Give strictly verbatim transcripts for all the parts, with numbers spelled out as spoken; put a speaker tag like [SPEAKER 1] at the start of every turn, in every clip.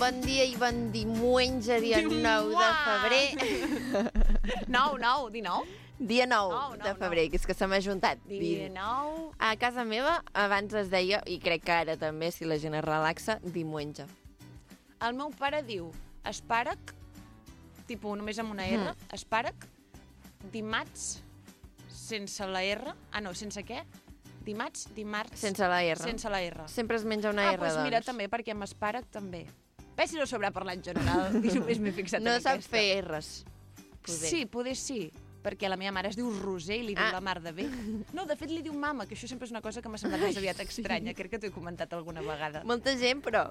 [SPEAKER 1] Bon dia i bon diumenge, dia nou de febrer.
[SPEAKER 2] nou, nou, dinou?
[SPEAKER 1] Dia nou
[SPEAKER 2] nou, nou
[SPEAKER 1] de febrer, que és que se m'ha juntat.
[SPEAKER 2] Dia nou...
[SPEAKER 1] A casa meva abans es deia, i crec que ara també, si la gent es relaxa, diumenge.
[SPEAKER 2] El meu pare diu espàrec, tipus només amb una R, mm. espàrec, dimarts, sense la R, ah no, sense què? Dimarts, dimarts...
[SPEAKER 1] Sense la R.
[SPEAKER 2] Sense la R.
[SPEAKER 1] Sempre es menja una
[SPEAKER 2] ah,
[SPEAKER 1] R,
[SPEAKER 2] doncs. Ah, doncs mira,
[SPEAKER 1] doncs.
[SPEAKER 2] també, perquè amb espàrec també. Ves si no sabrà parlar en general, i només m'he fixat
[SPEAKER 1] no
[SPEAKER 2] en
[SPEAKER 1] sap
[SPEAKER 2] aquesta.
[SPEAKER 1] fer R's, poder.
[SPEAKER 2] Sí, poder sí, perquè la meva mare es diu Roser i li diu
[SPEAKER 1] ah.
[SPEAKER 2] la mar de bé. No, de fet li diu mama, que això sempre és una cosa que m'ha semblat més aviat estranya, crec que t'ho he comentat alguna vegada.
[SPEAKER 1] Molta gent, però...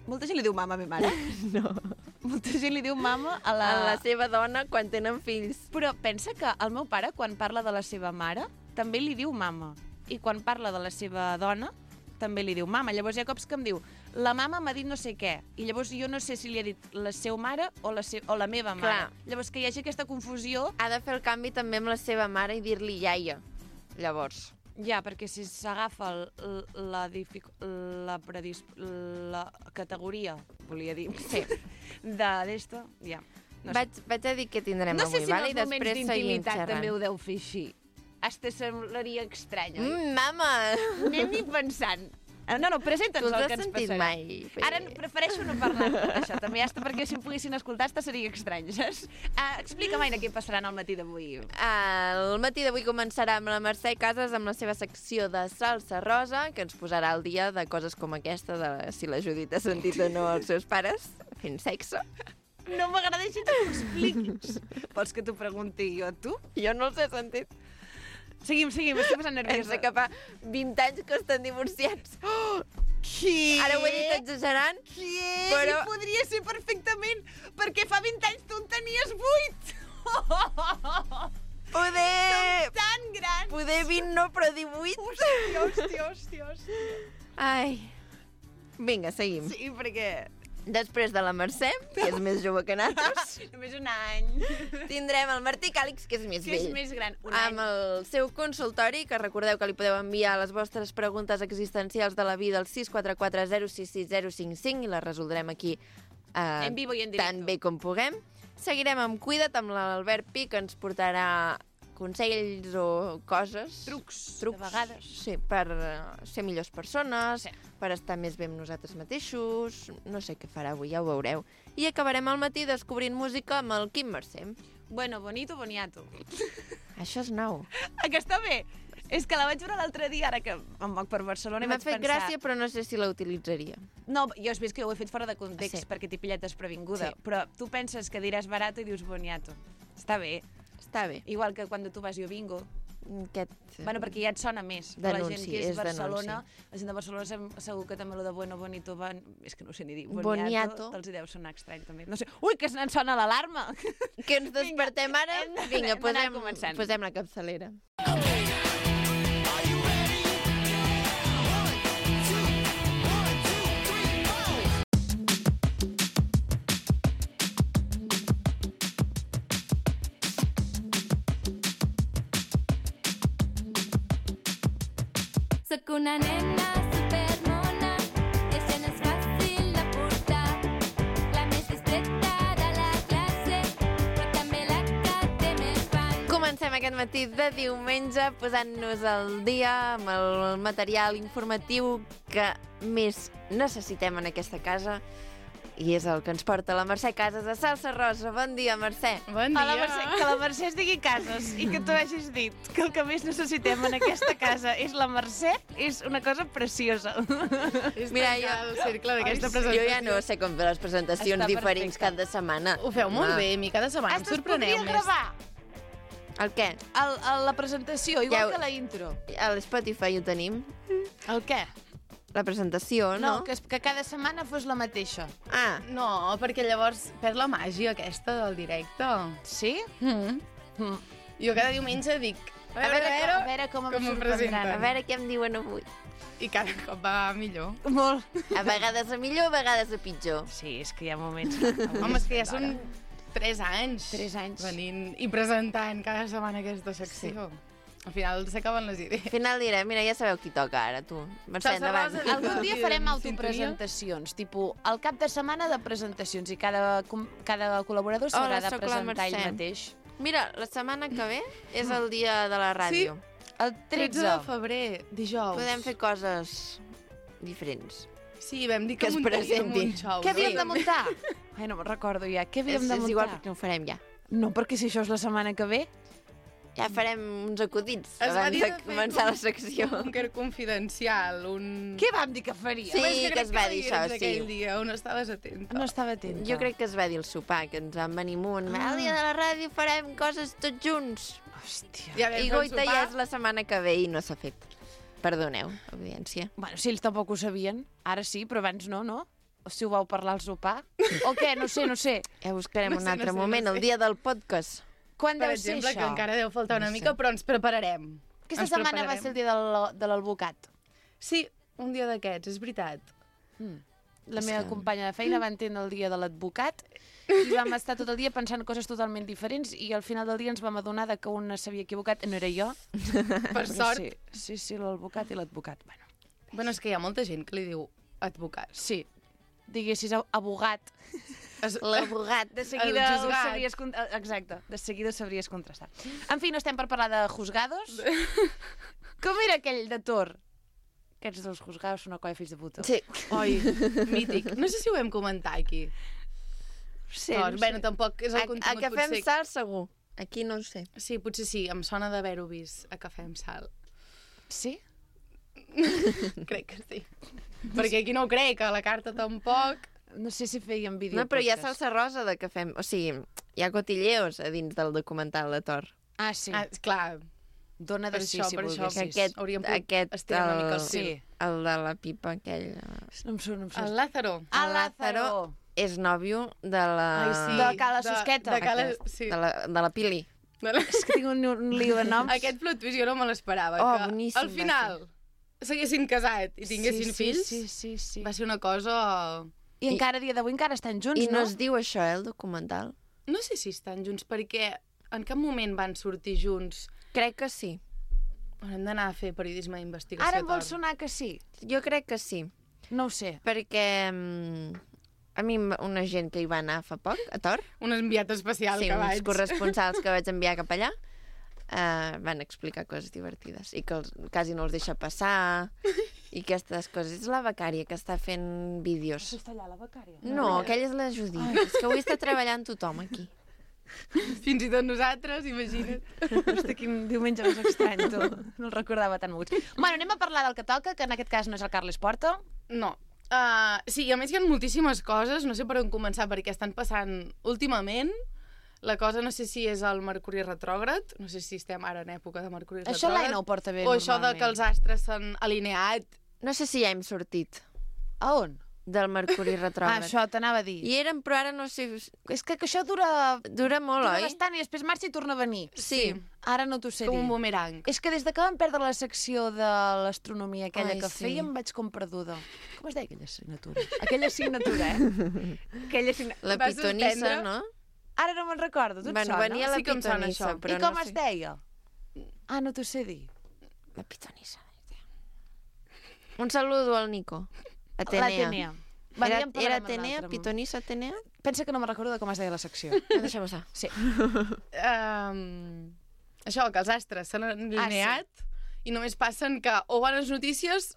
[SPEAKER 2] Molta gent li diu mama a meva mare.
[SPEAKER 1] No.
[SPEAKER 2] Molta gent li diu mama a la...
[SPEAKER 1] A la seva dona quan tenen fills.
[SPEAKER 2] Però pensa que el meu pare, quan parla de la seva mare, també li diu mama. I quan parla de la seva dona, també li diu mama. Llavors hi ha cops que em diu, la mama m'ha dit no sé què. I llavors jo no sé si li ha dit la seva mare o la, se o la meva mare.
[SPEAKER 1] Clar.
[SPEAKER 2] Llavors que hi hagi aquesta confusió...
[SPEAKER 1] Ha de fer el canvi també amb la seva mare i dir-li iaia. Llavors...
[SPEAKER 2] Ja, perquè si s'agafa la, la, predis la categoria, volia dir,
[SPEAKER 1] sí.
[SPEAKER 2] de d'esto, ja. No
[SPEAKER 1] vaig, vaig a dir què tindrem
[SPEAKER 2] no
[SPEAKER 1] avui,
[SPEAKER 2] sé si
[SPEAKER 1] vale?
[SPEAKER 2] No sé si en els moments d'intimitat també ho deu fer així. Hasta semblaria estrany, oi?
[SPEAKER 1] Mm, mama!
[SPEAKER 2] Anem-hi pensant. No, no, presenta'ns el que ens passarà.
[SPEAKER 1] Mai,
[SPEAKER 2] fer... Ara prefereixo no parlar d'això, també, hasta perquè si em poguessin escoltar, hasta seria estrany, saps? Uh, Explica'm, Aina, què passarà al matí d'avui.
[SPEAKER 1] Uh, el matí d'avui començarà amb la Mercè Casas, amb la seva secció de salsa rosa, que ens posarà al dia de coses com aquesta, de si la Judit ha sentit o no els seus pares fent sexe.
[SPEAKER 2] No m'agrada així que t'ho expliquis. Vols que t'ho pregunti jo a tu?
[SPEAKER 1] Jo no els he sentit.
[SPEAKER 2] Seguim, seguim, estic posant nerviosa.
[SPEAKER 1] Pensa que fa vint anys que estan divorciats.
[SPEAKER 2] Oh, què?
[SPEAKER 1] Ara ho he dit exagerant,
[SPEAKER 2] què?
[SPEAKER 1] però...
[SPEAKER 2] Sí, podria ser perfectament, perquè fa vint anys tu en tenies vuit.
[SPEAKER 1] Poder...
[SPEAKER 2] Som tan grans.
[SPEAKER 1] Poder vint no, però divuit.
[SPEAKER 2] Hòstia, hòstia, hòstia, hòstia.
[SPEAKER 1] Ai. Vinga, seguim.
[SPEAKER 2] Sí, perquè...
[SPEAKER 1] Després de la Mercè, que és més jove que nosaltres,
[SPEAKER 2] només un any,
[SPEAKER 1] tindrem el Martí Càlix, que és més
[SPEAKER 2] que
[SPEAKER 1] vell.
[SPEAKER 2] és més gran, un
[SPEAKER 1] amb
[SPEAKER 2] any.
[SPEAKER 1] El seu consultori, que recordeu que li podeu enviar les vostres preguntes existencials de la vida al sis quatre quatre zero sis sis zero cinc cinc i les resoldrem aquí eh,
[SPEAKER 2] en vivo i en directo.
[SPEAKER 1] Tan bé com puguem. Seguirem amb Cuida't, amb l'Albert Pi, que ens portarà consells o coses...
[SPEAKER 2] Trucs,
[SPEAKER 1] trucs
[SPEAKER 2] de vegades.
[SPEAKER 1] Sí, per uh, ser millors persones,
[SPEAKER 2] sí.
[SPEAKER 1] per estar més bé amb nosaltres mateixos... No sé què farà avui, ja ho veureu. I acabarem al matí descobrint música amb el Quim Mercè.
[SPEAKER 2] Bueno, bonito, boniato.
[SPEAKER 1] Això és nou.
[SPEAKER 2] Ah, que està bé. És que la vaig veure l'altre dia, ara que em moc per Barcelona, i vaig pensar...
[SPEAKER 1] M'ha fet gràcia, però no sé si la utilitzaria.
[SPEAKER 2] No, jo has vist que ho he fet fora de context, sí. perquè t'he pillat desprevinguda.
[SPEAKER 1] Sí.
[SPEAKER 2] Però tu penses que diràs barato i dius boniato. Està bé.
[SPEAKER 1] Està bé.
[SPEAKER 2] Igual que quan tu vas jo bingo.
[SPEAKER 1] Aquest...
[SPEAKER 2] Bueno, perquè ja et sona més.
[SPEAKER 1] Denunci,
[SPEAKER 2] la gent que és,
[SPEAKER 1] és
[SPEAKER 2] Barcelona,
[SPEAKER 1] denunci.
[SPEAKER 2] la gent de Barcelona segur que també lo de bueno, bonito, bon... és que no ho sé ni dir.
[SPEAKER 1] Boniato.
[SPEAKER 2] Boniato. Els hi deu sonar estrany, també. No sé. Ui, que ens sona l'alarma!
[SPEAKER 1] Que ens despertem ara? Vinga, posem, posem la capçalera.
[SPEAKER 3] Soc una nena supermona, i això no és fàcil de portar. La més discreta de la classe, però també la que té més fans.
[SPEAKER 1] Comencem aquest matí de diumenge posant-nos al dia amb el material informatiu que més necessitem en aquesta casa, i és el que ens porta la Mercè Casas a Salsa Rosa. Bon dia, Mercè.
[SPEAKER 4] Bon dia.
[SPEAKER 2] La Mercè, que la Mercè es digui Casas i que tu hagis dit que el que més necessitem en aquesta casa és la Mercè, és una cosa preciosa.
[SPEAKER 4] És
[SPEAKER 1] Mira,
[SPEAKER 4] tancar
[SPEAKER 1] jo-
[SPEAKER 4] el cercle d'aquesta
[SPEAKER 1] Jo
[SPEAKER 4] presentació.
[SPEAKER 1] ja no sé com fer les presentacions
[SPEAKER 2] Està
[SPEAKER 1] diferents
[SPEAKER 2] perfecte.
[SPEAKER 1] cada setmana.
[SPEAKER 4] Ho feu molt
[SPEAKER 1] Home.
[SPEAKER 4] bé, mi cada setmana em
[SPEAKER 2] Hasta es
[SPEAKER 4] sorpreneu
[SPEAKER 2] podria
[SPEAKER 4] més.
[SPEAKER 2] gravar
[SPEAKER 1] El què?
[SPEAKER 2] el, el, la presentació, igual
[SPEAKER 1] Ja ho-
[SPEAKER 2] que la intro.
[SPEAKER 1] A l'Spotify ho tenim.
[SPEAKER 2] El què?
[SPEAKER 1] La presentació, no?
[SPEAKER 2] No, que, es- que cada setmana fos la mateixa.
[SPEAKER 1] Ah,
[SPEAKER 4] No, perquè llavors perd la màgia aquesta del directe.
[SPEAKER 2] Sí?
[SPEAKER 4] Mm.
[SPEAKER 2] Mm.
[SPEAKER 4] Jo cada diumenge dic...
[SPEAKER 2] A veure, a veure, a veure com em
[SPEAKER 4] com ho
[SPEAKER 2] sorprendran.
[SPEAKER 4] presenten.
[SPEAKER 1] a veure què em diuen avui.
[SPEAKER 4] I cada cop va millor.
[SPEAKER 2] Molt.
[SPEAKER 1] A vegades a millor, a vegades a pitjor.
[SPEAKER 2] Sí, és que hi ha moments...
[SPEAKER 4] Home, és que ja són tres anys.
[SPEAKER 2] Tres anys.
[SPEAKER 4] Venint i presentant cada setmana aquesta secció. Al final s'acaben les idees.
[SPEAKER 1] Al final direm, mira, ja sabeu qui toca ara, tu. Mercè,
[SPEAKER 4] Saps,
[SPEAKER 1] endavant.
[SPEAKER 4] Rosa?
[SPEAKER 2] Algun dia
[SPEAKER 4] Aquí
[SPEAKER 2] farem
[SPEAKER 4] en
[SPEAKER 2] autopresentacions, tipus el cap de setmana de presentacions i cada, com- cada col·laborador s'haurà
[SPEAKER 1] Hola,
[SPEAKER 2] de
[SPEAKER 1] sóc la
[SPEAKER 2] presentar ell
[SPEAKER 1] Mercè.
[SPEAKER 2] mateix.
[SPEAKER 1] Mira, la setmana que ve és el dia de la ràdio.
[SPEAKER 2] El
[SPEAKER 4] tretze
[SPEAKER 2] tretze.
[SPEAKER 4] de febrer, dijous.
[SPEAKER 1] Podem fer coses diferents.
[SPEAKER 4] Sí, vam dir que,
[SPEAKER 1] Que es
[SPEAKER 4] muntaríem
[SPEAKER 1] presentin.
[SPEAKER 4] un xou.
[SPEAKER 2] Què havíem
[SPEAKER 4] sí.
[SPEAKER 2] de muntar? Ai, no me'n recordo ja. Què havíem
[SPEAKER 1] És,
[SPEAKER 2] de
[SPEAKER 1] és
[SPEAKER 2] muntar?
[SPEAKER 1] igual perquè no ho farem ja.
[SPEAKER 2] No, perquè si això és la setmana que ve...
[SPEAKER 1] Ja farem uns acudits
[SPEAKER 4] Es va
[SPEAKER 1] abans
[SPEAKER 4] dir
[SPEAKER 1] de
[SPEAKER 4] de fer
[SPEAKER 1] començar
[SPEAKER 4] com-
[SPEAKER 1] la secció.
[SPEAKER 4] Un búnquer confidencial, un...
[SPEAKER 2] Què vam dir que faria?
[SPEAKER 1] Sí,
[SPEAKER 4] Però és
[SPEAKER 1] que
[SPEAKER 4] crec
[SPEAKER 1] es va
[SPEAKER 4] no
[SPEAKER 1] dir
[SPEAKER 4] hi
[SPEAKER 1] això,
[SPEAKER 4] eres
[SPEAKER 1] sí.
[SPEAKER 4] aquell dia, on estaves atenta.
[SPEAKER 2] No estava atenta.
[SPEAKER 1] Jo crec que es va dir el sopar, que ens vam venir amunt.
[SPEAKER 2] Ah.
[SPEAKER 1] El dia de la ràdio farem coses tots junts.
[SPEAKER 2] Hòstia.
[SPEAKER 4] Ja vam
[SPEAKER 1] I
[SPEAKER 4] fer el
[SPEAKER 1] Goita ja
[SPEAKER 4] sopar.
[SPEAKER 1] és la setmana que ve i no s'ha fet. Perdoneu, audiència.
[SPEAKER 2] Bueno, si ells tampoc ho sabien. Ara sí, però abans no, no? O si ho vau parlar al sopar? O què? No sé, no sé.
[SPEAKER 1] Ja buscarem
[SPEAKER 4] No
[SPEAKER 1] un
[SPEAKER 4] sé, no
[SPEAKER 1] altre
[SPEAKER 4] sé, no
[SPEAKER 1] moment,
[SPEAKER 4] sé.
[SPEAKER 1] el dia del podcast.
[SPEAKER 2] Quan
[SPEAKER 4] Per
[SPEAKER 2] deu ser
[SPEAKER 4] exemple,
[SPEAKER 2] això?
[SPEAKER 4] que encara deu faltar una
[SPEAKER 1] No sé.
[SPEAKER 4] mica, però ens prepararem.
[SPEAKER 2] Aquesta
[SPEAKER 4] Ens
[SPEAKER 2] setmana va
[SPEAKER 4] prepararem.
[SPEAKER 2] ser el dia del, de l'advocat.
[SPEAKER 4] Sí, un dia d'aquests, és veritat.
[SPEAKER 2] La
[SPEAKER 1] És
[SPEAKER 2] meva
[SPEAKER 1] que-
[SPEAKER 2] companya de feina va entendre el dia de l'advocat i vam estar tot el dia pensant coses totalment diferents i al final del dia ens vam adonar de que un s'havia equivocat, no era jo.
[SPEAKER 4] Per
[SPEAKER 2] però
[SPEAKER 4] sort.
[SPEAKER 2] Sí, sí, sí l'advocat i l'advocat. Bueno,
[SPEAKER 4] Bueno, és que hi ha molta gent que li diu advocat.
[SPEAKER 2] sí, diguessis a- abogat.
[SPEAKER 4] Es...
[SPEAKER 1] L'advocat.
[SPEAKER 2] De seguida
[SPEAKER 4] El
[SPEAKER 2] ho
[SPEAKER 4] juzgat.
[SPEAKER 2] sabries... con- eh, Exacte, de seguida ho sabries contrastar. En fi, no estem per parlar de juzgados. Com era aquell de Tor? Aquests dos juzgados són una colla de fills de puta.
[SPEAKER 1] Sí.
[SPEAKER 4] Oi, mític. No sé si ho vam comentar aquí.
[SPEAKER 2] Sí,
[SPEAKER 4] doncs, bueno, tampoc és
[SPEAKER 1] A,
[SPEAKER 4] el
[SPEAKER 1] a
[SPEAKER 4] contingut,
[SPEAKER 1] que fem
[SPEAKER 4] potser...
[SPEAKER 1] sal, segur. Aquí no ho sé.
[SPEAKER 4] Sí, potser sí, em sona d'haver-ho vist a Cafè amb Sal.
[SPEAKER 2] Sí?
[SPEAKER 4] Crec que sí. Perquè aquí no ho crec, a la carta tampoc.
[SPEAKER 2] No sé si feien vídeo.
[SPEAKER 1] No, però hi ha
[SPEAKER 2] podcast.
[SPEAKER 1] salsa rosa de que fem... O sigui, hi ha cotilleos a dins del documental de Thor.
[SPEAKER 2] Ah, sí.
[SPEAKER 4] Ah, clar,
[SPEAKER 2] Dona de
[SPEAKER 4] per
[SPEAKER 2] sí,
[SPEAKER 4] això,
[SPEAKER 2] si
[SPEAKER 4] per això.
[SPEAKER 2] volguessis.
[SPEAKER 1] Que aquest,
[SPEAKER 4] hauríem pogut
[SPEAKER 1] aquest
[SPEAKER 4] estirar una mica el
[SPEAKER 2] Sí.
[SPEAKER 4] fil.
[SPEAKER 1] el de la pipa aquell... eh,
[SPEAKER 2] No em surt, no em surt.
[SPEAKER 4] el Lázaro.
[SPEAKER 2] Ah,
[SPEAKER 1] el
[SPEAKER 2] Lázaro.
[SPEAKER 1] Lázaro. És nòvio de la...
[SPEAKER 4] Ai, sí.
[SPEAKER 2] De Cala Susqueta.
[SPEAKER 4] De, de Cala...
[SPEAKER 1] Aquest,
[SPEAKER 4] Sí.
[SPEAKER 1] de, la, de la Pili.
[SPEAKER 4] De la...
[SPEAKER 2] És que tinc un, un lío de noms.
[SPEAKER 4] Aquest plot twist jo no me l'esperava.
[SPEAKER 1] Oh,
[SPEAKER 4] que
[SPEAKER 1] boníssim
[SPEAKER 4] al
[SPEAKER 1] va
[SPEAKER 4] final s'haguessin casat i tinguessin
[SPEAKER 2] sí,
[SPEAKER 4] fills.
[SPEAKER 2] Sí, sí, sí.
[SPEAKER 4] Va ser una cosa...
[SPEAKER 2] I encara a dia d'avui encara estan junts,
[SPEAKER 1] I no
[SPEAKER 2] no?
[SPEAKER 1] es diu això, eh, el documental?
[SPEAKER 4] No sé si estan junts, perquè en cap moment van sortir junts.
[SPEAKER 1] Crec que sí.
[SPEAKER 4] Hem d'anar a fer periodisme d'investigació.
[SPEAKER 2] Ara em vol
[SPEAKER 4] Tor.
[SPEAKER 2] sonar que sí.
[SPEAKER 1] Jo crec que sí.
[SPEAKER 2] No ho sé.
[SPEAKER 1] Perquè mm, a mi m- una gent que hi va anar fa poc, a Tor,
[SPEAKER 4] Un enviat especial
[SPEAKER 1] sí,
[SPEAKER 4] que
[SPEAKER 1] uns
[SPEAKER 4] vaig.
[SPEAKER 1] corresponsals que vaig enviar cap allà, uh, van explicar coses divertides i que els, quasi no els deixa passar i aquestes coses. És la becària que està fent vídeos.
[SPEAKER 2] Està allà la becària?
[SPEAKER 1] No, aquella és la Judit. És que avui està treballant tothom aquí.
[SPEAKER 4] Fins i tot nosaltres, imagina't.
[SPEAKER 2] Hosti, quin diumenge més estrany, tu. No el recordava tan muig. Bueno, anem a parlar del que toca, que en aquest cas no és el Carles Porta.
[SPEAKER 4] No. Uh, sí, i a més hi ha moltíssimes coses, no sé per on començar, perquè estan passant últimament. La cosa no sé si és el Mercuri retrògrad, no sé si estem ara en època de Mercuri retrògrad.
[SPEAKER 2] Això l'Aina ho porta bé,
[SPEAKER 4] O això de que els astres s'han alineat.
[SPEAKER 1] No sé si ja hem sortit
[SPEAKER 2] A on?
[SPEAKER 1] del Mercuri
[SPEAKER 2] Ah,
[SPEAKER 1] retrògrad.
[SPEAKER 2] això t'anava a dir.
[SPEAKER 1] I érem, però ara no sé...
[SPEAKER 2] És que, que això dura,
[SPEAKER 1] Dura molt,
[SPEAKER 2] dura
[SPEAKER 1] oi?
[SPEAKER 2] bastant i després marxa i torna a venir.
[SPEAKER 1] Sí.
[SPEAKER 2] Ara no t'ho sé
[SPEAKER 4] Com
[SPEAKER 2] dir.
[SPEAKER 4] un bumerang.
[SPEAKER 2] És que des de que vam perdre la secció de l'astronomia aquella
[SPEAKER 1] Ai,
[SPEAKER 2] que
[SPEAKER 1] sí.
[SPEAKER 2] fèiem vaig com perduda. Com es deia aquella assignatura? Aquella assignatura, eh? aquella assignatura.
[SPEAKER 1] La
[SPEAKER 4] Va
[SPEAKER 1] pitonissa,
[SPEAKER 4] suspendre?
[SPEAKER 1] no?
[SPEAKER 2] Ara no me'n recordo, tu et
[SPEAKER 1] Bueno,
[SPEAKER 2] sona?
[SPEAKER 1] venia la
[SPEAKER 4] Sí que em sona
[SPEAKER 1] pitonissa,
[SPEAKER 4] això.
[SPEAKER 1] però
[SPEAKER 2] I com
[SPEAKER 1] no
[SPEAKER 2] es
[SPEAKER 1] sé.
[SPEAKER 2] deia? Ah, no t'ho sé dir.
[SPEAKER 1] La pitonissa. Un saludo al Nico. Atenea.
[SPEAKER 2] L'Atenea. Va,
[SPEAKER 1] Era,
[SPEAKER 2] ja en parlarem
[SPEAKER 1] era
[SPEAKER 2] en
[SPEAKER 1] Atenea,
[SPEAKER 2] l'altre.
[SPEAKER 1] pitonissa Atenea?
[SPEAKER 2] Pensa que no me'n recordo de com es deia la secció.
[SPEAKER 1] No, deixem estar.
[SPEAKER 2] Sí.
[SPEAKER 4] Um, això, que els astres s'han alineat ah, sí. i només passen que o bones notícies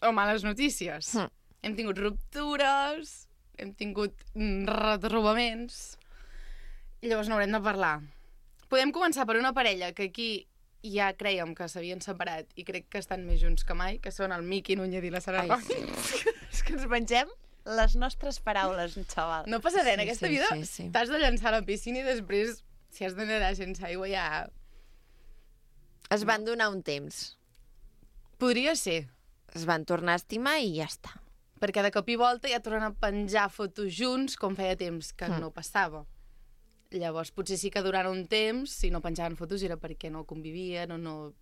[SPEAKER 4] o males notícies.
[SPEAKER 1] Hm.
[SPEAKER 4] Hem tingut ruptures, hem tingut mm, retrobaments, i llavors n'haurem de parlar. Podem començar per una parella que aquí ja creiem que s'havien separat i crec que estan més junts que mai, que són el Miqui Núñez i la Sara
[SPEAKER 1] Ai,
[SPEAKER 4] Roca.
[SPEAKER 1] sí.
[SPEAKER 2] És que ens mengem les nostres paraules, xaval.
[SPEAKER 4] No passa res, en
[SPEAKER 1] Sí,
[SPEAKER 4] aquesta
[SPEAKER 1] sí,
[SPEAKER 4] vida
[SPEAKER 1] sí, sí.
[SPEAKER 4] t'has de llançar a la piscina i després, si has de nedar sense aigua, ja...
[SPEAKER 1] Es van donar un temps.
[SPEAKER 4] Podria ser,
[SPEAKER 1] Es van tornar a estimar i ja està.
[SPEAKER 4] perquè de cop i volta ja tornen a penjar fotos junts, com feia temps que
[SPEAKER 1] Mm.
[SPEAKER 4] no passava. Llavors, potser sí que durant un temps, si no penjaven fotos, era perquè no convivien o no...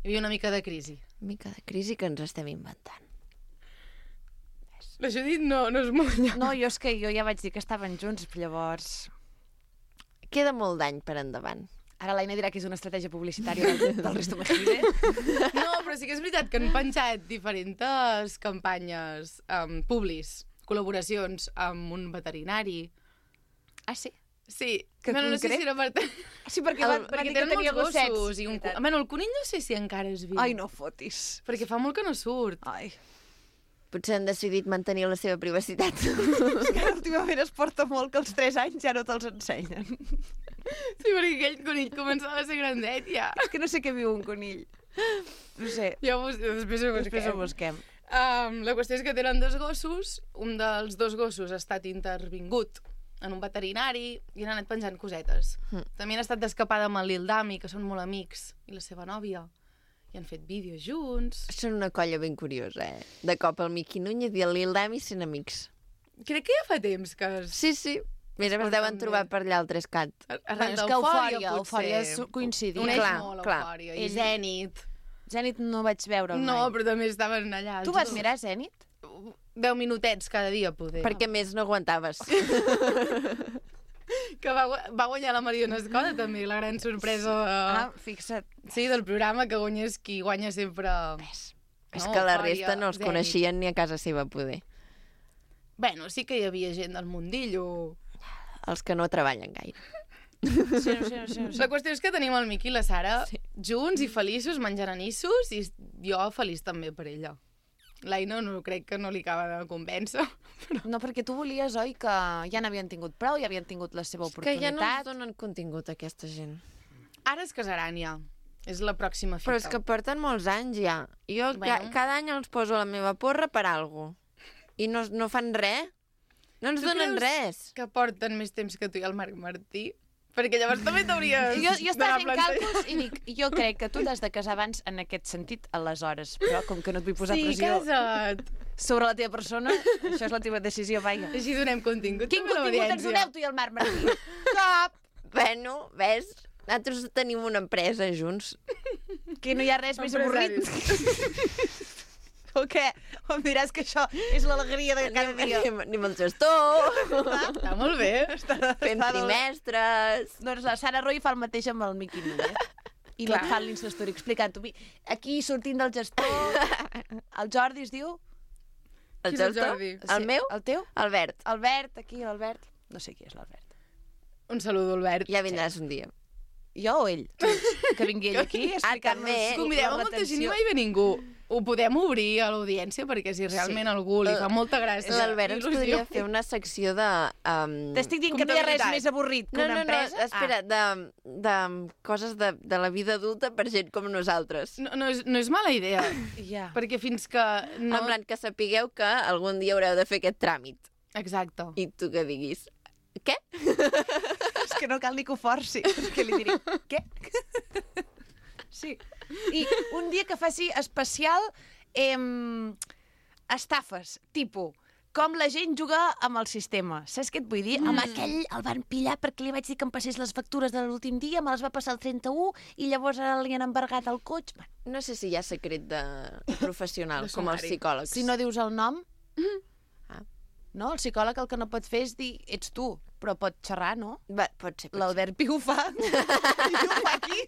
[SPEAKER 4] Hi havia una mica de crisi.
[SPEAKER 1] Una mica de crisi que ens estem inventant.
[SPEAKER 4] La Judit no, no és molt llarg.
[SPEAKER 2] No, jo és que jo ja vaig dir que estaven junts, llavors...
[SPEAKER 1] Queda molt d'any per endavant.
[SPEAKER 2] Ara l'Aina dirà que és una estratègia publicitària del, del Risto Mejide.
[SPEAKER 4] No, però sí que és veritat que han penjat diferents campanyes um, publis, col·laboracions amb un veterinari.
[SPEAKER 2] Ah, sí?
[SPEAKER 4] Sí,
[SPEAKER 2] Que
[SPEAKER 4] bueno, no sé
[SPEAKER 2] concret?
[SPEAKER 4] si era per...
[SPEAKER 2] Sí, perquè
[SPEAKER 4] El,
[SPEAKER 2] van, van
[SPEAKER 4] perquè
[SPEAKER 2] dir que
[SPEAKER 4] tenen
[SPEAKER 2] tenia
[SPEAKER 4] molts
[SPEAKER 2] gossets.
[SPEAKER 4] gossos. I un... cu- Bueno, el conill no sé si encara és viu.
[SPEAKER 2] Ai, no fotis.
[SPEAKER 4] Perquè fa molt que no surt.
[SPEAKER 2] Ai.
[SPEAKER 1] Potser han decidit mantenir la seva privacitat.
[SPEAKER 2] És que últimament es porta molt que als tres anys ja no te'ls ensenyen.
[SPEAKER 4] Sí, perquè aquell conill començava a ser grandet, ja.
[SPEAKER 2] És que no sé què viu un conill. No sé,
[SPEAKER 4] Ja ho, després ho
[SPEAKER 2] després ho
[SPEAKER 4] busquem.
[SPEAKER 2] busquem.
[SPEAKER 4] Um, la qüestió és que tenen dos gossos, un dels dos gossos ha estat intervingut en un veterinari i han anat penjant cosetes.
[SPEAKER 1] Mm.
[SPEAKER 4] També han estat d'escapada amb el Lil Dami, que són molt amics, i la seva nòvia. I han fet vídeos junts.
[SPEAKER 1] Són una colla ben curiosa, eh? De cop el Miqui Núñez i el Lil Dami sent amics.
[SPEAKER 4] Crec que ja fa temps que es...
[SPEAKER 1] Sí, sí. Mira, es
[SPEAKER 4] porten
[SPEAKER 1] deuen trobar
[SPEAKER 4] bé.
[SPEAKER 1] per allà al Trescat.
[SPEAKER 4] Arran
[SPEAKER 2] és que
[SPEAKER 4] d'Eufòria,
[SPEAKER 2] Eufòria, Eufòria és
[SPEAKER 4] potser.
[SPEAKER 2] coincidir.
[SPEAKER 4] Uneix
[SPEAKER 1] Clar,
[SPEAKER 4] molt
[SPEAKER 1] clar.
[SPEAKER 4] Eufòria. I
[SPEAKER 2] Ell-
[SPEAKER 4] Zenit.
[SPEAKER 2] Zenit no vaig veure
[SPEAKER 4] No,
[SPEAKER 2] mai.
[SPEAKER 4] però també estaven allà.
[SPEAKER 2] Tu
[SPEAKER 4] els
[SPEAKER 2] vas
[SPEAKER 4] dos.
[SPEAKER 2] mirar Zenit?
[SPEAKER 4] Deu minutets cada dia, poder.
[SPEAKER 1] Perquè més no aguantaves.
[SPEAKER 4] Que va, gu- va guanyar la Mariona Escoda, també, la gran sorpresa de...
[SPEAKER 2] Ah, fixa't.
[SPEAKER 4] Sí, del programa, que guanyés qui guanya sempre...
[SPEAKER 1] És
[SPEAKER 4] No,
[SPEAKER 1] que la
[SPEAKER 4] Eufòria,
[SPEAKER 1] resta no els
[SPEAKER 4] Zenit.
[SPEAKER 1] coneixien ni a casa seva, poder.
[SPEAKER 4] Bueno, sí que hi havia gent del mundillo.
[SPEAKER 1] Els que no treballen gaire.
[SPEAKER 2] Sí, no sé, no sé, no sé.
[SPEAKER 4] La qüestió és que tenim el Miqui i la Sara
[SPEAKER 1] Sí.
[SPEAKER 4] junts i feliços, menjant anissos, i jo feliç també per ella. L'Aina no crec que no li acaba de convèncer.
[SPEAKER 2] No, perquè tu volies, oi, que ja n'havien tingut prou, ja havien tingut la seva
[SPEAKER 1] És que ja no ens
[SPEAKER 2] oportunitat.
[SPEAKER 1] donen contingut aquesta gent.
[SPEAKER 4] Ara es casaran ja. És la pròxima fita.
[SPEAKER 1] Però és que porten molts anys ja. Jo
[SPEAKER 4] Bueno.
[SPEAKER 1] ca cada any els poso a la meva porra per algo. I no, no fan res. No ens
[SPEAKER 4] Tu
[SPEAKER 1] donen
[SPEAKER 4] creus
[SPEAKER 1] res.
[SPEAKER 4] que porten més temps que tu i el Marc Martí? Perquè llavors també t'hauries
[SPEAKER 2] Jo, jo estava fent
[SPEAKER 4] d'anar plantejant.
[SPEAKER 2] càlculs i dic, jo crec que tu t'has de casar abans en aquest sentit, aleshores. Però com que no et vull posar
[SPEAKER 4] Sí,
[SPEAKER 2] pressió
[SPEAKER 4] casa't.
[SPEAKER 2] sobre la teva persona, això és la teva decisió, vaja.
[SPEAKER 4] Així donem contingut.
[SPEAKER 2] Quin
[SPEAKER 4] també a
[SPEAKER 2] contingut ens
[SPEAKER 4] l'audiència.
[SPEAKER 2] doneu tu i el Marc Martí? Cap!
[SPEAKER 1] Bueno, ves? Nosaltres tenim una empresa junts.
[SPEAKER 2] Que no hi ha res més avorrit.
[SPEAKER 4] Empresaris.
[SPEAKER 2] O què? O em diràs que això és l'alegria de cada dia.
[SPEAKER 1] Anem, anem al gestor,
[SPEAKER 4] Està molt bé.
[SPEAKER 1] fem trimestres...
[SPEAKER 2] Doncs la Sara Roy fa el mateix amb el Miqui Núñez. I no et fan l'Instastory explicant-ho. Aquí sortint del gestor, el Jordi es diu...
[SPEAKER 1] El
[SPEAKER 4] Qui és el
[SPEAKER 1] gestor?
[SPEAKER 4] Jordi?
[SPEAKER 1] El
[SPEAKER 2] Sí,
[SPEAKER 1] meu?
[SPEAKER 2] El teu?
[SPEAKER 1] Albert.
[SPEAKER 2] Albert, aquí, l'Albert. No sé qui és l'Albert.
[SPEAKER 4] Un saludo, Albert.
[SPEAKER 1] Ja vindràs un dia.
[SPEAKER 2] Jo o ell? Que vingui ell aquí a explicar-nos
[SPEAKER 1] també.
[SPEAKER 4] Convidem a
[SPEAKER 2] la
[SPEAKER 4] molta gent i
[SPEAKER 2] retenció.
[SPEAKER 4] mai ve ningú. Ho podem obrir a l'audiència perquè si realment
[SPEAKER 1] Sí.
[SPEAKER 4] algú li fa molta gràcia.
[SPEAKER 1] L'Albert ens
[SPEAKER 4] il·lusió.
[SPEAKER 1] podria fer una secció de... Um...
[SPEAKER 2] T'estic dient que no hi ha res
[SPEAKER 4] Comptabilitat.
[SPEAKER 2] més avorrit que
[SPEAKER 1] No,
[SPEAKER 2] una
[SPEAKER 1] no, no,
[SPEAKER 2] empresa.
[SPEAKER 1] espera, de, de coses de, de la vida adulta per gent com nosaltres.
[SPEAKER 4] No, no, és, no és mala idea,
[SPEAKER 2] Ah, ja.
[SPEAKER 4] perquè fins que no...
[SPEAKER 1] No. En plan, que sapigueu que algun dia haureu de fer aquest tràmit.
[SPEAKER 4] Exacte.
[SPEAKER 1] I tu que diguis, què?
[SPEAKER 2] És que no cal ni que ho forci, perquè li diré, què? Sí. I un dia que faci especial em, estafes, tipus, com la gent juga amb el sistema. Saps què et vull dir? Mm. Amb aquell el van pillar perquè li vaig dir que em passés les factures de l'últim dia, me les va passar el trenta-u i llavors ara li han embargat el cotxe. Bueno,
[SPEAKER 1] No sé si hi ha secret de professional,
[SPEAKER 4] De
[SPEAKER 1] com els
[SPEAKER 4] sumari.
[SPEAKER 1] psicòlegs.
[SPEAKER 2] si no dius el nom...
[SPEAKER 1] Ah.
[SPEAKER 2] No, el psicòleg el que no pot fer és dir ets tu, però pot xerrar, no?
[SPEAKER 1] Va, pot ser, pot ser.
[SPEAKER 2] L'Albert Pi ho fa. I ho fa aquí.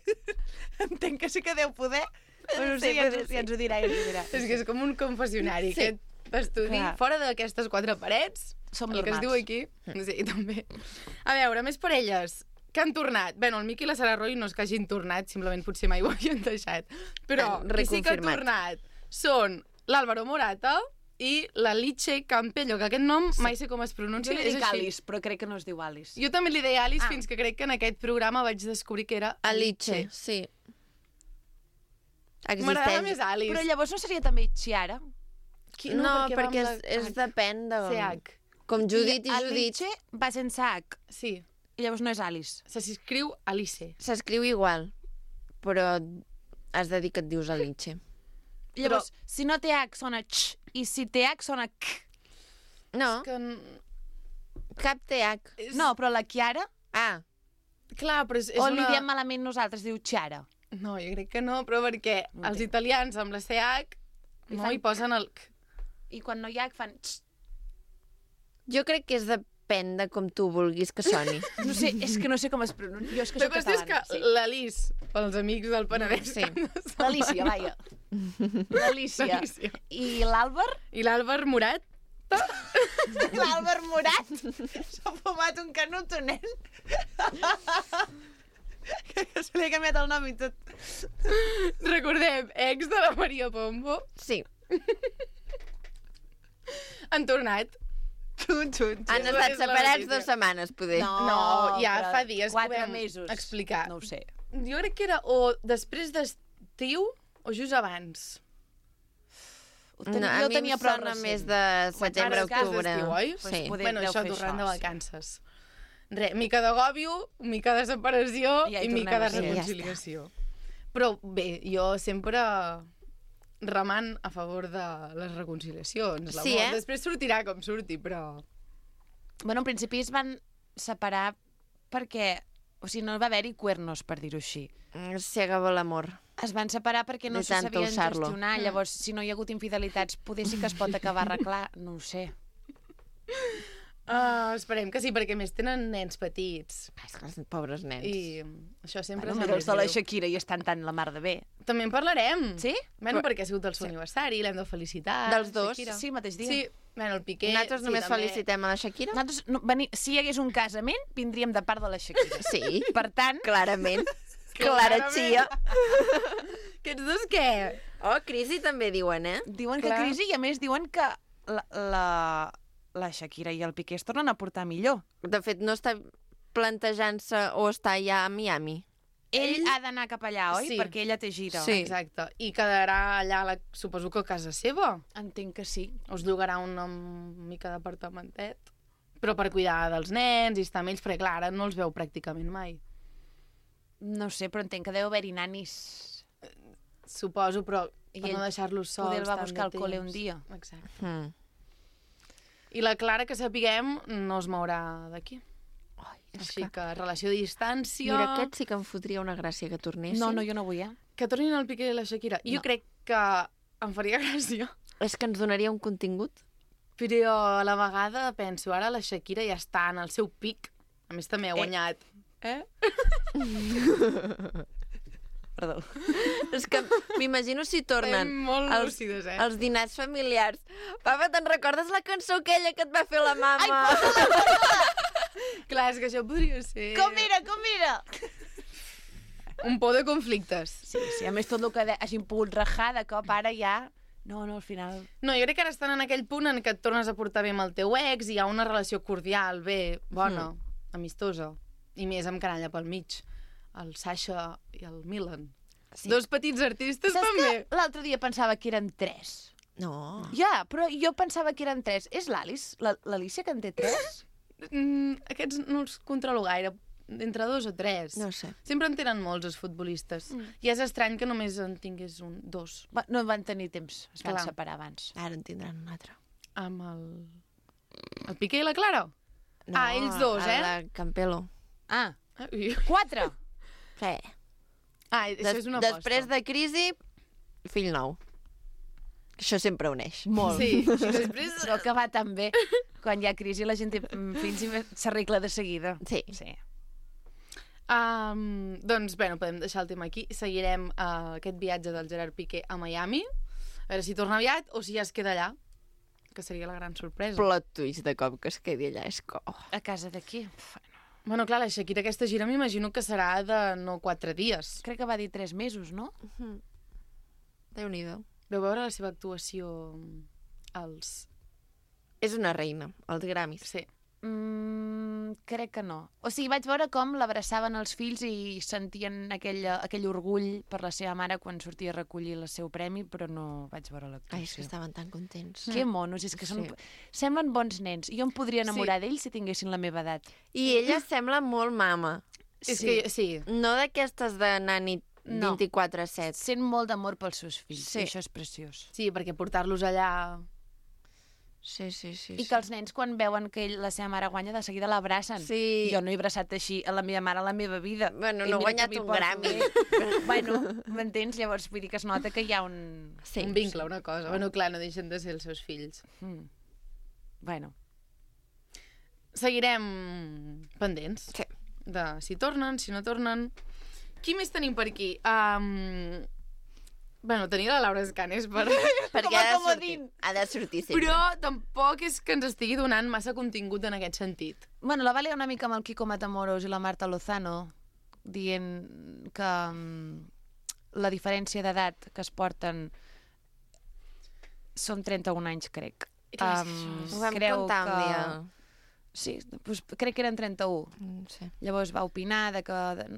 [SPEAKER 2] Entenc que sí que deu poder. Però sí,
[SPEAKER 1] Sí,
[SPEAKER 2] ja,
[SPEAKER 1] però
[SPEAKER 2] ens,
[SPEAKER 1] sí.
[SPEAKER 2] ja ens ho dirà, ja ens ho dirà.
[SPEAKER 4] És que és com un confessionari,
[SPEAKER 1] Sí.
[SPEAKER 4] aquest estudi.
[SPEAKER 2] Clar.
[SPEAKER 4] Fora d'aquestes quatre parets,
[SPEAKER 2] Som
[SPEAKER 4] el que es
[SPEAKER 2] normals.
[SPEAKER 4] diu aquí, sí, també. A veure, més parelles que han tornat. Bueno, el Miqui i la Sara Roy no és que hagin tornat, simplement potser mai ho havien deixat. Però
[SPEAKER 1] Han
[SPEAKER 4] qui sí que ha
[SPEAKER 1] reconfirmat.
[SPEAKER 4] tornat són l'Àlvaro Morata i la Liche Campello, que aquest nom mai sé com es pronuncia.
[SPEAKER 2] Jo li
[SPEAKER 4] és
[SPEAKER 2] dic
[SPEAKER 4] així.
[SPEAKER 2] Alice, però crec que no es diu Alice.
[SPEAKER 4] Jo també li deia Alice
[SPEAKER 2] Ah.
[SPEAKER 4] fins que crec que en aquest programa vaig descobrir que era
[SPEAKER 1] Alice, sí.
[SPEAKER 4] M'agrada
[SPEAKER 1] Existeix.
[SPEAKER 4] més Alice.
[SPEAKER 2] Però llavors no seria també Chiara?
[SPEAKER 4] Qui-
[SPEAKER 1] No,
[SPEAKER 4] va
[SPEAKER 1] perquè
[SPEAKER 4] amb
[SPEAKER 1] és, és depèn de...
[SPEAKER 4] C H.
[SPEAKER 1] Com Judit i,
[SPEAKER 2] I
[SPEAKER 1] Judit.
[SPEAKER 2] Alice va sense H.
[SPEAKER 4] Sí,
[SPEAKER 2] I llavors no és Alice.
[SPEAKER 4] se s'escriu Alice.
[SPEAKER 1] S'escriu igual, però has de dir que et dius Alice.
[SPEAKER 2] Llavors, si no té H sona Ch, i si té H sona K.
[SPEAKER 1] No,
[SPEAKER 4] Que... n-
[SPEAKER 1] cap T H.
[SPEAKER 4] És...
[SPEAKER 2] No, però la Chiara,
[SPEAKER 1] Ah,
[SPEAKER 4] Clar, però és, és
[SPEAKER 2] o
[SPEAKER 4] una...
[SPEAKER 2] li diem malament nosaltres, diu Chiara.
[SPEAKER 4] No, jo crec que no, però perquè
[SPEAKER 2] No
[SPEAKER 4] els
[SPEAKER 2] entenc.
[SPEAKER 4] italians amb la C H
[SPEAKER 2] Li
[SPEAKER 4] no
[SPEAKER 2] fan-
[SPEAKER 4] hi posen el... K.
[SPEAKER 2] I quan no hi ha H fan Ch.
[SPEAKER 1] jo crec que és de, depèn de com tu vulguis que soni.
[SPEAKER 2] No sé, és que no sé com es pronuncia. Jo és que
[SPEAKER 4] La
[SPEAKER 2] soc
[SPEAKER 4] qüestió és que
[SPEAKER 2] catalana. Sí.
[SPEAKER 4] l'Alice, pels amics del Penedès,
[SPEAKER 1] Sí.
[SPEAKER 4] que no saben.
[SPEAKER 2] L'Alícia, vaja. L'Alícia.
[SPEAKER 4] L'Alícia.
[SPEAKER 2] I l'Àlvar?
[SPEAKER 4] I l'Àlvar Morat,
[SPEAKER 2] L'Àlvar Morat. S'ha fumat un canuto, nen. Que se li ha canviat el nom i tot.
[SPEAKER 4] recordem, ex de la Maria Pombo,
[SPEAKER 1] Sí.
[SPEAKER 4] han tornat.
[SPEAKER 2] Xun, xun,
[SPEAKER 1] Han
[SPEAKER 4] és
[SPEAKER 1] estat
[SPEAKER 4] la
[SPEAKER 1] separats
[SPEAKER 4] notícia.
[SPEAKER 1] dues setmanes, poder.
[SPEAKER 4] No, ja
[SPEAKER 2] però
[SPEAKER 4] fa dies que ho
[SPEAKER 2] quatre
[SPEAKER 4] vam
[SPEAKER 2] mesos.
[SPEAKER 4] explicar.
[SPEAKER 2] No ho sé.
[SPEAKER 4] Jo crec que era o després d'estiu o just abans.
[SPEAKER 2] Ho ten...
[SPEAKER 1] No, a
[SPEAKER 2] jo
[SPEAKER 1] mi
[SPEAKER 2] tenia
[SPEAKER 1] em
[SPEAKER 2] prou
[SPEAKER 1] sona
[SPEAKER 2] recent.
[SPEAKER 1] més de setembre,
[SPEAKER 4] Ara és que és
[SPEAKER 1] octubre.
[SPEAKER 4] d'estiu, oi?
[SPEAKER 2] Pues
[SPEAKER 1] Sí.
[SPEAKER 2] poder-
[SPEAKER 4] Bueno,
[SPEAKER 2] deu
[SPEAKER 4] això
[SPEAKER 2] fer
[SPEAKER 4] tornant
[SPEAKER 2] això,
[SPEAKER 4] de
[SPEAKER 2] sí.
[SPEAKER 4] vacances. Re, mica d'agòbio, mica de separació
[SPEAKER 2] Ja hi
[SPEAKER 4] i mica de
[SPEAKER 2] tornem a ser.
[SPEAKER 4] reconciliació. Però bé, jo sempre remant a favor de les reconciliacions.
[SPEAKER 1] Sí,
[SPEAKER 4] l'amor.
[SPEAKER 1] eh?
[SPEAKER 4] Després sortirà com surti, però...
[SPEAKER 2] Bueno, en principi es van separar perquè... O sigui, no va haver-hi cuernos, per dir-ho així.
[SPEAKER 1] Mm, Se acabó l'amor.
[SPEAKER 2] Es van separar perquè no
[SPEAKER 1] De
[SPEAKER 2] se
[SPEAKER 1] tant
[SPEAKER 2] sabien
[SPEAKER 1] usar-lo.
[SPEAKER 2] gestionar. Llavors, si no hi ha hagut infidelitats, poder sí que es pot acabar arreglar. No ho sé.
[SPEAKER 4] Uh, esperem que sí, perquè a més tenen nens petits.
[SPEAKER 1] Ai, és que els pobres nens.
[SPEAKER 4] I això sempre
[SPEAKER 2] Bueno,
[SPEAKER 4] és
[SPEAKER 2] mira els de la
[SPEAKER 4] greu.
[SPEAKER 2] Shakira i estan tan la mar de bé.
[SPEAKER 4] També en parlarem.
[SPEAKER 2] Sí?
[SPEAKER 4] Bueno, perquè ha sigut el seu aniversari, l'hem de felicitar.
[SPEAKER 1] Dels dos?
[SPEAKER 4] Shakira.
[SPEAKER 2] Sí, mateix dia.
[SPEAKER 4] Sí, bueno, el Piqué...
[SPEAKER 1] Nosaltres
[SPEAKER 4] sí,
[SPEAKER 1] només
[SPEAKER 4] també.
[SPEAKER 1] felicitem a la Shakira?
[SPEAKER 2] Nosaltres, no, veni, si hi hagués un casament, vindríem de part de la Shakira.
[SPEAKER 1] Sí,
[SPEAKER 2] Per tant,
[SPEAKER 1] clarament. Clara
[SPEAKER 4] Clarament.
[SPEAKER 1] Chia.
[SPEAKER 4] Aquests dos què?
[SPEAKER 1] Oh, crisi també diuen, eh?
[SPEAKER 2] diuen que
[SPEAKER 4] Clar.
[SPEAKER 2] crisi i a més diuen que la, la, la Shakira i el Piqué es tornen a portar millor.
[SPEAKER 1] De fet, no està plantejant-se o està ja a Miami.
[SPEAKER 2] Ell,
[SPEAKER 4] Ell-
[SPEAKER 2] ha d'anar cap allà, oi?
[SPEAKER 4] Sí.
[SPEAKER 2] Perquè ella té gira.
[SPEAKER 1] Sí.
[SPEAKER 4] Exacte. I quedarà allà, la, suposo que a casa seva.
[SPEAKER 2] Entenc que sí.
[SPEAKER 4] Us llogarà una mica d'apartamentet. Però per cuidar dels nens i estar amb ells, perquè clar, ara no els veu pràcticament mai.
[SPEAKER 2] No sé, però entenc que deu haver-hi nanis.
[SPEAKER 4] Suposo, però
[SPEAKER 2] I
[SPEAKER 4] per
[SPEAKER 2] ell
[SPEAKER 4] no deixar-los sols
[SPEAKER 2] poder va
[SPEAKER 4] tant
[SPEAKER 2] buscar
[SPEAKER 4] de
[SPEAKER 2] al col·le
[SPEAKER 4] temps.
[SPEAKER 2] un dia.
[SPEAKER 4] Exacte.
[SPEAKER 1] Mm.
[SPEAKER 4] I la Clara, que sapiguem, no es mourà d'aquí.
[SPEAKER 1] Ai, és
[SPEAKER 4] Així
[SPEAKER 1] que...
[SPEAKER 4] que relació de distància...
[SPEAKER 1] Mira, aquest sí que em fotria una gràcia que tornessin.
[SPEAKER 2] No, no, jo no vull, eh?
[SPEAKER 4] Que tornin el Piqué i la Shakira. Jo
[SPEAKER 2] No.
[SPEAKER 4] crec que em faria gràcia.
[SPEAKER 1] És que ens donaria un contingut.
[SPEAKER 4] Però a la vegada penso, ara la Shakira ja està en el seu pic. A més, també ha guanyat. Eh?
[SPEAKER 2] Perdó.
[SPEAKER 1] És que m'imagino si tornen
[SPEAKER 4] Estem molt
[SPEAKER 1] els,
[SPEAKER 4] lúcides, eh?
[SPEAKER 1] els dinars familiars. Papa, te'n recordes la cançó aquella que et va fer la mama?
[SPEAKER 4] Clar, és que això podria ser...
[SPEAKER 2] Com era, com era?
[SPEAKER 4] Un por de conflictes.
[SPEAKER 2] Sí, sí, a més tot el que de- hagin pogut rajar de cop ara ja... No, no, al final...
[SPEAKER 4] No, jo crec que ara estan en aquell punt en què et tornes a portar bé amb el teu ex i hi ha una relació cordial, bé, bona, amistosa. I més amb canalla pel mig. El Sasha i el Milan.
[SPEAKER 1] Sí.
[SPEAKER 4] Dos petits artistes
[SPEAKER 2] Saps
[SPEAKER 4] també.
[SPEAKER 2] que l'altre dia pensava que eren tres?
[SPEAKER 1] No.
[SPEAKER 2] Ja, però jo pensava que eren tres. És l'Alice, la- l'Alicia que en té tres?
[SPEAKER 4] Mm, aquests no els controlo gaire. Entre dos o tres.
[SPEAKER 1] No sé.
[SPEAKER 4] Sempre en tenen molts, els futbolistes. Mm. I és estrany que només en tingués un, dos.
[SPEAKER 2] Va, no van tenir temps, es van
[SPEAKER 4] Clar.
[SPEAKER 2] separar abans.
[SPEAKER 1] Ara en tindran un altre.
[SPEAKER 4] Amb el... El Piqué i la Clara?
[SPEAKER 1] No,
[SPEAKER 4] Ah, ells dos,
[SPEAKER 1] a
[SPEAKER 4] eh?
[SPEAKER 1] la Campelo.
[SPEAKER 2] Ah,
[SPEAKER 4] Ah, ui.
[SPEAKER 2] quatre!
[SPEAKER 1] Sí.
[SPEAKER 4] Ah, això
[SPEAKER 1] Des,
[SPEAKER 4] és una aposta.
[SPEAKER 1] després de crisi, fill nou. Això sempre uneix.
[SPEAKER 2] Molt.
[SPEAKER 4] Sí, i després...
[SPEAKER 2] Però que va tan bé. Quan hi ha crisi la gent té mm, fills i s'arregla de seguida.
[SPEAKER 1] Sí.
[SPEAKER 2] Sí.
[SPEAKER 4] Um, doncs, bueno, podem deixar el tema aquí. Seguirem uh, aquest viatge del Gerard Piqué a Miami. A veure si torna aviat o si ja es queda allà, que seria la gran sorpresa.
[SPEAKER 1] Plot twist de cop que es quedi allà. És que... Oh.
[SPEAKER 2] A casa d'aquí?
[SPEAKER 4] Bueno, clar, la Shakira aquesta gira m'imagino que serà de no quatre dies.
[SPEAKER 2] Crec que va dir tres mesos, no?
[SPEAKER 1] Déu-n'hi-do.
[SPEAKER 4] Vau veure la seva actuació als...
[SPEAKER 1] És una reina, els Grammys.
[SPEAKER 4] Sí.
[SPEAKER 2] Mm, crec que no. O sigui, vaig veure com l'abraçaven els fills i sentien aquell, aquell orgull per la seva mare quan sortia a recollir el seu premi, però no vaig veure
[SPEAKER 1] Ai, és
[SPEAKER 2] l'actuació.
[SPEAKER 1] que estaven tan contents.
[SPEAKER 2] Que monos, és que són...
[SPEAKER 1] Sí.
[SPEAKER 2] Semblen bons nens. Jo em podria enamorar d'ells si tinguessin la meva edat.
[SPEAKER 1] I ella sembla molt mama.
[SPEAKER 4] És
[SPEAKER 2] Sí.
[SPEAKER 4] que, sí.
[SPEAKER 1] No d'aquestes de nani
[SPEAKER 2] No.
[SPEAKER 1] vint-i-quatre set.
[SPEAKER 2] Sent molt d'amor pels seus fills.
[SPEAKER 1] Sí.
[SPEAKER 2] I això és preciós.
[SPEAKER 4] Sí, perquè portar-los allà...
[SPEAKER 1] Sí, sí, sí.
[SPEAKER 2] I que els nens, quan veuen que ell, la seva mare guanya, de seguida l'abracen.
[SPEAKER 1] Sí.
[SPEAKER 2] Jo no he abraçat així a la meva mare a la meva vida.
[SPEAKER 1] Bueno,
[SPEAKER 2] I
[SPEAKER 1] no ha
[SPEAKER 2] mira
[SPEAKER 1] guanyat
[SPEAKER 2] que m'hi
[SPEAKER 1] un
[SPEAKER 2] porto
[SPEAKER 1] Grammy.
[SPEAKER 2] bé. Bueno, m'entens? Llavors, vull dir que es nota que hi ha un...
[SPEAKER 1] Sí,
[SPEAKER 4] un vincle, una cosa. Bueno, clar, no deixen de ser els seus fills.
[SPEAKER 2] Mm. Bueno,
[SPEAKER 4] seguirem pendents
[SPEAKER 1] Sí.
[SPEAKER 4] de si tornen, si no tornen. Qui més tenim per aquí? Um... Bueno, tenia la Laura Escanes per...
[SPEAKER 1] Perquè
[SPEAKER 2] Com a
[SPEAKER 1] ha de sortir.
[SPEAKER 2] comodín.
[SPEAKER 1] Ha de sortir sempre.
[SPEAKER 4] Però tampoc és que ens estigui donant massa contingut en aquest sentit.
[SPEAKER 2] Bueno, la Vàlia una mica amb el Quico Matamoros i la Marta Lozano, dient que um, la diferència d'edat que es porten són trenta-un anys, crec.
[SPEAKER 4] Clar,
[SPEAKER 2] Um,
[SPEAKER 1] Ho vam
[SPEAKER 2] creu
[SPEAKER 1] comptar un
[SPEAKER 2] que...
[SPEAKER 1] dia.
[SPEAKER 2] Sí, doncs crec que eren trenta-un.
[SPEAKER 1] Mm, sí.
[SPEAKER 2] Llavors va opinar de que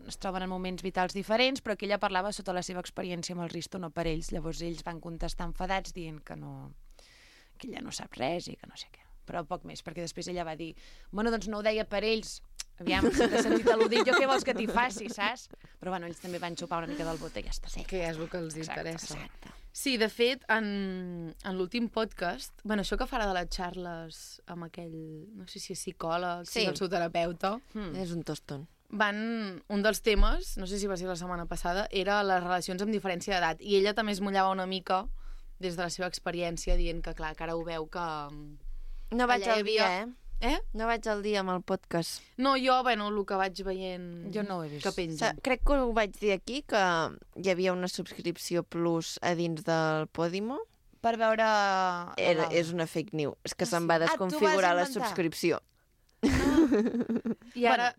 [SPEAKER 2] es troben en moments vitals diferents, però que ella parlava sota la seva experiència amb el Risto, no per ells. Llavors ells van contestar enfadats dient que no, que ella no sap res i que no sé què. Però poc més, perquè després ella va dir bueno, doncs no ho deia per ells. Aviam, si t'has sentit al·ludit, jo què vols que t'hi faci, saps? Però bueno, ells també van xupar una mica del bot i ja està. Sí.
[SPEAKER 4] Que és el que els
[SPEAKER 2] Exacte,
[SPEAKER 4] interessa.
[SPEAKER 2] exacte.
[SPEAKER 4] Sí, de fet, en, en l'últim podcast, bueno, això que farà de les xarles amb aquell, no sé si és psicòleg,
[SPEAKER 1] Sí.
[SPEAKER 4] si és el seu terapeuta,
[SPEAKER 2] Hmm.
[SPEAKER 1] És un toston.
[SPEAKER 4] van, un dels temes, no sé si va ser la setmana passada, era les relacions amb diferència d'edat. I ella també es mullava una mica des de la seva experiència, dient que, clar, que ara ho veu que...
[SPEAKER 1] No vaig
[SPEAKER 4] Allà hi
[SPEAKER 1] al dia,
[SPEAKER 4] havia-
[SPEAKER 1] eh?
[SPEAKER 4] Eh?
[SPEAKER 1] No vaig al dia amb el podcast.
[SPEAKER 4] No, jo, bueno, el que vaig veient...
[SPEAKER 2] Jo no ho he vist.
[SPEAKER 4] Que
[SPEAKER 1] Sa-
[SPEAKER 4] pengen.
[SPEAKER 1] Crec que ho vaig dir aquí, que hi havia una subscripció plus a dins del Podimo.
[SPEAKER 2] Per veure...
[SPEAKER 1] Era,
[SPEAKER 2] l'Alba.
[SPEAKER 1] és una fake news. És que se'm va
[SPEAKER 2] Ah, tu vas
[SPEAKER 1] desconfigurar la
[SPEAKER 2] inventar.
[SPEAKER 1] subscripció.
[SPEAKER 4] I ara...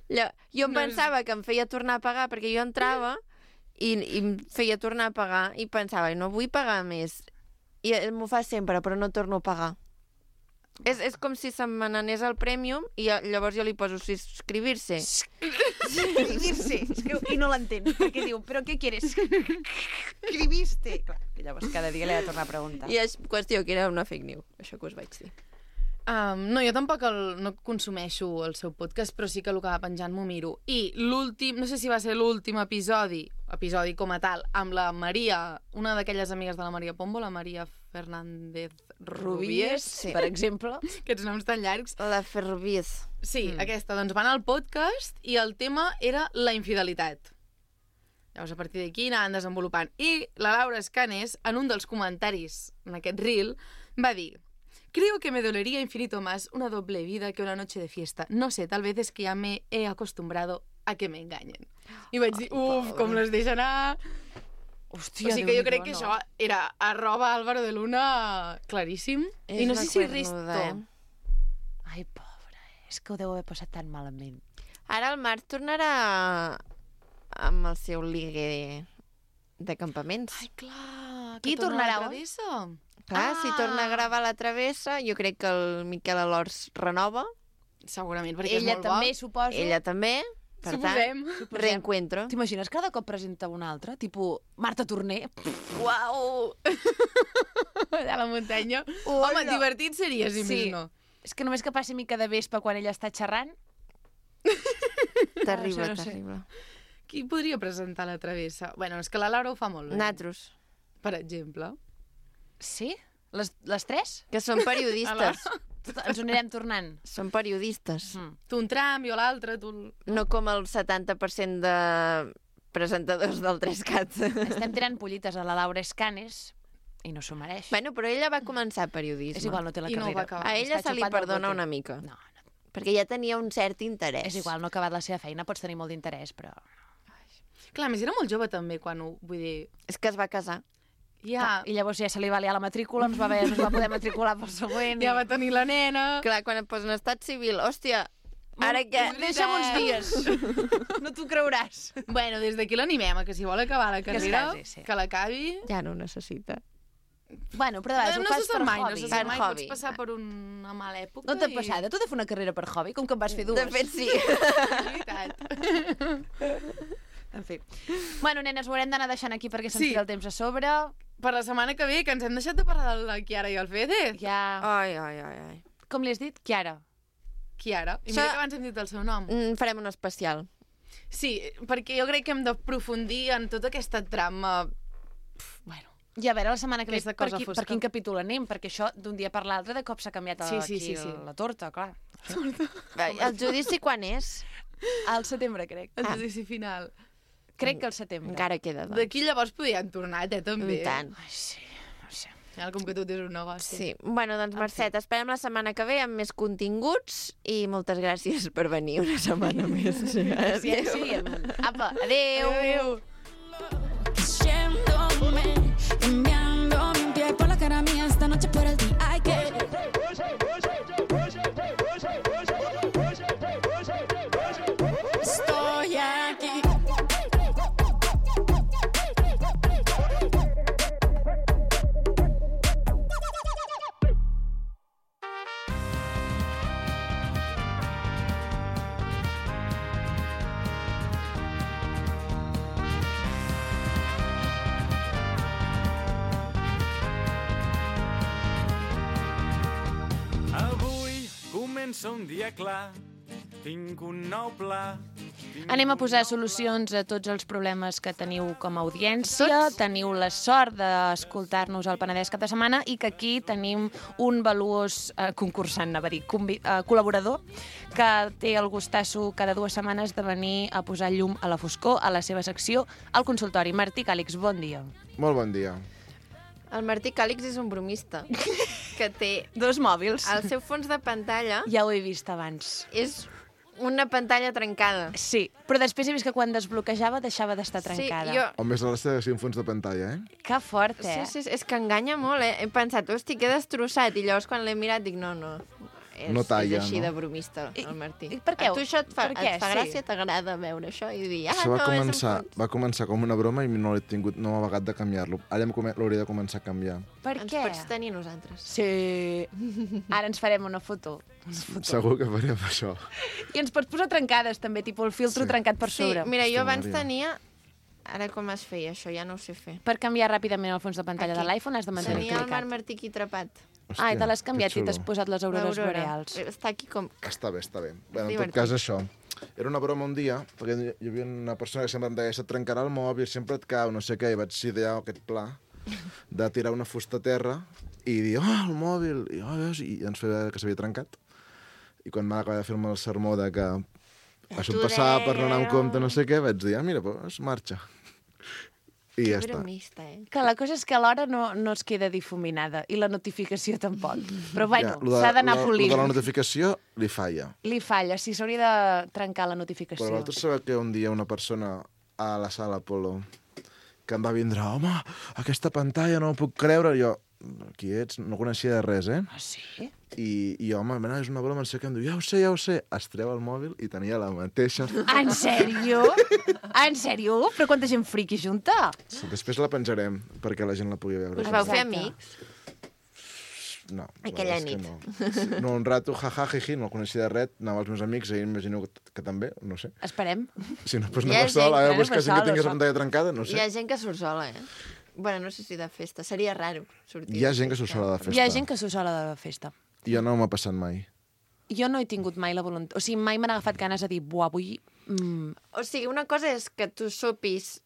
[SPEAKER 1] Lla- Jo em
[SPEAKER 4] No és-
[SPEAKER 1] pensava que em feia tornar a pagar, perquè jo entrava i, i em feia tornar a pagar i pensava, no vull pagar més. I eh, m'ho fa sempre, però no torno a pagar. És, és com si se me n'anés al Premium i eh, llavors jo li poso subscribir-se.
[SPEAKER 2] Escribir-se. Escriu- I no l'entén, perquè diu, però què quieres? Escribiste. Clar, i llavors cada dia li ha de tornar a preguntar.
[SPEAKER 1] I és qüestió que era una fake news, això que us vaig dir.
[SPEAKER 4] Um, no, jo tampoc el, no consumeixo el seu podcast, però sí que el que va penjant m'ho miro. I l'últim, no sé si va ser l'últim episodi, episodi com a tal, amb la Maria, una d'aquelles amigues de la Maria Pombo, la Maria Fernández Rubies,
[SPEAKER 1] Sí.
[SPEAKER 2] Per exemple.
[SPEAKER 4] aquests noms tan llargs.
[SPEAKER 1] La Ferrovies.
[SPEAKER 4] Sí,
[SPEAKER 2] Mm.
[SPEAKER 4] mm. aquesta, doncs van al podcast i el tema era la infidelitat. Llavors, a partir d'aquí anaven desenvolupant. I la Laura Escanes, en un dels comentaris en aquest reel, va dir: creo que me dolería infinito más una doble vida que una noche de fiesta. No sé, tal vez es que ya me he acostumbrado a que me engañen. I vaig dir, uf, com les deixa anar...
[SPEAKER 2] Hòstia,
[SPEAKER 4] o sigui que jo
[SPEAKER 2] Déu-n'hi-do,
[SPEAKER 4] crec que
[SPEAKER 2] no.
[SPEAKER 4] això era arroba Álvaro de Luna claríssim.
[SPEAKER 1] És
[SPEAKER 4] I no
[SPEAKER 1] una
[SPEAKER 4] sé si
[SPEAKER 1] cuernuda,
[SPEAKER 4] Risto...
[SPEAKER 1] eh?
[SPEAKER 2] Ai, pobra, és que ho deu haver passat tan malament.
[SPEAKER 1] Ara el Marc tornarà amb el seu ligue de campaments.
[SPEAKER 4] Ai, clar,
[SPEAKER 2] Qui
[SPEAKER 4] que torna
[SPEAKER 2] tornarà,
[SPEAKER 4] a la
[SPEAKER 2] oi?
[SPEAKER 4] travessa.
[SPEAKER 1] Clar,
[SPEAKER 4] Ah!
[SPEAKER 1] si torna a gravar la travessa, jo crec que el Miquel Alors renova,
[SPEAKER 4] Segurament, perquè
[SPEAKER 2] Ella
[SPEAKER 4] és molt
[SPEAKER 2] també,
[SPEAKER 4] bo.
[SPEAKER 2] suposo.
[SPEAKER 1] ella també, per
[SPEAKER 4] Suposem.
[SPEAKER 1] tant, reencuentro.
[SPEAKER 2] T'imagines cada cop presenta una altra? Tipo, Marta Torner?
[SPEAKER 4] Uau! Allà a la muntanya.
[SPEAKER 2] Hola.
[SPEAKER 4] Home, divertit seria, si
[SPEAKER 2] Sí.
[SPEAKER 4] més no.
[SPEAKER 2] És que només que passi mica de vespa quan ella està xerrant.
[SPEAKER 1] Terrible,
[SPEAKER 2] Això no sé.
[SPEAKER 1] terrible.
[SPEAKER 4] Qui podria presentar la travessa? Bueno, és que la Laura ho fa molt bé.
[SPEAKER 1] Natros,
[SPEAKER 4] Per exemple.
[SPEAKER 2] Sí? Les, les tres?
[SPEAKER 1] que són periodistes.
[SPEAKER 2] Tot- Ens ho anirem tornant.
[SPEAKER 1] Són periodistes.
[SPEAKER 2] Mm.
[SPEAKER 4] Tu un tram, jo l'altre, tu... el-
[SPEAKER 1] No com el setanta per cent de presentadors del tres cat.
[SPEAKER 2] Estem tirant pollites a la Laura Escanes i no s'ho mereix.
[SPEAKER 1] Bueno, però ella va començar periodisme.
[SPEAKER 2] És igual, no té la
[SPEAKER 4] I no ho
[SPEAKER 2] carrera.
[SPEAKER 4] va acabar.
[SPEAKER 1] A ella
[SPEAKER 2] Està
[SPEAKER 1] se li
[SPEAKER 2] xupat del
[SPEAKER 1] perdona
[SPEAKER 2] bote.
[SPEAKER 1] una mica,
[SPEAKER 2] No, no.
[SPEAKER 1] perquè ja tenia un cert interès.
[SPEAKER 2] És igual, no ha acabat la seva feina, pots tenir molt d'interès, però...
[SPEAKER 4] Clar, a més era molt jove també, quan ho... Vull dir...
[SPEAKER 1] És que es va casar.
[SPEAKER 4] Ja,
[SPEAKER 2] I llavors ja se li va liar la matrícula, ens va, haver, no es va poder matricular pel següent.
[SPEAKER 4] ja va tenir la nena...
[SPEAKER 1] Clar, quan et posen estat civil, hòstia, ara què?
[SPEAKER 2] Deixa'm uns dies. No t'ho creuràs.
[SPEAKER 4] Bueno, des d'aquí l'animem, a que si vol acabar la
[SPEAKER 2] es
[SPEAKER 4] carrera,
[SPEAKER 2] casi, sí.
[SPEAKER 4] que l'acabi...
[SPEAKER 1] Ja no ho necessita.
[SPEAKER 2] Bueno, però de vegades
[SPEAKER 4] no
[SPEAKER 2] ho fas
[SPEAKER 4] se sap
[SPEAKER 2] per
[SPEAKER 4] mai, no
[SPEAKER 2] hobby.
[SPEAKER 4] se sap
[SPEAKER 1] Per
[SPEAKER 4] mai,
[SPEAKER 1] hobby.
[SPEAKER 4] pots passar per una mala època.
[SPEAKER 2] No t'ha
[SPEAKER 4] i-
[SPEAKER 2] passat? Tu has de fer una carrera per hobby, com que en vas fer dues.
[SPEAKER 1] De fet, sí.
[SPEAKER 4] És veritat.
[SPEAKER 2] En fi. Bueno, nenes, ho haurem d'anar deixant aquí perquè se'ns
[SPEAKER 4] Sí.
[SPEAKER 2] tira el temps a sobre.
[SPEAKER 4] Per la setmana que ve, que ens hem deixat de parlar de la Chiara i el Fede.
[SPEAKER 2] Ja...
[SPEAKER 1] Ai, ai, ai, ai.
[SPEAKER 2] Com li has dit? Chiara.
[SPEAKER 4] Chiara. I
[SPEAKER 1] Això-
[SPEAKER 4] mira que abans hem dit el seu nom.
[SPEAKER 1] Mm, farem un especial.
[SPEAKER 4] Sí, perquè jo crec que hem d'aprofundir en tota aquesta trama... Pf, bueno,
[SPEAKER 2] I a veure, la setmana que ve,
[SPEAKER 4] Aquesta
[SPEAKER 2] per,
[SPEAKER 4] cosa
[SPEAKER 2] qui,
[SPEAKER 4] fosca.
[SPEAKER 2] per quin capítol anem? Perquè això, d'un dia per l'altre, de cop s'ha canviat
[SPEAKER 4] Sí,
[SPEAKER 2] aquí
[SPEAKER 4] sí, sí, sí.
[SPEAKER 2] la torta, clar.
[SPEAKER 1] Va, el judici quan és?
[SPEAKER 2] Al setembre, crec.
[SPEAKER 4] el
[SPEAKER 1] Ah.
[SPEAKER 4] judici final.
[SPEAKER 2] Crec que al setembre.
[SPEAKER 1] Encara queda, doncs.
[SPEAKER 4] D'aquí llavors podríem tornar, eh, també.
[SPEAKER 1] I tant.
[SPEAKER 2] Ai, sí, no sé.
[SPEAKER 4] final, com que tot és un negoci.
[SPEAKER 1] Sí. Bueno, doncs, Mercè, t'esperem la setmana que ve amb més continguts i moltes gràcies per venir una setmana més.
[SPEAKER 2] Ciència. Apa, adéu.
[SPEAKER 1] Adéu.
[SPEAKER 3] Yéndome, enviando mi piel por la cara mía esta noche por el día. Ay, que estoy aquí.
[SPEAKER 5] Avui comença un dia clar, tinc un nou pla.
[SPEAKER 2] Anem a posar solucions a tots els problemes que teniu com a audiència. Teniu la sort d'escoltar-nos al Penedès cap de setmana i que aquí tenim un valuós eh, concursant, anava a dir, convi- eh, col·laborador, que té el gustasso cada dues setmanes de venir a posar llum a la foscor a la seva secció al consultori. Martí Càlix, bon dia.
[SPEAKER 6] Molt bon dia.
[SPEAKER 1] El Martí Càlix és un bromista que té
[SPEAKER 2] Dos mòbils.
[SPEAKER 1] el seu fons de pantalla
[SPEAKER 2] Ja ho he vist abans.
[SPEAKER 1] és una pantalla trencada.
[SPEAKER 2] Sí, però després he vist que quan desbloquejava deixava d'estar trencada.
[SPEAKER 1] Sí, jo...
[SPEAKER 6] O més de l'està de un fons de pantalla, eh?
[SPEAKER 2] Que fort, eh?
[SPEAKER 1] Sí, sí, és que enganya molt, eh? He pensat, hosti, que he destrossat. I llavors quan l'he mirat dic, no, no. És,
[SPEAKER 6] No talla,
[SPEAKER 1] és així
[SPEAKER 6] no?
[SPEAKER 1] de bromista, el Martí.
[SPEAKER 2] I per què?
[SPEAKER 1] A tu això et fa,
[SPEAKER 2] Per què?
[SPEAKER 1] et fa
[SPEAKER 2] Sí.
[SPEAKER 1] gràcia? T'agrada veure això? I dir, ah,
[SPEAKER 6] Això va
[SPEAKER 1] no,
[SPEAKER 6] començar,
[SPEAKER 1] és un fons.
[SPEAKER 6] va començar com una broma i no l'he tingut, no m'ha vagat de canviar-lo. Ara em come- l'hauria de començar a canviar.
[SPEAKER 2] Per
[SPEAKER 1] Ens
[SPEAKER 2] què?
[SPEAKER 1] pots tenir nosaltres.
[SPEAKER 2] Sí. Ara ens farem una foto. Una foto.
[SPEAKER 6] Segur que farem això.
[SPEAKER 2] I ens pots posar trencades, també, tipus el filtro
[SPEAKER 6] Sí.
[SPEAKER 2] trencat per
[SPEAKER 1] Sí,
[SPEAKER 2] sobre.
[SPEAKER 1] mira, jo
[SPEAKER 6] Hosti,
[SPEAKER 1] abans
[SPEAKER 6] Maria.
[SPEAKER 1] tenia... Ara com es feia això? Ja no ho sé fer.
[SPEAKER 2] Per canviar ràpidament el fons de pantalla
[SPEAKER 1] Aquí.
[SPEAKER 2] de l'iPhone has de mantenir
[SPEAKER 1] Tenia el
[SPEAKER 2] clicat.
[SPEAKER 1] Marc Martí aquí atrapat.
[SPEAKER 6] Hòstia,
[SPEAKER 2] Ah, i te l'has
[SPEAKER 6] que
[SPEAKER 2] canviat i t'has
[SPEAKER 6] xulo.
[SPEAKER 2] posat les aurores
[SPEAKER 1] L'aurora.
[SPEAKER 2] boreals.
[SPEAKER 1] Està aquí com...
[SPEAKER 6] Està bé, està bé. Bé, en tot
[SPEAKER 1] Divertit.
[SPEAKER 6] cas, això. Era una broma un dia, perquè hi havia una persona que sempre em deia, se't trencarà el mòbil, sempre et cau, no sé què, i vaig idear aquest pla de tirar una fusta a terra i dir, oh, el mòbil, i, oh, veus? I ens feia que s'havia trencat. I quan va acabar de fer-me el sermó de que això em passava per no anar amb compte, no sé què, vaig dir, ah, mira, doncs marxa. I
[SPEAKER 1] Que
[SPEAKER 6] ja està.
[SPEAKER 1] bromista, eh?
[SPEAKER 2] Que la cosa és que l'hora no, no es queda difuminada i la notificació tampoc. Però bueno,
[SPEAKER 6] lo de-
[SPEAKER 2] s'ha d'anar
[SPEAKER 6] lo-
[SPEAKER 2] polint.
[SPEAKER 6] lo de la notificació li falla.
[SPEAKER 2] Li falla, sí, s'hauria de trencar la
[SPEAKER 6] Però
[SPEAKER 2] notificació.
[SPEAKER 6] vosaltres sabeu que un dia una persona a la sala Apolo que em va vindre, home, aquesta pantalla no ho puc creure. I jo, qui ets? No coneixia de res, eh?
[SPEAKER 2] Ah, sí?
[SPEAKER 6] I, i home, mena, és una broma, no sé què, em diu, ja ho sé, ja ho sé. Es treu el mòbil i tenia la mateixa.
[SPEAKER 2] En sèrio? En sèrio? Però quanta gent friqui junta?
[SPEAKER 6] Després la penjarem perquè la gent la pugui veure.
[SPEAKER 1] Us vau fer
[SPEAKER 2] Exacte.
[SPEAKER 1] amics?
[SPEAKER 6] No, la
[SPEAKER 1] Aquella
[SPEAKER 6] veritat és
[SPEAKER 1] nit.
[SPEAKER 6] que No. no, un rato, jaja, jiji, no el coneixia de res, anava als meus amics, i imagino que, que també, no sé.
[SPEAKER 2] Esperem.
[SPEAKER 6] Si no, doncs
[SPEAKER 1] Hi ha
[SPEAKER 6] anava sol,
[SPEAKER 1] gent-
[SPEAKER 6] a
[SPEAKER 2] bueno,
[SPEAKER 6] veure, buscar
[SPEAKER 2] pues
[SPEAKER 6] gent que
[SPEAKER 2] sol,
[SPEAKER 6] tingués la
[SPEAKER 2] sol.
[SPEAKER 6] pantalla trencada, no
[SPEAKER 1] Hi ha
[SPEAKER 6] sé.
[SPEAKER 1] gent que surt sola, eh? Bueno, no sé si de festa. Seria raro sortir.
[SPEAKER 6] Hi ha
[SPEAKER 1] de
[SPEAKER 6] gent que surt
[SPEAKER 1] festa.
[SPEAKER 6] sola de festa.
[SPEAKER 2] Hi ha gent que s'ho sola de festa.
[SPEAKER 6] Jo no m'ha passat mai.
[SPEAKER 2] Jo no he tingut mai la voluntat... O sigui, mai m'han agafat ganes de dir, buah, avui... Mm,
[SPEAKER 1] O sigui, una cosa és que tu sopis,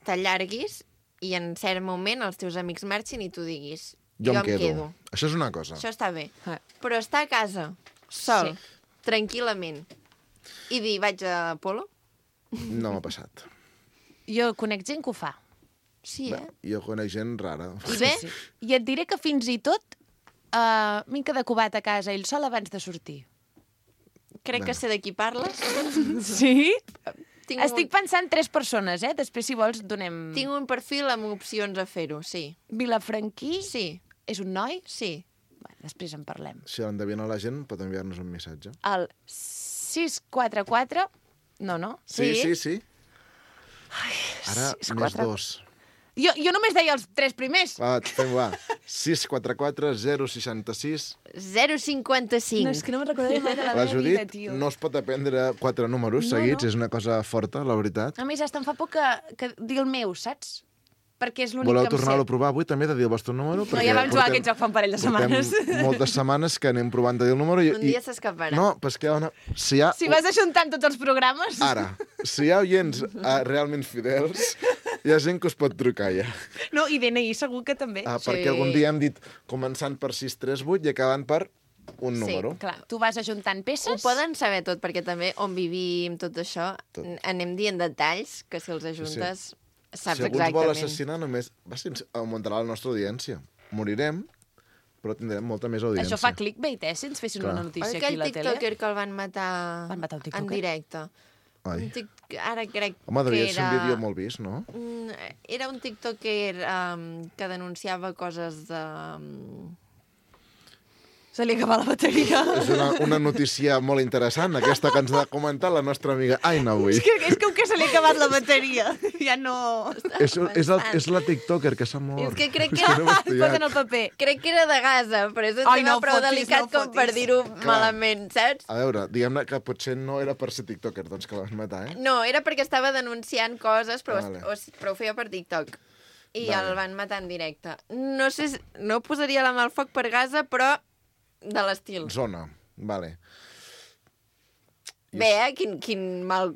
[SPEAKER 1] t'allarguis i en cert moment els teus amics marxin i tu diguis
[SPEAKER 6] Jo,
[SPEAKER 1] jo
[SPEAKER 6] em quedo. Això és una cosa.
[SPEAKER 1] Això està bé.
[SPEAKER 2] Eh.
[SPEAKER 1] Però estar a casa, sol,
[SPEAKER 2] Sí.
[SPEAKER 1] tranquil·lament, i dir vaig a Polo?
[SPEAKER 6] No m'ha passat.
[SPEAKER 2] jo conec gent que ho fa.
[SPEAKER 1] Sí, eh?
[SPEAKER 6] Jo conec gent rara.
[SPEAKER 1] I bé,
[SPEAKER 2] Sí. I et diré que fins i tot uh, m'he quedat cubat a casa ell sol abans de sortir.
[SPEAKER 1] crec que sé de qui parles.
[SPEAKER 2] Sí?
[SPEAKER 1] Tinc
[SPEAKER 2] Estic pensant tres persones, eh? Després, si vols, donem...
[SPEAKER 1] un, tinc un perfil amb opcions a fer-ho, sí.
[SPEAKER 2] Vilafranquí
[SPEAKER 1] Sí,
[SPEAKER 2] és un noi?
[SPEAKER 1] sí.
[SPEAKER 2] Bé, després en parlem.
[SPEAKER 6] Si l'endevina la gent, pot enviar-nos un missatge.
[SPEAKER 2] El sis quatre quatre... No, no?
[SPEAKER 6] Sí, sí, sí. Ara,
[SPEAKER 2] sis,
[SPEAKER 6] més
[SPEAKER 2] quatre.
[SPEAKER 6] dos.
[SPEAKER 2] Jo, jo només deia els tres primers.
[SPEAKER 6] Va, fem-ho, va. sis quatre quatre zero sis sis.
[SPEAKER 1] zero cinquanta-cinc.
[SPEAKER 2] No, és que no me'n recordaré mai de la
[SPEAKER 6] La
[SPEAKER 2] meva vida,
[SPEAKER 6] Judit
[SPEAKER 2] tio.
[SPEAKER 6] no es pot aprendre quatre números
[SPEAKER 2] No,
[SPEAKER 6] seguits,
[SPEAKER 2] no.
[SPEAKER 6] és una cosa forta, la veritat.
[SPEAKER 2] A més, hasta em fa por que, que digui el meu, saps? Perquè és l'únic
[SPEAKER 6] Voleu
[SPEAKER 2] que em sé.
[SPEAKER 6] tornar-ho a provar avui, també, de dir el vostre número?
[SPEAKER 2] No, ja vam jugar a aquest joc fa un parell de setmanes.
[SPEAKER 6] Portem moltes setmanes que anem provant de dir el número. I,
[SPEAKER 1] Un dia s'escaparà.
[SPEAKER 6] No, però és que hi ha una... Si hi ha...
[SPEAKER 2] Si vas ajuntant tots els programes...
[SPEAKER 6] Ara, si hi ha oients uh, realment fidels, hi ha gent que us pot trucar ja.
[SPEAKER 2] No, i D N I segur que també.
[SPEAKER 6] Uh,
[SPEAKER 1] Sí.
[SPEAKER 6] perquè algun dia hem dit començant per sis tres vuit i acabant per un
[SPEAKER 1] Sí,
[SPEAKER 6] número.
[SPEAKER 2] Clar, tu vas ajuntant peces...
[SPEAKER 1] Ho poden saber tot, perquè també on vivim, tot això,
[SPEAKER 6] Tot.
[SPEAKER 1] n- anem dient detalls que si els ajuntes saps
[SPEAKER 6] si algú ens vol
[SPEAKER 1] exactament.
[SPEAKER 6] assassinar, només va, si ens augmentarà la nostra audiència. morirem, però tindrem molta més audiència.
[SPEAKER 2] Això fa clickbait, eh, si ens fessin
[SPEAKER 6] Clar.
[SPEAKER 2] una notícia aquí
[SPEAKER 1] Aquell
[SPEAKER 2] a la tele.
[SPEAKER 1] tiktoker que el van matar,
[SPEAKER 2] Van matar un
[SPEAKER 1] en
[SPEAKER 2] tiktoker?
[SPEAKER 1] directe.
[SPEAKER 6] Ai.
[SPEAKER 1] Un tic... Ara crec
[SPEAKER 6] Home, devia
[SPEAKER 1] que
[SPEAKER 6] ser
[SPEAKER 1] era...
[SPEAKER 6] un vídeo molt vist, no?
[SPEAKER 1] Mm, Era un tiktoker um, que denunciava coses de... Um...
[SPEAKER 2] Se li acaba la bateria.
[SPEAKER 6] És una, una notícia molt interessant, aquesta que ens ha comentat la nostra amiga Aina avui.
[SPEAKER 2] És que, és com que se li ha acabat la bateria. Ja no...
[SPEAKER 6] És, és, el, és la tiktoker que s'ha mort.
[SPEAKER 1] És que crec que
[SPEAKER 6] És
[SPEAKER 1] era-
[SPEAKER 6] no m'he estudiat.
[SPEAKER 2] Posen el paper.
[SPEAKER 1] Crec que era de Gaza, però és un
[SPEAKER 2] Ai,
[SPEAKER 1] tema
[SPEAKER 2] no
[SPEAKER 1] prou
[SPEAKER 2] fotis,
[SPEAKER 1] delicat
[SPEAKER 2] no
[SPEAKER 1] com per
[SPEAKER 2] fotis.
[SPEAKER 1] dir-ho malament, saps?
[SPEAKER 6] A veure, diguem-ne que potser no era per ser tiktoker, doncs, que la van matar, eh?
[SPEAKER 1] No, era perquè estava denunciant coses, però,
[SPEAKER 6] Vale.
[SPEAKER 1] o, però ho feia per TikTok. I
[SPEAKER 6] Vale.
[SPEAKER 1] el van matar en directe. No sé, si- no posaria la mà al foc per Gaza, però de l'estil.
[SPEAKER 6] Zona, vale.
[SPEAKER 1] Bé, eh? Quin, quin mal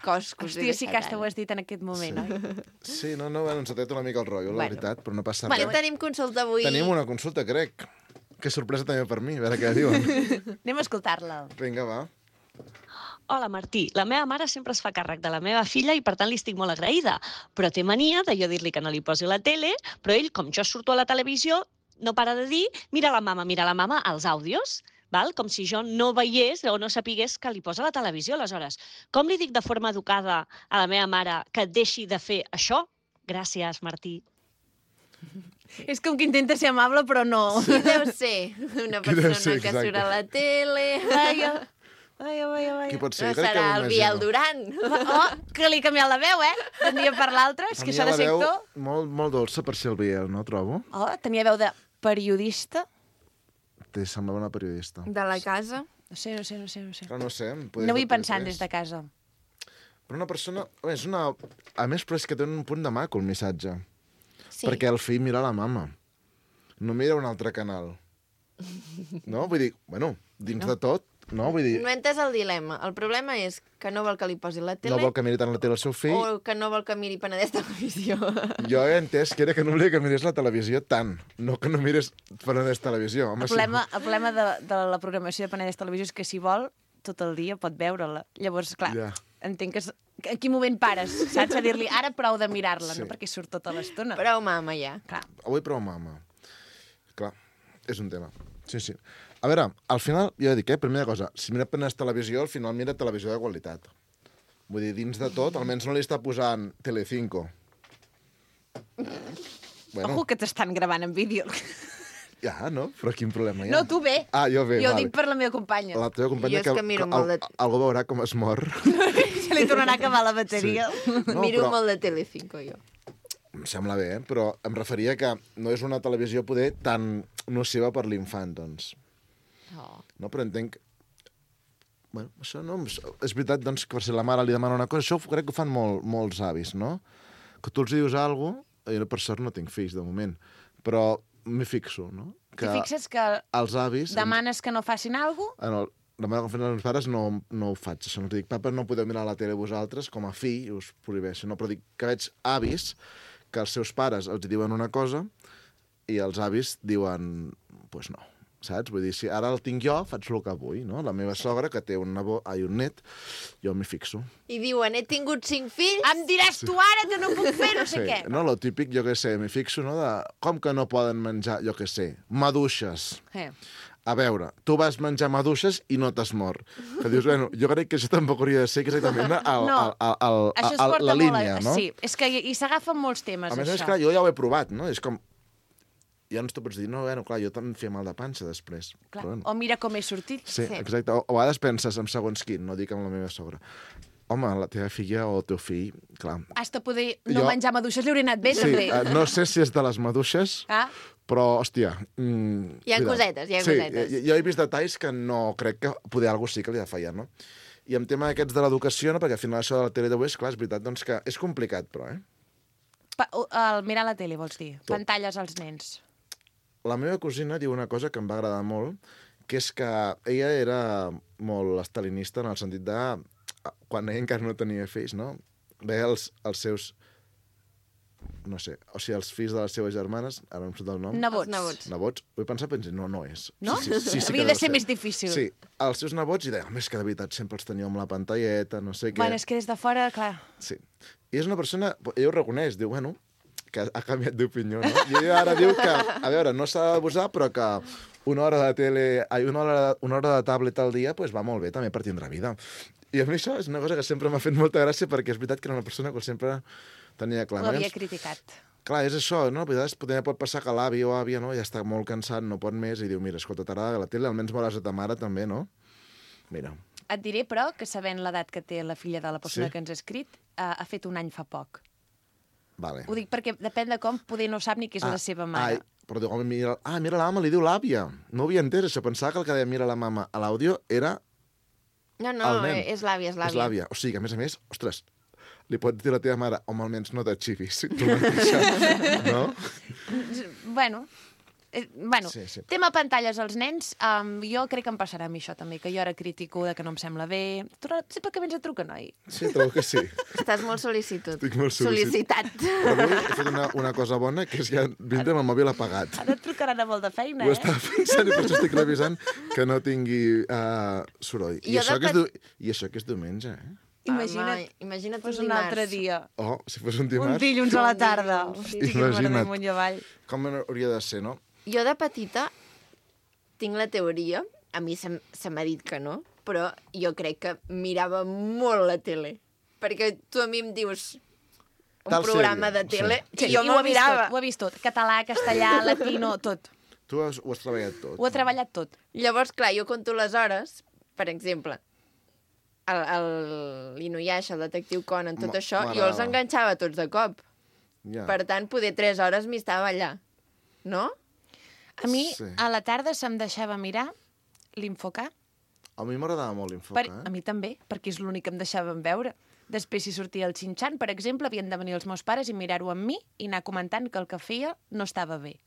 [SPEAKER 1] cos que us he
[SPEAKER 2] Hòstia, sí que
[SPEAKER 1] deixat,
[SPEAKER 2] hasta ho
[SPEAKER 1] ara.
[SPEAKER 2] has dit en aquest moment, oi?
[SPEAKER 6] Sí, no, no, bueno, ens ha tret una mica el rotllo, la
[SPEAKER 1] Bueno.
[SPEAKER 6] veritat, però no passa
[SPEAKER 1] Bueno,
[SPEAKER 6] res.
[SPEAKER 1] tenim consulta avui.
[SPEAKER 6] Tenim una consulta, crec. Que sorpresa també per mi, a veure què diuen.
[SPEAKER 2] Anem a escoltar-la.
[SPEAKER 6] Vinga, va.
[SPEAKER 7] Hola, Martí. La meva mare sempre es fa càrrec de la meva filla i, per tant, li estic molt agraïda. Però té mania de jo dir-li que no li posi la tele, però ell, com jo surto a la televisió, no para de dir mira la mama, mira la mama, als àudios, val? Com si jo no veiés o no sapigués que li posa la televisió, aleshores. Com li dic de forma educada a la meva mare que deixi de fer això? Gràcies, Martí.
[SPEAKER 2] És com que intenta ser amable, però no.
[SPEAKER 1] Qui deu ser? Una
[SPEAKER 6] Qui deu
[SPEAKER 1] persona
[SPEAKER 6] ser,
[SPEAKER 1] que
[SPEAKER 6] exacte.
[SPEAKER 1] surt a la tele...
[SPEAKER 2] Vaja, vaja, vaja,
[SPEAKER 6] Qui
[SPEAKER 2] vaja.
[SPEAKER 6] pot ser?
[SPEAKER 1] No
[SPEAKER 6] Jo crec que
[SPEAKER 1] serà el Biel
[SPEAKER 6] m'imagino.
[SPEAKER 1] Duran.
[SPEAKER 2] Oh, que li ha canviat la veu, eh? D'un dia per l'altre, és
[SPEAKER 6] A
[SPEAKER 2] que
[SPEAKER 6] mi
[SPEAKER 2] això de
[SPEAKER 6] la veu
[SPEAKER 2] sector...
[SPEAKER 6] Molt, molt dolça per ser el Biel, no, trobo?
[SPEAKER 2] Oh, tenia veu de periodista.
[SPEAKER 6] Te semblava una periodista.
[SPEAKER 1] De la casa.
[SPEAKER 2] No sé, no sé, no sé, no sé.
[SPEAKER 6] Però no sé, em podries
[SPEAKER 2] No vull
[SPEAKER 6] dir
[SPEAKER 2] pensar
[SPEAKER 6] P tres.
[SPEAKER 2] des de casa.
[SPEAKER 6] Però una persona... Bé, és una... A més, però és que té un punt de maco, el missatge.
[SPEAKER 1] Sí.
[SPEAKER 6] Perquè el fill mira la mama. No mira un altre canal. No? Vull dir, bueno, dins no. de tot, no? Vull dir,
[SPEAKER 1] No he entès el dilema. El problema és que no vol que li posi la tele
[SPEAKER 6] no vol que miri tant la tele el seu fill.
[SPEAKER 1] o que no vol que miri Penedès Televisió.
[SPEAKER 6] Jo he entès que era que no volia que mirés la televisió tant, no que no mirés Penedès Televisió. Home,
[SPEAKER 2] El problema, el problema de, de la programació de Penedès Televisió és que si vol, tot el dia pot veure-la. Llavors, clar,
[SPEAKER 6] Ja.
[SPEAKER 2] entenc que... És, en quin moment pares, saps? A dir-li, ara prou de mirar-la,
[SPEAKER 6] Sí.
[SPEAKER 2] no? Perquè surt tota l'estona.
[SPEAKER 1] Prou mama, ja.
[SPEAKER 2] Clar.
[SPEAKER 6] Avui prou mama. Clar, és un tema. Sí, sí. A veure, al final, jo dic, eh, primera cosa, si mira Penedès Televisió, al final mira televisió de qualitat. Vull dir, dins de tot, almenys no li està posant Telecinco. Bueno,
[SPEAKER 2] Ojo que t'estan gravant en vídeo.
[SPEAKER 6] ja, no? Però quin problema hi ha?
[SPEAKER 2] No, tu bé.
[SPEAKER 6] Ah, jo bé,
[SPEAKER 2] Jo
[SPEAKER 6] vale.
[SPEAKER 2] dic per la meva companya.
[SPEAKER 6] La teva companya
[SPEAKER 1] Jo és que miro
[SPEAKER 6] al-
[SPEAKER 1] molt de-
[SPEAKER 6] algú veurà com es mor.
[SPEAKER 2] Se li tornarà a acabar la bateria.
[SPEAKER 6] No,
[SPEAKER 1] Miro
[SPEAKER 6] però-
[SPEAKER 1] molt de Telecinco, jo.
[SPEAKER 6] Em sembla bé, eh? Però em referia que no és una televisió poder tan nociva per l'infant, doncs.
[SPEAKER 1] Oh.
[SPEAKER 6] No? Però entenc... Bueno, això no... És veritat, doncs, que per si la mare li demana una cosa, això crec que ho fan molt, molts avis, no? Que tu els dius alguna cosa, jo per sort no tinc fills, de moment, però m'hi fixo, no?
[SPEAKER 2] Si fixes que
[SPEAKER 6] els avis...
[SPEAKER 2] demanes que no facin alguna cosa,
[SPEAKER 6] En el, la meva confiança als meus pares no, no ho faig. Això no t'ho dic, papa, no podeu mirar la tele vosaltres, com a fill, i us prohibeixo. No, però dic que veig avis que els seus pares els diuen una cosa i els avis diuen, doncs pues no, saps? Vull dir, si ara el tinc jo, faig el que vull, no? La meva sogra, que té un, nebot, ai, un net, jo m'hi fixo.
[SPEAKER 1] I diuen, he tingut cinc fills...
[SPEAKER 2] em diràs tu ara que no puc fer no sé què.
[SPEAKER 6] No, lo típic, jo què sé, m'hi fixo, no? De, com que no poden menjar, jo què sé, maduixes.
[SPEAKER 2] Eh.
[SPEAKER 6] A veure, tu vas menjar maduixes i no t'has mort. Que dius, bueno, jo crec que això tampoc hauria de ser exactament el,
[SPEAKER 2] No,
[SPEAKER 6] el, el, el,
[SPEAKER 2] Això es
[SPEAKER 6] el,
[SPEAKER 2] porta
[SPEAKER 6] la
[SPEAKER 2] molt
[SPEAKER 6] línia,
[SPEAKER 2] a...
[SPEAKER 6] no?
[SPEAKER 2] Sí, és que hi, hi s'agafen molts temes,
[SPEAKER 6] A més a més,
[SPEAKER 2] això.
[SPEAKER 6] clar, jo ja ho he provat, no? És com... Ja no t'ho pots dir, no, bueno, clar, jo també em feia mal de panxa després.
[SPEAKER 2] Clar.
[SPEAKER 6] Però, bueno.
[SPEAKER 2] O mira com he sortit.
[SPEAKER 6] Sí,
[SPEAKER 1] Sí.
[SPEAKER 6] exacte. O, o a vegades penses en segons quin, no dic amb la meva sogra. Home, la teva filla o el teu fill, clar...
[SPEAKER 2] Has de poder no
[SPEAKER 6] Jo-
[SPEAKER 2] menjar maduixes, li hauria anat bé,
[SPEAKER 6] Sí,
[SPEAKER 2] també.
[SPEAKER 6] eh, no sé si és de les maduixes,
[SPEAKER 2] Ah,
[SPEAKER 6] però, hòstia... Mm,
[SPEAKER 1] Hi ha
[SPEAKER 6] cuidado.
[SPEAKER 1] cosetes, hi ha
[SPEAKER 6] sí,
[SPEAKER 1] cosetes.
[SPEAKER 6] Sí, jo he vist detalls que no crec que poder algú sí que li ha de fallar, no? I en tema aquests de l'educació, no? Perquè al final això de la tele d'avui és clar, és veritat, doncs que és complicat, però, eh?
[SPEAKER 2] pa, el mirar la tele, vols dir?
[SPEAKER 6] Tot.
[SPEAKER 2] Pantalles als nens.
[SPEAKER 6] La meva cosina diu una cosa que em va agradar molt, que és que ella era molt estalinista en el sentit de... Quan ella encara no tenia fills, no? Veia els, els seus... No sé, o sigui, els fills de les seves germanes, ara no em surt el nom.
[SPEAKER 2] Nebots.
[SPEAKER 1] Els nebots.
[SPEAKER 6] Nebots? Vull pensar, pensi, no, no és.
[SPEAKER 2] No?
[SPEAKER 6] Sí, sí, sí, sí
[SPEAKER 2] Havia
[SPEAKER 6] que
[SPEAKER 2] de
[SPEAKER 6] deu
[SPEAKER 2] ser més difícil.
[SPEAKER 6] Sí, els seus nebots, i deia, home, és que de veritat sempre els teníeu amb la pantalleta, no sé què.
[SPEAKER 2] Bueno, és que des de fora, clar...
[SPEAKER 6] Sí. I és una persona, ella ho reconeix, diu, bueno, que ha canviat d'opinió, no? I ella ara diu que, a veure, no s'ha d'abusar, però que una hora de tele, ai, una hora, una hora de tablet al dia pues, va molt bé també per tindre vida. I a mi això és una cosa que sempre m'ha fet molta gràcia perquè és veritat que era una persona que sempre tenia clar.
[SPEAKER 2] L'havia
[SPEAKER 6] Llavors,
[SPEAKER 2] criticat.
[SPEAKER 6] clar, és això, no? A vegades potser pot passar que l'avi o àvia no? ja està molt cansat, no pot més, i diu, mira, escolta, t'agrada la tele, almenys veuràs a ta mare també, no? Mira.
[SPEAKER 2] Et diré, però, que sabent l'edat que té la filla de la persona
[SPEAKER 6] Sí?
[SPEAKER 2] que ens ha escrit, ha, ha fet un any fa poc.
[SPEAKER 6] Vale.
[SPEAKER 2] Ho dic perquè depèn de com, poder no sap ni qui és la seva mare.
[SPEAKER 6] Ai, però diu, home, mira, ah, mira la mama, li diu l'àvia. No ho havia entès, això. Pensava que el que deia mira la mama a l'àudio era
[SPEAKER 1] No, no,
[SPEAKER 6] el nen.
[SPEAKER 1] és l'àvia, és
[SPEAKER 6] És
[SPEAKER 1] l'àvia.
[SPEAKER 6] l'àvia. O sigui, que, a més a més, ostres, li pot dir a la teva mare, home, almenys no t'atxivis, tu mateixa, no?
[SPEAKER 2] Bueno, eh, bueno
[SPEAKER 6] Sí, sí.
[SPEAKER 2] tema pantalles als nens, um, jo crec que em passarà a mi això també, que jo ara critico de que no em sembla bé. Tu no- sempre que vens a trucar, noi.
[SPEAKER 6] Sí, trobo que sí.
[SPEAKER 1] Estàs molt sol·licitud.
[SPEAKER 6] Estic molt sol·licitat.
[SPEAKER 1] Sol·licitat.
[SPEAKER 6] Però avui he fet una, una cosa bona, que és que ja vindré amb el mòbil apagat.
[SPEAKER 2] Ara et trucaran a molt de feina,
[SPEAKER 6] Ho
[SPEAKER 2] eh?
[SPEAKER 6] estava pensant i per això estic revisant que no tingui uh, soroll. I
[SPEAKER 1] Jo
[SPEAKER 6] això,
[SPEAKER 1] de
[SPEAKER 6] que és
[SPEAKER 1] pet-
[SPEAKER 6] du... I això que és diumenge, eh?
[SPEAKER 2] Imagina't,
[SPEAKER 1] Home, imagina't
[SPEAKER 2] fos
[SPEAKER 1] un
[SPEAKER 2] un altre
[SPEAKER 1] dimarts.
[SPEAKER 2] dia.
[SPEAKER 6] Oh, si fos un
[SPEAKER 2] Un
[SPEAKER 6] dimarts,
[SPEAKER 2] dilluns a la tarda.
[SPEAKER 1] Un dilluns.
[SPEAKER 2] Hosti, que
[SPEAKER 6] Imagina't.
[SPEAKER 2] m'agrada amunt i avall.
[SPEAKER 6] com hauria de ser, no?
[SPEAKER 1] Jo de petita tinc la teoria, a mi se, se m'ha dit que no, però jo crec que mirava molt la tele. Perquè tu a mi em dius un
[SPEAKER 6] Tal
[SPEAKER 1] programa
[SPEAKER 6] sèrie,
[SPEAKER 1] de tele
[SPEAKER 6] sí.
[SPEAKER 1] i jo
[SPEAKER 2] I
[SPEAKER 1] me'l
[SPEAKER 2] ho ha vist
[SPEAKER 1] mirava.
[SPEAKER 2] tot, ho ha vist tot. Català, castellà, latino, tot.
[SPEAKER 6] Tu has, ho has treballat tot.
[SPEAKER 2] Ho ha treballat tot.
[SPEAKER 1] Llavors, clar, jo conto les hores, per exemple, el, el l'Inuyasha, el detectiu Conan, tot
[SPEAKER 6] Ma-
[SPEAKER 1] això, jo
[SPEAKER 6] m'agrada.
[SPEAKER 1] els enganxava tots de cop.
[SPEAKER 6] Ja.
[SPEAKER 1] Per tant, poder tres hores m'hi estava allà. No?
[SPEAKER 2] A mi,
[SPEAKER 6] Sí.
[SPEAKER 2] a la tarda, se'm deixava mirar l'Infocar.
[SPEAKER 6] A mi m'agradava molt
[SPEAKER 2] Per,
[SPEAKER 6] l'infoca,
[SPEAKER 2] a
[SPEAKER 6] eh?
[SPEAKER 2] mi també, perquè és l'únic que em deixaven veure. Després, si sortia el Xinxan, per exemple, havien de venir els meus pares i mirar-ho amb mi i anar comentant que el que feia no estava bé.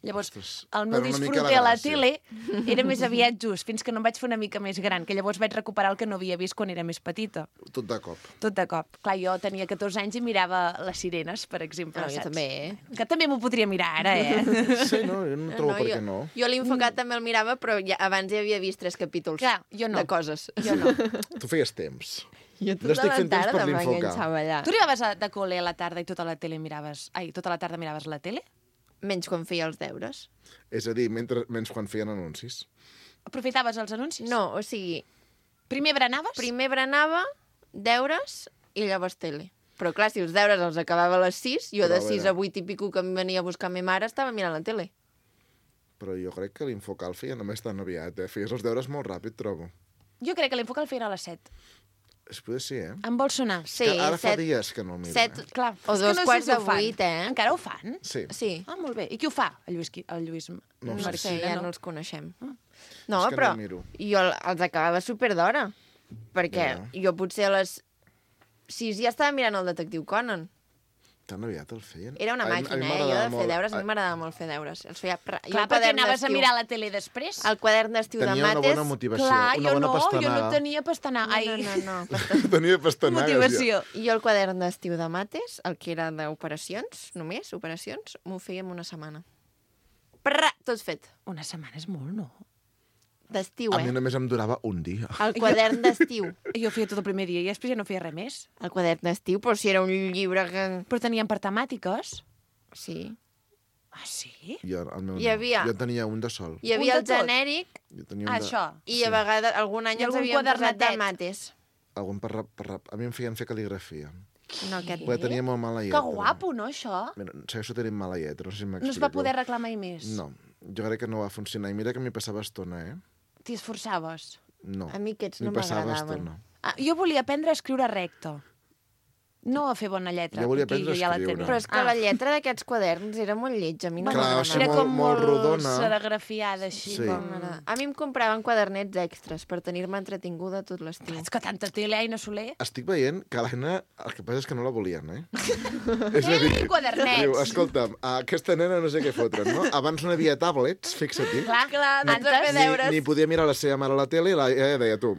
[SPEAKER 2] Llavors,
[SPEAKER 6] Ostres,
[SPEAKER 2] el meu
[SPEAKER 6] perd una mica
[SPEAKER 2] disfrute
[SPEAKER 6] la
[SPEAKER 2] a la
[SPEAKER 6] gràcia.
[SPEAKER 2] tele era més aviat just, fins que no em vaig fer una mica més gran, que llavors vaig recuperar el que no havia vist quan era més petita.
[SPEAKER 6] Tot de cop.
[SPEAKER 2] Tot de cop. Clar, jo tenia catorze anys i mirava les sirenes, per exemple,
[SPEAKER 1] No, jo
[SPEAKER 2] saps?
[SPEAKER 1] també, eh?
[SPEAKER 2] Que també m'ho podria mirar ara, eh?
[SPEAKER 6] Sí, no? Jo no trobo per
[SPEAKER 1] jo,
[SPEAKER 6] què no.
[SPEAKER 1] Jo l'Infocat també el mirava, però ja, abans ja havia vist tres capítols
[SPEAKER 2] Clar, jo no.
[SPEAKER 1] de coses.
[SPEAKER 2] Jo no.
[SPEAKER 6] Tu feies temps.
[SPEAKER 1] Jo
[SPEAKER 6] No estic fent temps per l'Infocar.
[SPEAKER 1] m'enganxava allà.
[SPEAKER 2] Tu arribaves a, de col·le a la tarda i tota la tele miraves... Ai, tota la tarda miraves la tele?
[SPEAKER 1] Menys quan feia els deures.
[SPEAKER 6] És a dir, mentre, menys quan feien anuncis.
[SPEAKER 2] Aprofitaves els anuncis?
[SPEAKER 1] No, o sigui,
[SPEAKER 2] Primer berenaves?
[SPEAKER 1] primer berenava, deures i llavors tele. Però clar, si els deures els acabava a les sis, jo
[SPEAKER 6] Però,
[SPEAKER 1] de
[SPEAKER 6] a
[SPEAKER 1] sis
[SPEAKER 6] veure.
[SPEAKER 1] a vuit i pico que em venia a buscar ma mare estava mirant la tele.
[SPEAKER 6] Però jo crec que l'Infocar el feia només tan aviat, eh? Feies els deures molt ràpid, trobo.
[SPEAKER 2] Jo crec que l'Infoca el feia a les set.
[SPEAKER 6] Es potser sí, eh?
[SPEAKER 2] Em vol sonar?
[SPEAKER 1] Sí,
[SPEAKER 6] que ara fa
[SPEAKER 1] set,
[SPEAKER 6] dies que no el miro,
[SPEAKER 1] set,
[SPEAKER 6] eh?
[SPEAKER 2] Clar.
[SPEAKER 1] o
[SPEAKER 2] és que
[SPEAKER 1] dos
[SPEAKER 2] no sé
[SPEAKER 1] quarts
[SPEAKER 2] si
[SPEAKER 1] de
[SPEAKER 2] ho fan.
[SPEAKER 1] vuit, eh?
[SPEAKER 2] Encara ho fan?
[SPEAKER 6] Sí.
[SPEAKER 1] Sí.
[SPEAKER 2] Ah, molt bé. I qui ho fa? El Lluís, Qui- el Lluís
[SPEAKER 6] No ho
[SPEAKER 1] No
[SPEAKER 6] sé.
[SPEAKER 1] sé, ja no
[SPEAKER 2] no?
[SPEAKER 1] els coneixem.
[SPEAKER 2] Ah.
[SPEAKER 1] No,
[SPEAKER 6] És que no
[SPEAKER 1] però
[SPEAKER 6] el miro.
[SPEAKER 1] jo els acabava super d'hora. Perquè
[SPEAKER 6] Ja.
[SPEAKER 1] jo potser a les sis ja estava mirant el detectiu Conan.
[SPEAKER 6] Tan aviat el feien?
[SPEAKER 1] Era una
[SPEAKER 6] A mi- a mi
[SPEAKER 1] màquina, eh? Jo
[SPEAKER 6] m'agradava
[SPEAKER 1] de fer
[SPEAKER 6] molt.
[SPEAKER 1] deures, a mi m'agradava molt fer deures. Els feia... pra- jo
[SPEAKER 2] Clar,
[SPEAKER 1] el
[SPEAKER 2] perquè
[SPEAKER 1] quadern
[SPEAKER 2] anaves a
[SPEAKER 1] d'estiu-
[SPEAKER 2] mirar la tele després.
[SPEAKER 1] El quadern d'estiu de
[SPEAKER 6] Tenia una
[SPEAKER 1] mates...
[SPEAKER 6] bona motivació,
[SPEAKER 2] Clar,
[SPEAKER 6] una
[SPEAKER 2] jo
[SPEAKER 6] bona
[SPEAKER 2] no, jo
[SPEAKER 6] pastanaga.
[SPEAKER 2] no tenia pastanaga.
[SPEAKER 1] No,
[SPEAKER 2] Ai,
[SPEAKER 1] no, no, no.
[SPEAKER 6] Tenia pastanagues.
[SPEAKER 2] motivació.
[SPEAKER 1] I jo el quadern d'estiu de mates, el que era d'operacions, només, operacions, m'ho feia en una setmana. Prrra, tot fet.
[SPEAKER 2] Una setmana és molt, no?
[SPEAKER 1] D'estiu,
[SPEAKER 6] Ja. A mi
[SPEAKER 1] eh?
[SPEAKER 6] només em durava un dia.
[SPEAKER 1] El quadern d'estiu.
[SPEAKER 2] Jo feia tot el primer dia i després ja no feia res més.
[SPEAKER 1] El quadern d'estiu, però si era un llibre que...
[SPEAKER 2] Però tenien per temàtiques.
[SPEAKER 1] Sí.
[SPEAKER 2] Ah, sí?
[SPEAKER 6] Jo, el meu
[SPEAKER 1] Hi
[SPEAKER 6] no.
[SPEAKER 1] havia-
[SPEAKER 6] Jo tenia un de sol.
[SPEAKER 1] Hi havia
[SPEAKER 2] Un
[SPEAKER 1] el
[SPEAKER 2] de tot?
[SPEAKER 1] genèric
[SPEAKER 6] Jo tenia un
[SPEAKER 2] Ah,
[SPEAKER 6] de...
[SPEAKER 2] això.
[SPEAKER 1] i a vegades, algun any
[SPEAKER 2] I
[SPEAKER 1] ens
[SPEAKER 2] algun
[SPEAKER 1] havíem posat de
[SPEAKER 2] quadernetet?
[SPEAKER 1] mates.
[SPEAKER 6] Algun per rap, per rap. A mi em feien fer cal·ligrafia.
[SPEAKER 1] No, aquest
[SPEAKER 6] Perquè tenia molt mala
[SPEAKER 2] Que
[SPEAKER 6] lletra.
[SPEAKER 2] guapo, no, això?
[SPEAKER 6] Mira, segueixo tenint mala lletra, no sé si m'explico.
[SPEAKER 2] No es va poder arreglar mai més.
[SPEAKER 6] No, jo crec que no va funcionar. I mira que m'hi passava estona, eh?
[SPEAKER 2] T'hi esforçaves.
[SPEAKER 6] No.
[SPEAKER 1] A mi aquests
[SPEAKER 6] M'hi
[SPEAKER 1] no
[SPEAKER 6] passava
[SPEAKER 1] m'agradaven.
[SPEAKER 6] estona.
[SPEAKER 2] Ah, jo volia aprendre a escriure recte. No a fer bona lletra.
[SPEAKER 6] Jo volia
[SPEAKER 2] perquè
[SPEAKER 6] aprendre a
[SPEAKER 2] ja la
[SPEAKER 6] escriure.
[SPEAKER 2] tenia.
[SPEAKER 1] Però és que
[SPEAKER 2] ah.
[SPEAKER 1] la lletra d'aquests quaderns era molt lletja. A mi no
[SPEAKER 6] Clar,
[SPEAKER 1] m'agradava.
[SPEAKER 6] així
[SPEAKER 2] Era
[SPEAKER 6] molt-
[SPEAKER 2] com
[SPEAKER 6] molt rodona.
[SPEAKER 2] serigrafiada, així.
[SPEAKER 6] Sí.
[SPEAKER 2] Com...
[SPEAKER 1] M'agrada. A mi em compraven quadernets extras per tenir-me entretinguda tot l'estiu.
[SPEAKER 2] És que tanta tele, Aina Soler.
[SPEAKER 6] Estic veient que l'Aina, el que passa és que no la volien, eh? és a dir,
[SPEAKER 2] Ei, quadernets!
[SPEAKER 6] diu, escolta'm, aquesta nena no sé què fotre'n, no? Abans no hi havia tablets, fixa-t'hi.
[SPEAKER 2] Clar, clar,
[SPEAKER 1] doncs a fer
[SPEAKER 6] Ni,
[SPEAKER 1] deures.
[SPEAKER 6] ni podia mirar la seva mare a la tele i la, ella deia, tu,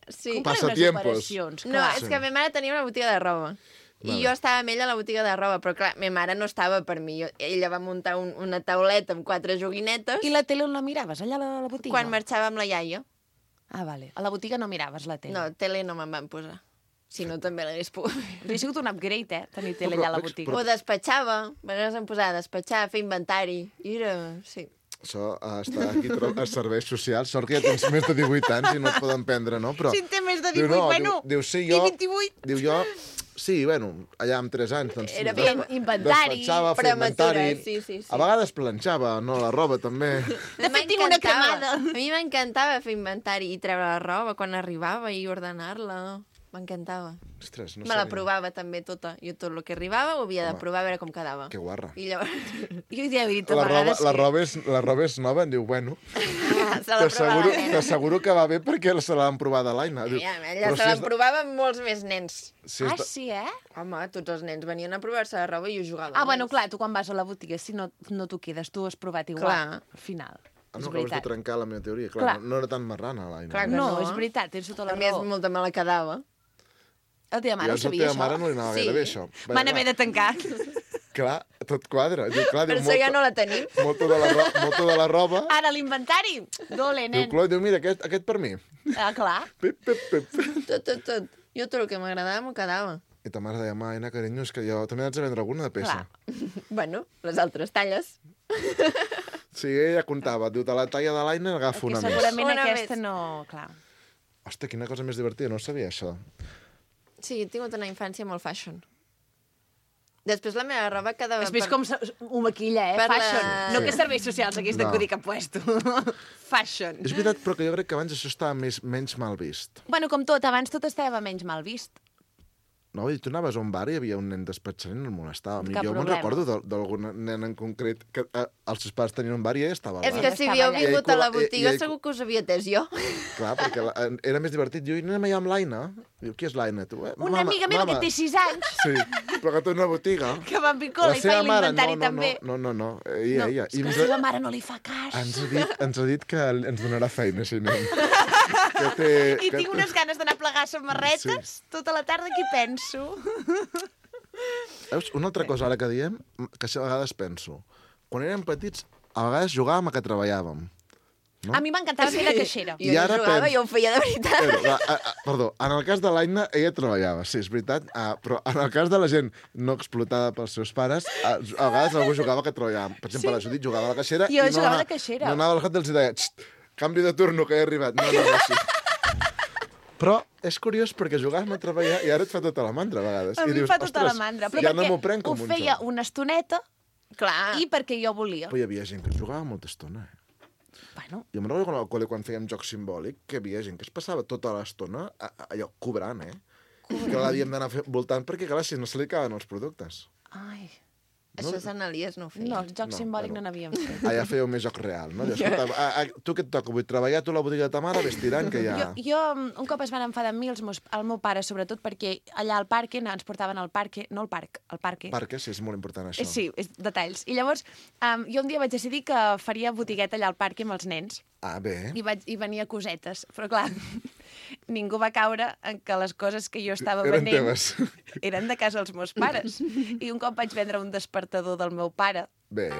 [SPEAKER 1] Sí.
[SPEAKER 6] Passa
[SPEAKER 2] unes
[SPEAKER 6] tiempos.
[SPEAKER 2] operacions,
[SPEAKER 1] No,
[SPEAKER 2] clar.
[SPEAKER 1] és que ma mare tenia una botiga de roba. I
[SPEAKER 6] Vale.
[SPEAKER 1] jo estava amb ella a la botiga de roba, però clar, ma mare no estava per mi. Jo, ella va muntar un, una tauleta amb quatre joguinetes
[SPEAKER 2] I la tele on la miraves? Allà a la, la botiga?
[SPEAKER 1] quan marxava amb la iaia.
[SPEAKER 2] Ah, vale. A la botiga no miraves la tele.
[SPEAKER 1] No, tele no me'n van posar. Si no, també l'hagués pogut fer.
[SPEAKER 2] Hauria sigut un upgrade, eh, tenir tele allà a la
[SPEAKER 6] Però-
[SPEAKER 2] botiga.
[SPEAKER 1] O despatxava, a vegades em posava a despatxar, fer inventari. I era... Sí.
[SPEAKER 6] Això uh, està aquí tro- a serveis socials. Sort que ja tens més de divuit anys i no et poden prendre, no? Però,
[SPEAKER 2] Si en té més de
[SPEAKER 6] diu,
[SPEAKER 2] divuit,
[SPEAKER 6] no,
[SPEAKER 2] bueno,
[SPEAKER 6] diu, diu, sí,
[SPEAKER 2] i
[SPEAKER 6] jo,
[SPEAKER 2] vint-i-vuit.
[SPEAKER 6] Diu jo, sí, bueno, allà amb tres anys. Doncs,
[SPEAKER 1] Era
[SPEAKER 6] des-
[SPEAKER 1] ben
[SPEAKER 2] inventari,
[SPEAKER 6] despatxava, feia
[SPEAKER 1] prematura,
[SPEAKER 6] inventari.
[SPEAKER 1] sí, sí, sí.
[SPEAKER 6] A vegades planxava, no, la roba també.
[SPEAKER 2] De fet, tinc una cremada.
[SPEAKER 1] A mi m'encantava fer inventari i treure la roba quan arribava i ordenar-la. M'encantava.
[SPEAKER 6] Ostres, no
[SPEAKER 1] Me la
[SPEAKER 6] sabia.
[SPEAKER 1] provava també tota. Jo tot el que arribava ho havia de
[SPEAKER 6] Home,
[SPEAKER 1] provar a veure com quedava.
[SPEAKER 6] Que guarra.
[SPEAKER 1] I llavors
[SPEAKER 2] Jo ja he dit a
[SPEAKER 6] La roba,
[SPEAKER 2] vegades
[SPEAKER 6] la,
[SPEAKER 2] que...
[SPEAKER 6] roba és, la roba és nova, em diu, bueno,
[SPEAKER 1] se la provava
[SPEAKER 6] t'asseguro
[SPEAKER 1] la nena.
[SPEAKER 6] t'asseguro que va bé perquè se l'han provat a l'Aina. Diu,
[SPEAKER 1] Ja,
[SPEAKER 6] però
[SPEAKER 1] ella se
[SPEAKER 6] si és de-
[SPEAKER 1] l'emprovava amb molts més nens.
[SPEAKER 6] si és
[SPEAKER 2] Ah,
[SPEAKER 6] de-
[SPEAKER 2] sí, eh?
[SPEAKER 1] Home, tots els nens venien a provar-se la roba i jo jugava.
[SPEAKER 2] Ah,
[SPEAKER 1] amb
[SPEAKER 2] bueno,
[SPEAKER 1] ells.
[SPEAKER 2] clar, tu quan vas a la botiga, si no, no t'ho quedes, tu has provat igual.
[SPEAKER 1] Clar.
[SPEAKER 2] Al final.
[SPEAKER 6] Ah,
[SPEAKER 2] És
[SPEAKER 6] no, acabes de
[SPEAKER 2] veritat.
[SPEAKER 6] trencar la meva teoria. Clar,
[SPEAKER 2] Clar.
[SPEAKER 6] No, no era tan marrana, l'Aina.
[SPEAKER 1] Clar que
[SPEAKER 2] No,
[SPEAKER 1] no.
[SPEAKER 2] és veritat, tens tota la
[SPEAKER 1] A més,
[SPEAKER 2] raó.
[SPEAKER 1] molta me la quedava.
[SPEAKER 2] La teva mare ho
[SPEAKER 6] Llavors, a la
[SPEAKER 2] sabia,
[SPEAKER 6] teva mare
[SPEAKER 2] això?
[SPEAKER 6] no li anava
[SPEAKER 1] Sí.
[SPEAKER 6] gaire bé, això.
[SPEAKER 2] Van haver de tancar.
[SPEAKER 6] Clar, tot quadra. Diu, clar,
[SPEAKER 1] Per
[SPEAKER 6] diu,
[SPEAKER 1] això ja no la tenim.
[SPEAKER 6] molta, de la ro molta de la roba.
[SPEAKER 2] Ara, l'inventari. Dole,
[SPEAKER 6] Diu,
[SPEAKER 2] nen.
[SPEAKER 6] Cloi, diu, mira, aquest, aquest per mi.
[SPEAKER 2] Ah, clar.
[SPEAKER 6] Pip, pip, pip.
[SPEAKER 1] Tot, tot, tot. Jo tot el que m'agradava m'ho quedava.
[SPEAKER 6] I ta mare deia, Aina, carinyo, és que jo també haig de vendre alguna de peça.
[SPEAKER 2] Clar.
[SPEAKER 1] Bueno, les altres talles.
[SPEAKER 6] Sí, ella comptava. Diu, de la talla de l'Aina agafo
[SPEAKER 2] Que
[SPEAKER 6] una més.
[SPEAKER 2] segurament
[SPEAKER 1] Una
[SPEAKER 2] aquesta
[SPEAKER 1] més.
[SPEAKER 2] no... Clar.
[SPEAKER 6] Hòstia, quina cosa més divertida, no sabia això.
[SPEAKER 1] Sí, he tingut una infància molt fashion. Després la meva roba quedava...
[SPEAKER 2] Has vist com se- ho maquilla, eh?
[SPEAKER 1] per la-
[SPEAKER 2] Fashion. No
[SPEAKER 6] Sí.
[SPEAKER 2] que serveis socials hagués
[SPEAKER 6] No.
[SPEAKER 2] d'acudir que ha puesto. Fashion.
[SPEAKER 6] És veritat, però que jo crec que abans això estava més, menys mal vist.
[SPEAKER 2] Bueno, com tot, abans tot estava menys mal vist.
[SPEAKER 6] No, vull dir, tu anaves a un bar i hi havia un nen despatxant i no el molestava. A mi,
[SPEAKER 2] Cap
[SPEAKER 6] jo me'n
[SPEAKER 2] problema.
[SPEAKER 6] recordo d'al- d'algun nen en concret que eh, els seus pares tenien un bar i ella estava al
[SPEAKER 1] És
[SPEAKER 6] bar.
[SPEAKER 1] que si havíeu
[SPEAKER 2] Estava
[SPEAKER 6] allà.
[SPEAKER 1] vingut
[SPEAKER 6] I
[SPEAKER 1] a la
[SPEAKER 6] ell cola-
[SPEAKER 1] botiga
[SPEAKER 6] i ell-
[SPEAKER 1] segur que us havia atès jo.
[SPEAKER 6] Clar, perquè la, era més divertit. Jo, i anem allà amb l'Aina. Diu, qui és l'Aina? Tu, eh,
[SPEAKER 2] Una amiga meva que té sis anys,
[SPEAKER 6] Sí, però que té una botiga.
[SPEAKER 2] que va a Picola i feia l'inventari
[SPEAKER 6] no,
[SPEAKER 2] també.
[SPEAKER 6] no, no, no, no, ella,
[SPEAKER 2] No,
[SPEAKER 6] ella.
[SPEAKER 2] és
[SPEAKER 6] I
[SPEAKER 2] que la
[SPEAKER 6] ens,
[SPEAKER 2] seva mare no li fa cas.
[SPEAKER 6] ens, ha dit, ens ha dit que ens donarà feina, si anem. Que té,
[SPEAKER 2] I
[SPEAKER 6] que,
[SPEAKER 2] tinc unes ganes d'anar a plegar samarretes tota la tarda que hi penso.
[SPEAKER 6] Veus, una altra cosa ara que diem, que a vegades penso. Quan érem petits, a vegades jugàvem a que treballàvem. No?
[SPEAKER 2] A mi m'encantava fer de caixera.
[SPEAKER 1] Jo
[SPEAKER 6] I
[SPEAKER 1] no
[SPEAKER 6] ara
[SPEAKER 1] jugava,
[SPEAKER 6] pens-
[SPEAKER 1] jo ho feia de veritat.
[SPEAKER 6] Però, la, a, a, perdó, en el cas de l'Aina, ella treballava, sí, és veritat, ah, però en el cas de la gent no explotada pels seus pares, a, a vegades algú jugava que treballava. Per exemple, sí? la Judit jugava a la caixera
[SPEAKER 2] Jo
[SPEAKER 6] i no,
[SPEAKER 2] jugava
[SPEAKER 6] anava-
[SPEAKER 2] de caixera.
[SPEAKER 6] no anava al cap i els deia, "Xt, canvi de turno, que he arribat. No, no, no, sí. Però és curiós perquè jugàvem a treballar i ara et fa tota la mandra, a vegades.
[SPEAKER 2] A
[SPEAKER 6] I
[SPEAKER 2] mi em
[SPEAKER 6] dius,
[SPEAKER 2] fa tota la
[SPEAKER 6] "Ostres,
[SPEAKER 2] mandra. Però
[SPEAKER 6] ja no
[SPEAKER 2] perquè
[SPEAKER 6] m'ho prenc com
[SPEAKER 2] ho
[SPEAKER 6] un
[SPEAKER 2] feia
[SPEAKER 6] joc."
[SPEAKER 2] una estoneta
[SPEAKER 1] Clar.
[SPEAKER 2] i perquè jo volia.
[SPEAKER 6] Però hi havia gent que jugava molta estona, eh?
[SPEAKER 2] Bueno,
[SPEAKER 6] Jo me'n recordo quan al col·le, quan fèiem joc simbòlic, que hi havia gent que es passava tota l'estona a- a- allò, cobrant, eh? Que l'havíem d'anar fe- voltant perquè, clar, si no se li acaben els productes.
[SPEAKER 2] ai...
[SPEAKER 1] Això Sant Elies no ho feia.
[SPEAKER 2] No, el joc
[SPEAKER 6] No,
[SPEAKER 2] simbòlic
[SPEAKER 6] bueno.
[SPEAKER 2] no n'havíem fet.
[SPEAKER 6] Allà fèieu més joc real, no? Dius, escolta, a, a, tu què et toca? Vull treballar tu a la botiga de ta mare, ves tirant, que ja...
[SPEAKER 2] Jo, jo un cop es van enfadar amb mi, els meus, el meu pare, sobretot, perquè allà al parc ens portaven al parc, no al parc, al parc.
[SPEAKER 6] Perquè sí, és molt important això.
[SPEAKER 2] Eh, Sí, és detalls. I llavors, um, jo un dia vaig decidir que faria botigueta allà al parc amb els nens.
[SPEAKER 6] Ah, bé.
[SPEAKER 2] I, vaig, i venia cosetes. Però, clar, ningú va caure en que les coses que jo estava
[SPEAKER 6] Eren
[SPEAKER 2] venent
[SPEAKER 6] teves.
[SPEAKER 2] eren de casa dels meus pares. I un cop vaig vendre un despertador del meu pare.
[SPEAKER 6] Bé.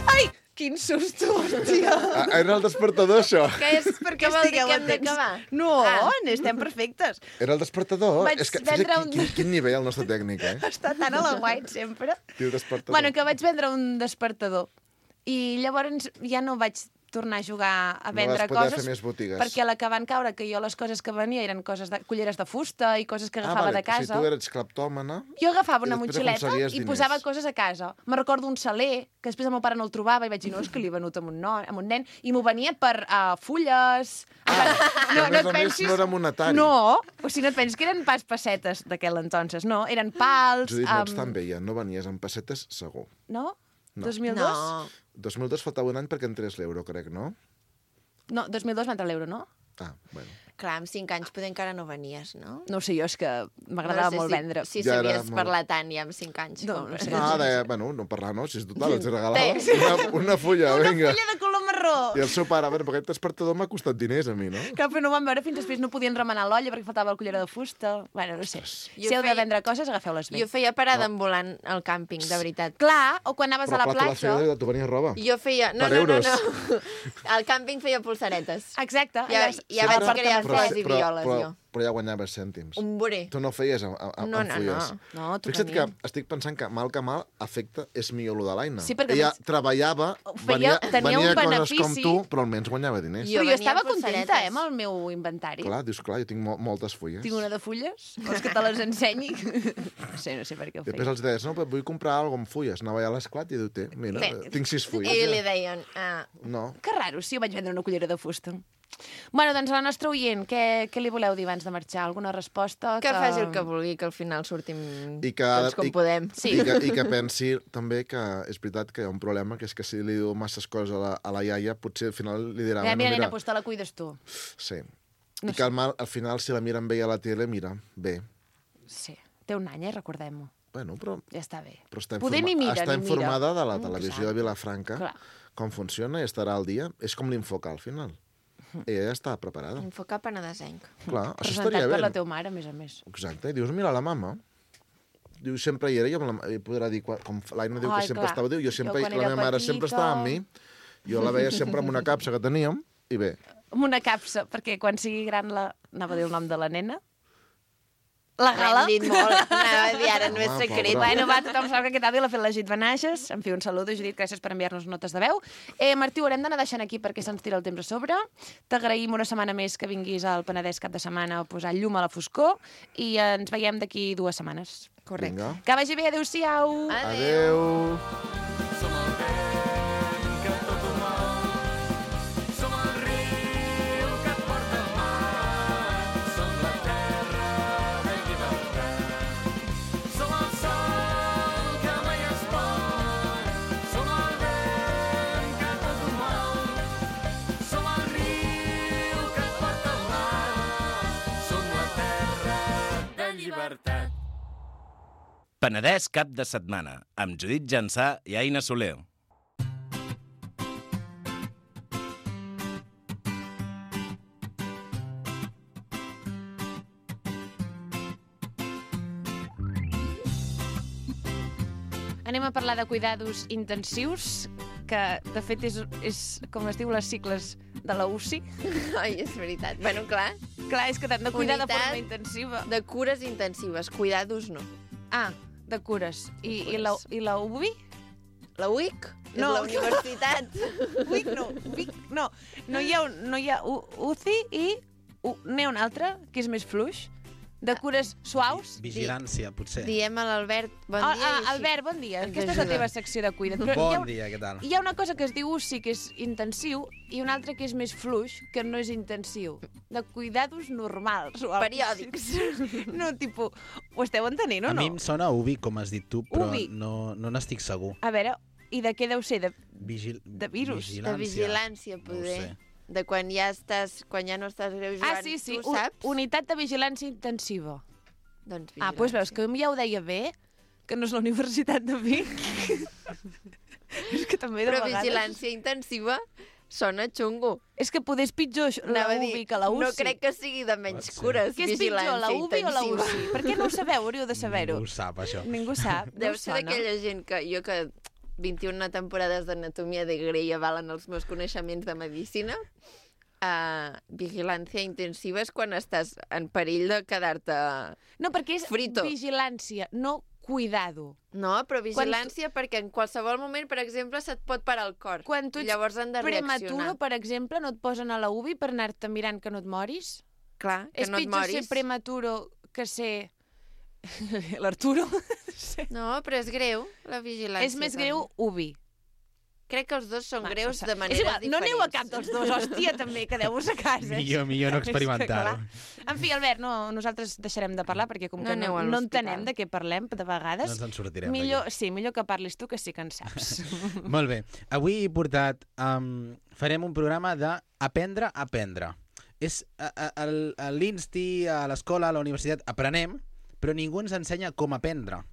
[SPEAKER 2] Ai, quin susto, hòstia!
[SPEAKER 6] Ah, era el despertador, això.
[SPEAKER 1] Què és? Què vol dir que hem d'acabar?
[SPEAKER 2] No,
[SPEAKER 1] Ah.
[SPEAKER 2] n'estem perfectes.
[SPEAKER 6] Era el despertador.
[SPEAKER 2] Vaig
[SPEAKER 6] és que,
[SPEAKER 2] vendre
[SPEAKER 6] fixa't,
[SPEAKER 2] un-
[SPEAKER 6] quin, quin, quin nivell el nostre tècnic, eh?
[SPEAKER 2] Està tan a la guait, sempre.
[SPEAKER 6] Diu despertador.
[SPEAKER 2] Bueno, que vaig vendre un despertador. I llavors ja no vaig tornar a jugar a
[SPEAKER 6] No
[SPEAKER 2] vendre
[SPEAKER 6] vas poder
[SPEAKER 2] coses.
[SPEAKER 6] fer més botigues.
[SPEAKER 2] Perquè a la que van caure, que jo les coses que venia eren coses de, culleres de fusta i coses que
[SPEAKER 6] Ah,
[SPEAKER 2] agafava
[SPEAKER 6] vale,
[SPEAKER 2] de casa.
[SPEAKER 6] Si tu eres cleptòmana...
[SPEAKER 2] Jo agafava
[SPEAKER 6] I
[SPEAKER 2] una
[SPEAKER 6] després
[SPEAKER 2] motxileta
[SPEAKER 6] aconseguies
[SPEAKER 2] i
[SPEAKER 6] diners.
[SPEAKER 2] posava coses a casa. Me recordo un saler, que després el meu pare no el trobava i vaig dir, no, és que l'he venut amb un, no, amb un nen, i m'ho venia per uh, fulles...
[SPEAKER 6] Ah, que a més a més no era monetari.
[SPEAKER 2] No, o sigui, no et pensis que eren pas pessetes d'aquell entonces, no, eren pals...
[SPEAKER 6] Judit, no ets
[SPEAKER 2] amb-
[SPEAKER 6] tan vella, no venies amb pessetes, segur.
[SPEAKER 2] No?
[SPEAKER 6] No.
[SPEAKER 2] dos mil dos?
[SPEAKER 1] No.
[SPEAKER 6] dos mil dos faltava un any perquè entrés l'euro, crec, no?
[SPEAKER 2] No, dos mil dos va entrar l'euro, no?
[SPEAKER 6] Ah, bueno.
[SPEAKER 1] Clar, amb cinc anys poder encara no venies, no?
[SPEAKER 2] No ho sé, jo és que m'agradava
[SPEAKER 1] No sé
[SPEAKER 2] molt
[SPEAKER 1] si,
[SPEAKER 2] vendre.
[SPEAKER 1] Si
[SPEAKER 6] Ja era
[SPEAKER 1] sabies
[SPEAKER 6] molt-
[SPEAKER 1] parlar tant ja amb cinc anys.
[SPEAKER 2] No,
[SPEAKER 1] com...
[SPEAKER 2] no sé.
[SPEAKER 6] No, de, bueno, no parlar, no, si és total, els regalava
[SPEAKER 1] Té.
[SPEAKER 6] una, una fulla,
[SPEAKER 2] Una
[SPEAKER 6] vinga.
[SPEAKER 2] fulla de color marró!
[SPEAKER 6] I el seu pare, a veure, perquè aquest despertador m'ha costat diners a mi, no?
[SPEAKER 2] Clar, però no ho van veure fins després, no podien remenar l'olla perquè faltava el cullera de fusta. Bueno, no sé.
[SPEAKER 1] Jo
[SPEAKER 2] Si heu de
[SPEAKER 1] feia-
[SPEAKER 2] vendre coses, agafeu-les bé.
[SPEAKER 1] Jo feia parada ambulant al càmping, de veritat.
[SPEAKER 2] Clar, o quan anaves
[SPEAKER 6] Però
[SPEAKER 2] a la
[SPEAKER 6] clar, tu la
[SPEAKER 2] platja...
[SPEAKER 6] feia, tu venies roba.
[SPEAKER 1] Jo feia... No,
[SPEAKER 6] Per
[SPEAKER 1] no,
[SPEAKER 6] euros.
[SPEAKER 1] no, no. Al càmping feia pulseretes.
[SPEAKER 2] Exacte.
[SPEAKER 1] Ja,
[SPEAKER 2] allà
[SPEAKER 1] ja
[SPEAKER 2] al
[SPEAKER 1] vaig
[SPEAKER 2] Parc
[SPEAKER 1] crear francès i
[SPEAKER 6] però,
[SPEAKER 1] violes,
[SPEAKER 6] però,
[SPEAKER 1] jo.
[SPEAKER 6] però ja guanyaves cèntims.
[SPEAKER 1] Un boré.
[SPEAKER 6] Tu no feies amb, amb,
[SPEAKER 1] No,
[SPEAKER 6] amb
[SPEAKER 1] no,
[SPEAKER 6] fulles.
[SPEAKER 1] no.
[SPEAKER 2] No, tu
[SPEAKER 6] Fixa't que
[SPEAKER 2] tenies.
[SPEAKER 6] estic pensant que mal que mal afecta és millor lo de l'Aina.
[SPEAKER 2] Sí, perquè
[SPEAKER 6] Ella
[SPEAKER 2] més-
[SPEAKER 6] treballava,
[SPEAKER 2] Feia-
[SPEAKER 6] venia,
[SPEAKER 2] tenia
[SPEAKER 6] venia
[SPEAKER 2] un
[SPEAKER 6] coses
[SPEAKER 2] benefici.
[SPEAKER 6] com tu, però almenys guanyava diners.
[SPEAKER 1] Jo
[SPEAKER 2] Però jo
[SPEAKER 1] venia
[SPEAKER 2] estava
[SPEAKER 1] amb
[SPEAKER 2] contenta,
[SPEAKER 1] polseretes.
[SPEAKER 2] eh, amb el meu inventari.
[SPEAKER 6] Clar, dius, clar, jo tinc mo moltes fulles.
[SPEAKER 2] Tinc una de fulles, vols que te les ensenyi? No sé, no sé per què ho
[SPEAKER 6] Després
[SPEAKER 2] feia.
[SPEAKER 6] els deies, no, però vull comprar alguna amb fulles. Anava allà a l'esclat i diu, té, mira,
[SPEAKER 1] Té.
[SPEAKER 6] tinc sis fulles.
[SPEAKER 1] I
[SPEAKER 6] ja.
[SPEAKER 1] li deien... Ah,
[SPEAKER 6] No.
[SPEAKER 2] Que raro, sí, jo vaig vendre una cullera de fusta. Bueno, doncs a la nostra oient, què, què li voleu dir abans de marxar? Alguna resposta?
[SPEAKER 1] que faci el que vulgui, que al final sortim
[SPEAKER 6] I que,
[SPEAKER 1] tots com
[SPEAKER 6] i,
[SPEAKER 1] podem.
[SPEAKER 2] Sí.
[SPEAKER 6] I, que, I que pensi també que és veritat que hi ha un problema, que és que si li diu masses coses a la, a la iaia, potser al final li dirà...
[SPEAKER 2] Mira,
[SPEAKER 6] bueno,
[SPEAKER 2] mira, nena,
[SPEAKER 6] mira,
[SPEAKER 2] pues te la cuides tu.
[SPEAKER 6] sí.
[SPEAKER 2] No
[SPEAKER 6] I que al, mal, al final, si la mira amb ella a la tele, mira, bé.
[SPEAKER 2] Sí, té un any, eh, recordem-ho.
[SPEAKER 6] Bueno, però,
[SPEAKER 2] Ja està bé.
[SPEAKER 6] però està,
[SPEAKER 2] Poder
[SPEAKER 6] informa
[SPEAKER 2] ni mira,
[SPEAKER 6] està
[SPEAKER 2] ni mira.
[SPEAKER 6] informada de la
[SPEAKER 2] Mm,
[SPEAKER 6] televisió
[SPEAKER 2] clar.
[SPEAKER 6] de Vilafranca,
[SPEAKER 2] Clar.
[SPEAKER 6] com funciona i estarà al dia. És com l'infocar, al final. Ella ja està preparada.
[SPEAKER 1] Enfocar penedesenc.
[SPEAKER 6] Clar, això
[SPEAKER 2] Presentat
[SPEAKER 6] estaria
[SPEAKER 2] per
[SPEAKER 6] bé.
[SPEAKER 2] la teva mare, a més a més.
[SPEAKER 6] Exacte, i dius, mira, la mama... Diu, sempre hi era, jo la, i podrà dir, quan- com l'Aina diu que
[SPEAKER 2] Ai,
[SPEAKER 6] sempre
[SPEAKER 2] clar.
[SPEAKER 6] estava, diu, jo sempre,
[SPEAKER 2] Jo quan
[SPEAKER 6] la
[SPEAKER 2] era
[SPEAKER 6] meva mare sempre
[SPEAKER 2] petita-
[SPEAKER 6] estava amb mi, jo la veia sempre amb una capsa que teníem, i bé,
[SPEAKER 2] Amb una capsa, perquè quan sigui gran la... Anava a dir el nom de la nena. La Gala.
[SPEAKER 1] L'hem dit molt. Anava a dir, ara no és
[SPEAKER 6] Home,
[SPEAKER 1] secret.
[SPEAKER 6] pobra.
[SPEAKER 2] Bueno, va, tothom sap que aquest àudio l'ha fet la Judit Benages. En fi, un saludo, Judit, gràcies per enviar-nos notes de veu. Eh, Martí, ho haurem d'anar deixant aquí perquè se'ns tira el temps a sobre. T'agraïm una setmana més que vinguis al Penedès cap de setmana a posar llum a la foscor i ens veiem d'aquí dues setmanes.
[SPEAKER 1] Correcte.
[SPEAKER 6] vinga.
[SPEAKER 2] Que vagi bé, adéu-siau.
[SPEAKER 1] Adéu.
[SPEAKER 6] Adéu.
[SPEAKER 5] Som el vent que tot ho mou. Som el riu que et porta al mar. Som la terra de llibertat. Som el sol que mai es pon. Som el vent que tot ho mou. Som el riu que et porta al mar. Som la terra de llibertat.
[SPEAKER 8] Penedès cap de setmana, amb Judit Jansà i Aina Soler.
[SPEAKER 2] Anem a parlar de cuidados intensius, que de fet és, és com es diu les cicles de la U C I.
[SPEAKER 1] Ai, és veritat. Bueno, clar,
[SPEAKER 2] Clar, és que t'han de cuidar de
[SPEAKER 1] Unitat
[SPEAKER 2] forma intensiva.
[SPEAKER 1] de cures intensives, cuidados no.
[SPEAKER 2] Ah, de cures. I,
[SPEAKER 1] De
[SPEAKER 2] i, la,
[SPEAKER 1] cures.
[SPEAKER 2] I la U B I?
[SPEAKER 1] La U I C és
[SPEAKER 2] No.
[SPEAKER 1] la universitat.
[SPEAKER 2] U I C no, U I C no. No hi ha, un, no hi ha U, UCI i U, n'hi ha un altre, que és més fluix, de cures suaus.
[SPEAKER 9] Vigilància, potser.
[SPEAKER 1] Diem a l'Albert bon
[SPEAKER 2] Ah,
[SPEAKER 1] dia.
[SPEAKER 2] ah,
[SPEAKER 1] i així
[SPEAKER 2] Albert, bon dia.
[SPEAKER 1] ens
[SPEAKER 2] Aquesta és la
[SPEAKER 1] ajuda.
[SPEAKER 2] teva secció de cuida't. Però hi ha,
[SPEAKER 9] Bon dia, què tal?
[SPEAKER 2] hi ha una cosa que es diu U C I, que és intensiu, i una altra que és més fluix, que no és intensiu. De cuidados normals. O alguna cosa
[SPEAKER 1] Periòdics.
[SPEAKER 2] així. No, tipus, ho esteu entenent o
[SPEAKER 9] A
[SPEAKER 2] no?
[SPEAKER 9] mi em sona Ubi, com has dit tu, però
[SPEAKER 2] Ubi.
[SPEAKER 9] no no n'estic segur.
[SPEAKER 2] A veure, i de què deu ser? De...
[SPEAKER 9] Vigil...
[SPEAKER 2] De virus.
[SPEAKER 1] De vigilància,
[SPEAKER 9] No ho
[SPEAKER 1] poder.
[SPEAKER 9] sé.
[SPEAKER 1] De quan ja estàs, quan ja no estàs greu jugant,
[SPEAKER 2] Ah, sí, sí,
[SPEAKER 1] tu
[SPEAKER 2] u-
[SPEAKER 1] saps?
[SPEAKER 2] unitat de vigilància intensiva.
[SPEAKER 1] Doncs
[SPEAKER 2] Ah, doncs veus que ja ho deia bé, que no és la Universitat de Vic. És que també de
[SPEAKER 1] Però
[SPEAKER 2] vegades...
[SPEAKER 1] vigilància intensiva sona xungo.
[SPEAKER 2] És que poder és pitjor la
[SPEAKER 1] Anava a
[SPEAKER 2] U B I
[SPEAKER 1] dir,
[SPEAKER 2] que la U C I.
[SPEAKER 1] No crec que sigui de menys
[SPEAKER 9] Pot ser.
[SPEAKER 1] cures,
[SPEAKER 2] Què és pitjor,
[SPEAKER 1] vigilància
[SPEAKER 2] la U B I o la U
[SPEAKER 1] intensiva.
[SPEAKER 2] C I? Per què no ho sabeu? Hauríeu de saber-ho.
[SPEAKER 9] Ningú ho sap, això.
[SPEAKER 2] Ningú sap. No
[SPEAKER 1] Deu
[SPEAKER 2] us
[SPEAKER 1] ser
[SPEAKER 2] sona?
[SPEAKER 1] d'aquella gent que jo que vint-i-una temporades d'anatomia de Grey avalen els meus coneixements de medicina. Uh, vigilància intensiva és quan estàs en perill de quedar-te...
[SPEAKER 2] No, perquè és
[SPEAKER 1] Frito.
[SPEAKER 2] vigilància, no cuidado.
[SPEAKER 1] No, però vigilància perquè en qualsevol moment, per exemple, se't pot parar el cor.
[SPEAKER 2] Quan tu ets
[SPEAKER 1] Llavors han de
[SPEAKER 2] prematuro,
[SPEAKER 1] reaccionar.
[SPEAKER 2] per exemple, no et posen a la U B I per anar-te mirant que no et moris?
[SPEAKER 1] Clar, que
[SPEAKER 2] és
[SPEAKER 1] no et
[SPEAKER 2] pitjor
[SPEAKER 1] moris.
[SPEAKER 2] ser prematuro que ser... L'Arturo?
[SPEAKER 1] No, però és greu, la vigilància.
[SPEAKER 2] És més
[SPEAKER 1] també.
[SPEAKER 2] greu U B I.
[SPEAKER 1] Crec que els dos són
[SPEAKER 2] Va,
[SPEAKER 1] greus
[SPEAKER 2] no
[SPEAKER 1] de
[SPEAKER 2] sé.
[SPEAKER 1] maneres
[SPEAKER 2] És igual,
[SPEAKER 1] diferents.
[SPEAKER 2] no aneu a cap dels dos, hòstia, també, quedeu-vos a casa.
[SPEAKER 9] Millor, millor no
[SPEAKER 2] És que,
[SPEAKER 9] experimentar-ho.
[SPEAKER 2] clar. En fi, Albert, no, nosaltres deixarem de parlar perquè com
[SPEAKER 1] No
[SPEAKER 2] que
[SPEAKER 1] aneu
[SPEAKER 2] no,
[SPEAKER 1] a
[SPEAKER 2] no
[SPEAKER 1] l'hospital.
[SPEAKER 2] entenem de què parlem de vegades,
[SPEAKER 9] No ens en sortirem
[SPEAKER 2] millor, sí, millor que parlis tu, que sí que en saps.
[SPEAKER 9] Molt bé. Avui he portat... Um, farem un programa d'aprendre a aprendre. És a, a, a, a l'Insti, a l'escola, a la universitat, aprenem, però ningú ens ensenya com aprendre.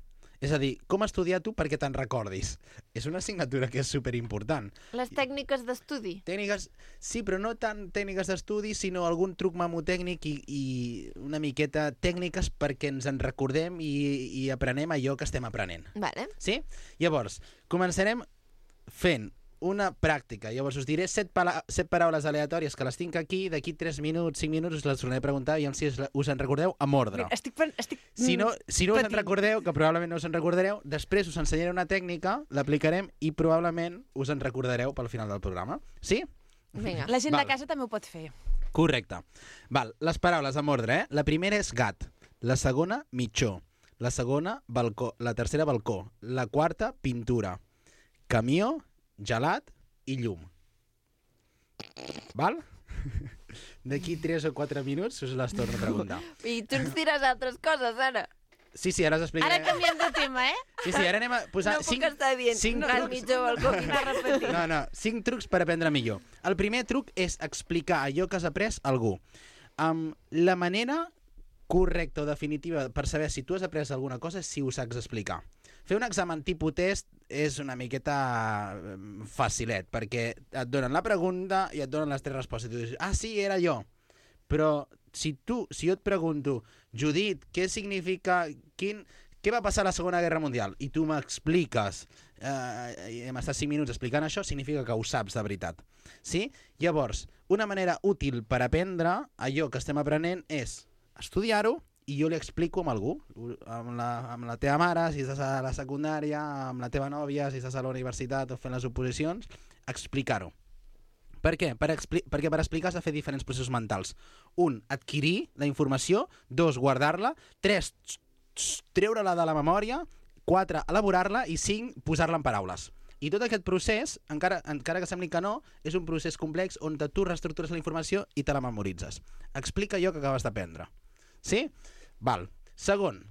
[SPEAKER 9] És a dir, com estudiar tu perquè te'n recordis. És una assignatura que és superimportant.
[SPEAKER 1] Les tècniques d'estudi.
[SPEAKER 9] Tècniques, sí, però no tant tècniques d'estudi, sinó algun truc mamotècnic i, i una miqueta tècniques perquè ens en recordem i, i aprenem allò que estem aprenent.
[SPEAKER 1] Vale.
[SPEAKER 9] Sí? Llavors, començarem fent una pràctica. Llavors us diré set, pala set paraules aleatòries que les tinc aquí, d'aquí tres minuts, cinc minuts us les tornaré a preguntar i si us en recordeu amb ordre.
[SPEAKER 2] Estic, pen- estic
[SPEAKER 9] Si no, si no us en
[SPEAKER 2] patint.
[SPEAKER 9] recordeu, que probablement no us en recordareu, després us ensenyaré una tècnica, l'aplicarem i probablement us en recordareu pel final del programa. Sí?
[SPEAKER 1] Vinga.
[SPEAKER 2] La gent
[SPEAKER 9] Val.
[SPEAKER 2] de casa també ho pot fer.
[SPEAKER 9] Correcte. Val, les paraules amb ordre, eh? La primera és gat, la segona, mitjó, la segona, balcó, la tercera, balcó, la quarta, pintura, camió, gelat i llum. Val? D'aquí tres o quatre minuts us les torno a preguntar.
[SPEAKER 1] I tu ens diràs altres coses, ara.
[SPEAKER 9] Sí, sí, ara us explicaré.
[SPEAKER 2] Ara canviem de tema, eh?
[SPEAKER 9] Sí, sí, ara anem a posar
[SPEAKER 1] No puc
[SPEAKER 9] cinc,
[SPEAKER 1] estar dient
[SPEAKER 9] cinc
[SPEAKER 1] no, gat,
[SPEAKER 9] trucs.
[SPEAKER 1] mitjó, balcó, pintar.
[SPEAKER 9] No, no, cinc trucs per aprendre millor. El primer truc és explicar allò que has après a algú. Um, la manera correcta o definitiva per saber si tu has après alguna cosa és si ho saps explicar. Fer un examen tipus test és una miqueta eh, facilet, perquè et donen la pregunta i et donen les tres respostes. I tu dius, ah, sí, era jo. Però si tu, si jo et pregunto, Judit, què significa, quin, què va passar a la Segona Guerra Mundial? I tu m'expliques, eh, i hem estat cinc minuts explicant això, significa que ho saps de veritat. Sí? Llavors, una manera útil per aprendre allò que estem aprenent és estudiar-ho i jo li explico amb algú, amb la, amb la teva mare, si estàs a la secundària, amb la teva nòvia, si estàs a la universitat o fent les oposicions, explicar-ho. Per què? Per perquè per explicar has de fer diferents processos mentals. Un, adquirir la informació. Dos, guardar-la. Tres, treure-la de la memòria. Quatre, elaborar-la. I cinc, posar-la en paraules. I tot aquest procés, encara, encara que sembli que no, és un procés complex on tu reestructures la informació i te la memoritzes. Explica allò que acabes d'aprendre. Sí? Val. Segon.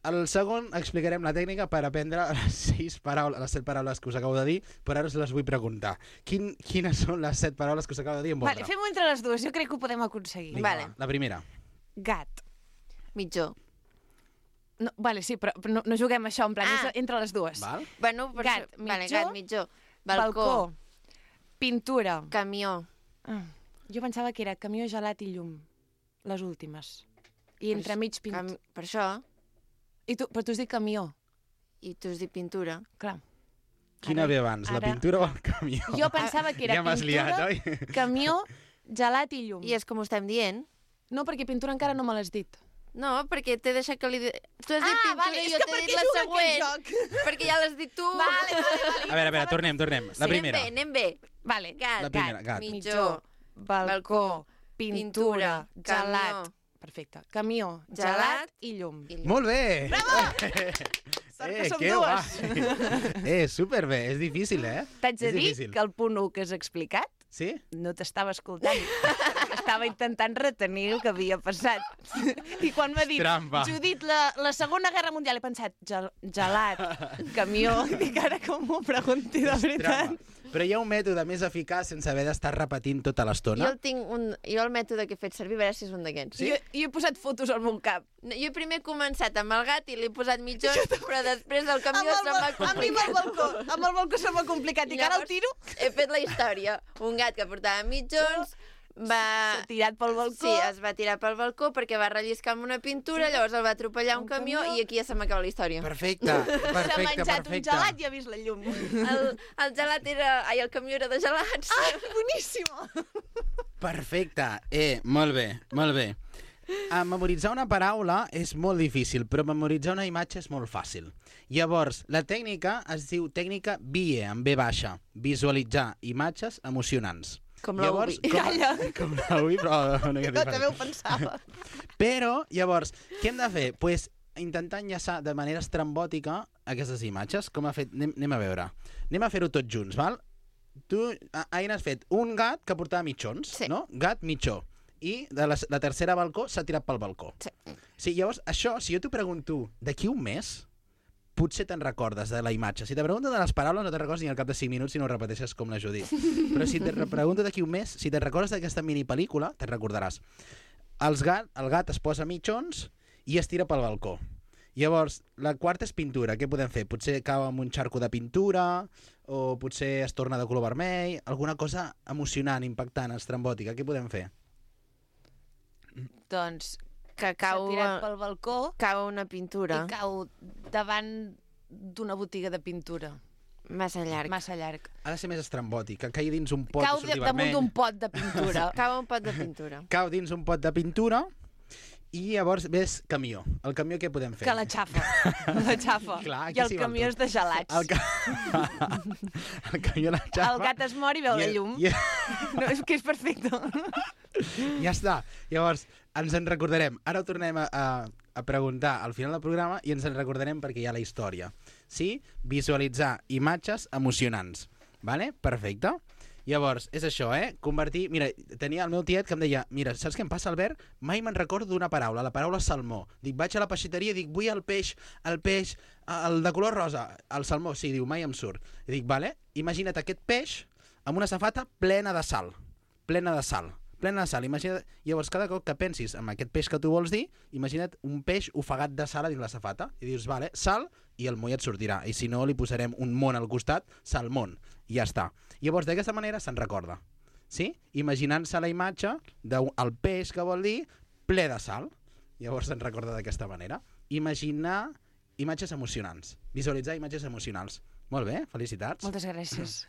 [SPEAKER 9] El segon explicarem la tècnica per aprendre les sis paraules, les set paraules que us acabo de dir, però ara us les vull preguntar. Quin, quines són les set paraules que us acabo de dir en ordre?
[SPEAKER 2] Vale, fem-ho entre les dues, jo crec que ho podem aconseguir.
[SPEAKER 9] Vinga,
[SPEAKER 1] Vale.
[SPEAKER 9] va, la primera.
[SPEAKER 2] Gat.
[SPEAKER 1] Mitjó.
[SPEAKER 2] No, vale, sí, però, però no, no juguem a això, en plan,
[SPEAKER 1] Ah.
[SPEAKER 2] és entre les dues.
[SPEAKER 9] Val?
[SPEAKER 1] Bueno, per
[SPEAKER 2] Gat,
[SPEAKER 1] això- Vale,
[SPEAKER 2] mitjó,
[SPEAKER 1] gat, mitjó. Balcó.
[SPEAKER 2] Pintura.
[SPEAKER 1] Camió.
[SPEAKER 2] Ah, jo pensava que era camió, gelat i llum. Les últimes. I entremig pintura.
[SPEAKER 1] Cam... Per això.
[SPEAKER 2] I tu, però tu has dit camió.
[SPEAKER 1] I tu has dit pintura.
[SPEAKER 2] Clar.
[SPEAKER 9] Quina
[SPEAKER 2] Ara-
[SPEAKER 9] ve abans, la
[SPEAKER 2] ara-
[SPEAKER 9] pintura o el camió?
[SPEAKER 2] Jo pensava que era
[SPEAKER 9] ja m'has
[SPEAKER 2] pintura,
[SPEAKER 9] liat, oi?
[SPEAKER 2] camió, gelat i llum.
[SPEAKER 1] I és com ho estem dient.
[SPEAKER 2] No, perquè pintura encara no me l'has dit.
[SPEAKER 1] No, perquè t'he deixat que li... di- Tu has dit
[SPEAKER 2] Ah,
[SPEAKER 1] pintura
[SPEAKER 2] vale,
[SPEAKER 1] i
[SPEAKER 2] és
[SPEAKER 1] jo
[SPEAKER 2] que
[SPEAKER 1] t'he
[SPEAKER 2] per
[SPEAKER 1] dit
[SPEAKER 2] què
[SPEAKER 1] la
[SPEAKER 2] juga
[SPEAKER 1] següent.
[SPEAKER 2] aquest joc?
[SPEAKER 1] Perquè ja l'has dit tu.
[SPEAKER 2] Vale, vale, vale.
[SPEAKER 9] A veure, a veure, tornem, tornem. La primera.
[SPEAKER 1] Anem bé, anem bé.
[SPEAKER 2] Vale,
[SPEAKER 1] Gat,
[SPEAKER 9] La primera, gat.
[SPEAKER 1] mitjó,
[SPEAKER 2] balcó, pintura,
[SPEAKER 1] pintura,
[SPEAKER 2] gelat.
[SPEAKER 1] camió.
[SPEAKER 2] Perfecte. Camió,
[SPEAKER 1] Gelat
[SPEAKER 2] gelat i llum.
[SPEAKER 1] i llum.
[SPEAKER 9] Molt bé!
[SPEAKER 2] Sort
[SPEAKER 9] eh,
[SPEAKER 2] que som
[SPEAKER 9] que
[SPEAKER 2] dues.
[SPEAKER 9] guai. Eh, superbé, és difícil, eh?
[SPEAKER 2] T'haig de
[SPEAKER 9] És
[SPEAKER 2] dir
[SPEAKER 9] difícil.
[SPEAKER 2] que el punt u que has explicat
[SPEAKER 9] Sí?
[SPEAKER 2] no t'estava escoltant. Estava intentant retenir el que havia passat. I quan m'ha dit,
[SPEAKER 9] Trampa.
[SPEAKER 2] Judit, la, la Segona Guerra Mundial, he pensat, gel, gelat, camió, dic ara com m'ho pregunti de veritat.
[SPEAKER 9] Trampa. Però hi ha un mètode més eficaç sense haver d'estar repetint tota
[SPEAKER 1] Jo
[SPEAKER 9] l'estona.
[SPEAKER 1] el tinc un... Jo el mètode que he fet servir, a veure si és un d'aquests.
[SPEAKER 2] Sí? Jo, jo he posat fotos al meu cap.
[SPEAKER 1] No, jo primer he començat amb el gat i li he posat mitjons, però després el camió
[SPEAKER 2] Amb el,
[SPEAKER 1] se'm va
[SPEAKER 2] bal- a mi amb el
[SPEAKER 1] complicar.
[SPEAKER 2] balcó, amb el balcó se m'ha complicat. I ara el tiro,
[SPEAKER 1] He fet la història. Un gat que portava mitjons, va...
[SPEAKER 2] s'ha tirat pel balcó.
[SPEAKER 1] Sí, es va tirar pel balcó perquè va relliscar amb una pintura, llavors el va atropellar un,
[SPEAKER 2] Un
[SPEAKER 1] camió,
[SPEAKER 2] camió.
[SPEAKER 1] i aquí ja se m'acaba la història.
[SPEAKER 9] Perfecte,
[SPEAKER 2] S'ha
[SPEAKER 9] perfecte,
[SPEAKER 2] menjat un
[SPEAKER 9] perfecte.
[SPEAKER 2] gelat i ha vist la llum.
[SPEAKER 1] El, el gelat era... Ai, el camió era de gelats.
[SPEAKER 2] Ah, boníssima!
[SPEAKER 9] Perfecte. Eh, molt bé, molt bé. A memoritzar una paraula és molt difícil, però memoritzar una imatge és molt fàcil. Llavors, la tècnica es diu tècnica V I E, amb V baixa, visualitzar imatges emocionants.
[SPEAKER 1] Com la
[SPEAKER 9] Llavors,
[SPEAKER 1] Ubi.
[SPEAKER 9] com,
[SPEAKER 2] Calla.
[SPEAKER 9] com la Ubi, però una mica
[SPEAKER 2] Jo també ho
[SPEAKER 9] diferent.
[SPEAKER 2] pensava.
[SPEAKER 9] Però, llavors, què hem de fer? Pues, intentar enllaçar de manera estrambòtica aquestes imatges, com ha fet... Anem, anem a veure. Anem a fer-ho tots junts, val? Tu, a- Aina, has fet un gat que portava mitjons,
[SPEAKER 1] Sí.
[SPEAKER 9] no? Gat, mitjó. I de la, la tercera balcó s'ha tirat pel balcó.
[SPEAKER 1] Sí.
[SPEAKER 9] Sí, llavors, això, si jo t'ho pregunto d'aquí un mes, potser te'n recordes de la imatge. Si te pregunto de les paraules, no te'n recordes ni al cap de cinc minuts si no ho repeteixes com la Judit. Però si te re- pregunto d'aquí un mes, si te'n recordes d'aquesta minipel·lícula, te'n recordaràs. Els gat, el gat es posa mitjons i es tira pel balcó. Llavors, la quarta és pintura. Què podem fer? Potser cau amb un xarco de pintura, o potser es torna de color vermell, alguna cosa emocionant, impactant, estrambòtica. Què podem fer?
[SPEAKER 2] Doncs
[SPEAKER 1] Que
[SPEAKER 2] s'ha
[SPEAKER 1] cau,
[SPEAKER 2] tirat pel balcó
[SPEAKER 1] cau una pintura.
[SPEAKER 2] i cau davant d'una botiga de pintura.
[SPEAKER 1] Massa llarg.
[SPEAKER 2] Massa llarg.
[SPEAKER 9] Ha de ser més estrambòtic, que caigui dins un pot
[SPEAKER 2] Cau
[SPEAKER 9] i surti
[SPEAKER 2] damunt
[SPEAKER 9] vermell.
[SPEAKER 2] d'un pot de pintura.
[SPEAKER 1] Cau un pot de pintura.
[SPEAKER 9] Cau dins un pot de pintura i llavors ves camió. El camió què podem fer?
[SPEAKER 2] Que la xafa. La xafa.
[SPEAKER 9] Clar, aquí
[SPEAKER 2] I el
[SPEAKER 9] s'hi val
[SPEAKER 2] camió
[SPEAKER 9] tot.
[SPEAKER 2] és de gelats.
[SPEAKER 9] El, ca... el camió la xafa.
[SPEAKER 2] El gat es mor i veu la llum.
[SPEAKER 9] I,
[SPEAKER 2] No, és que és perfecte.
[SPEAKER 9] ja està. Llavors, ens en recordarem. Ara ho tornem a, a, a preguntar al final del programa i ens en recordarem perquè hi ha la història. Sí? Visualitzar imatges emocionants. Vale? Perfecte. Llavors, és això, eh? Convertir... Mira, tenia el meu tiet que em deia mira, saps què em passa, Albert? Mai me'n recordo d'una paraula, la paraula salmó. Dic, vaig a la peixateria i dic, vull el peix, el peix, el de color rosa, el salmó. Sí, diu, mai em surt. I dic, vale, imagina't aquest peix amb una safata plena de sal. Plena de sal. Plena de sal. Imagina't... Llavors, cada cop que pensis en aquest peix que tu vols dir, imagina't un peix ofegat de sal a dins la safata. I dius, vale, sal, i el moll et sortirà. I si no, li posarem un món al costat, salmón. I ja està. Llavors, d'aquesta manera se'n recorda. Sí? Imaginant-se la imatge del peix que vol dir ple de sal. Llavors se'n recorda d'aquesta manera. Imaginar imatges emocionants. Visualitzar imatges emocionals. Molt bé, felicitats.
[SPEAKER 2] Moltes gràcies.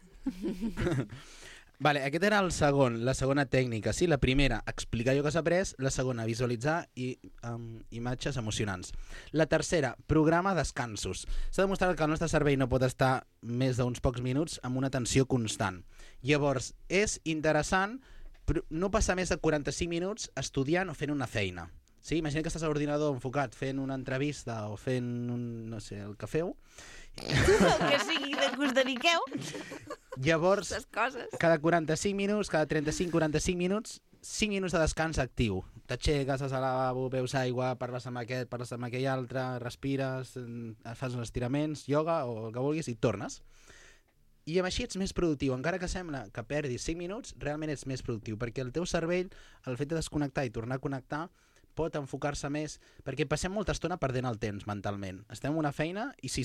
[SPEAKER 9] Vale, aquest era el segon, la segona tècnica. Sí, la primera, explicar allò que s'ha après. La segona, visualitzar i, um, imatges emocionants. La tercera, programa descansos. S'ha demostrat que el nostre cervell no pot estar més d'uns pocs minuts amb una tensió constant. Llavors, és interessant no passar més de quaranta-cinc minuts estudiant o fent una feina. Sí, imagina que estàs a l'ordinador enfocat fent una entrevista o fent un, no sé, el que feu.
[SPEAKER 2] El que sigui de que us dediqueu.
[SPEAKER 9] Llavors,
[SPEAKER 1] Les coses.
[SPEAKER 9] cada quaranta-cinc minuts, cada trenta-cinc quaranta-cinc minuts, cinc minuts de descans actiu. T'aixeques, vas al lavabo, beus aigua, parles amb aquest, parles amb aquell altre, respires, fas uns estiraments, ioga o el que vulguis i tornes. I amb així ets més productiu. Encara que sembla que perdis cinc minuts, realment ets més productiu, perquè el teu cervell, el fet de desconnectar i tornar a connectar, pot enfocar-se més, perquè passem molta estona perdent el temps mentalment. Estem en una feina i si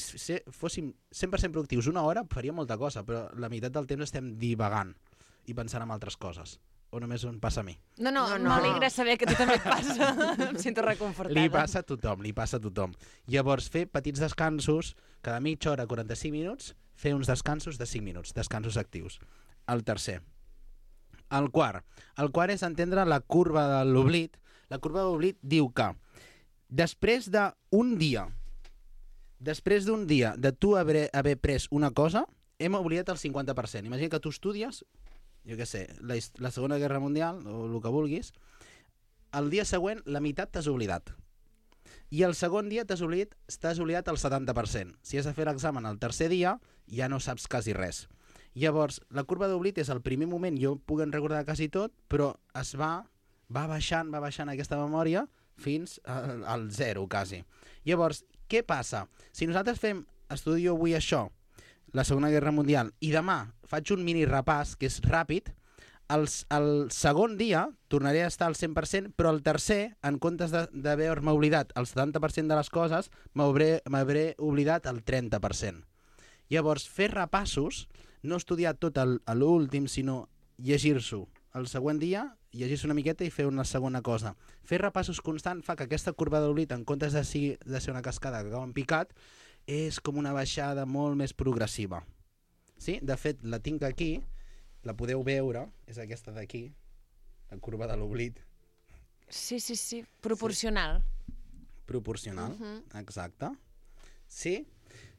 [SPEAKER 9] fóssim cent per cent productius una hora faríem molta cosa, però la meitat del temps estem divagant i pensant en altres coses. O només em passa a mi?
[SPEAKER 2] No, no,
[SPEAKER 1] No,
[SPEAKER 2] no,
[SPEAKER 1] no.
[SPEAKER 2] m'alegra saber que a tu també et passa. Em sento reconfortada.
[SPEAKER 9] Li passa a tothom, li passa a tothom. Llavors, fer petits descansos, cada mitja hora, quaranta-cinc minuts, fer uns descansos de cinc minuts, descansos actius. El tercer. El quart. El quart és entendre la curva de l'oblit. La curva de l'oblit diu que després d'un dia, després d'un dia de tu haver, haver pres una cosa, hem oblidat el cinquanta per cent. Imagina que tu estudies, jo què sé, la, la Segona Guerra Mundial, o el que vulguis, el dia següent la meitat t'has oblidat. I el segon dia t'has oblidat, t'has oblidat el setanta per cent. Si has de fer l'examen el tercer dia, ja no saps quasi res. Llavors, la curva d'oblit és el primer moment, jo puc recordar quasi tot, però es va, va baixant, va baixant aquesta memòria fins al, al zero, quasi. Llavors, què passa? Si nosaltres fem, estudio avui això, la Segona Guerra Mundial, i demà faig un mini repàs, que és ràpid, el, el segon dia tornaré a estar al cent per cent, però el tercer, en comptes d'haver-me oblidat el setanta per cent de les coses, m'hauré oblidat el trenta per cent. Llavors, fer repassos, no estudiar tot a l'últim, sinó llegir-s'ho el següent dia, llegir-se una miqueta i fer una segona cosa. Fer repassos constant fa que aquesta curva d'oblit, en comptes de ser, de ser una cascada que acaba en picat, és com una baixada molt més progressiva. Sí? De fet, la tinc aquí, la podeu veure, és aquesta d'aquí, la curva de l'oblit.
[SPEAKER 2] Sí, sí, sí, proporcional.
[SPEAKER 9] Proporcional, uh-huh. Exacte. Sí?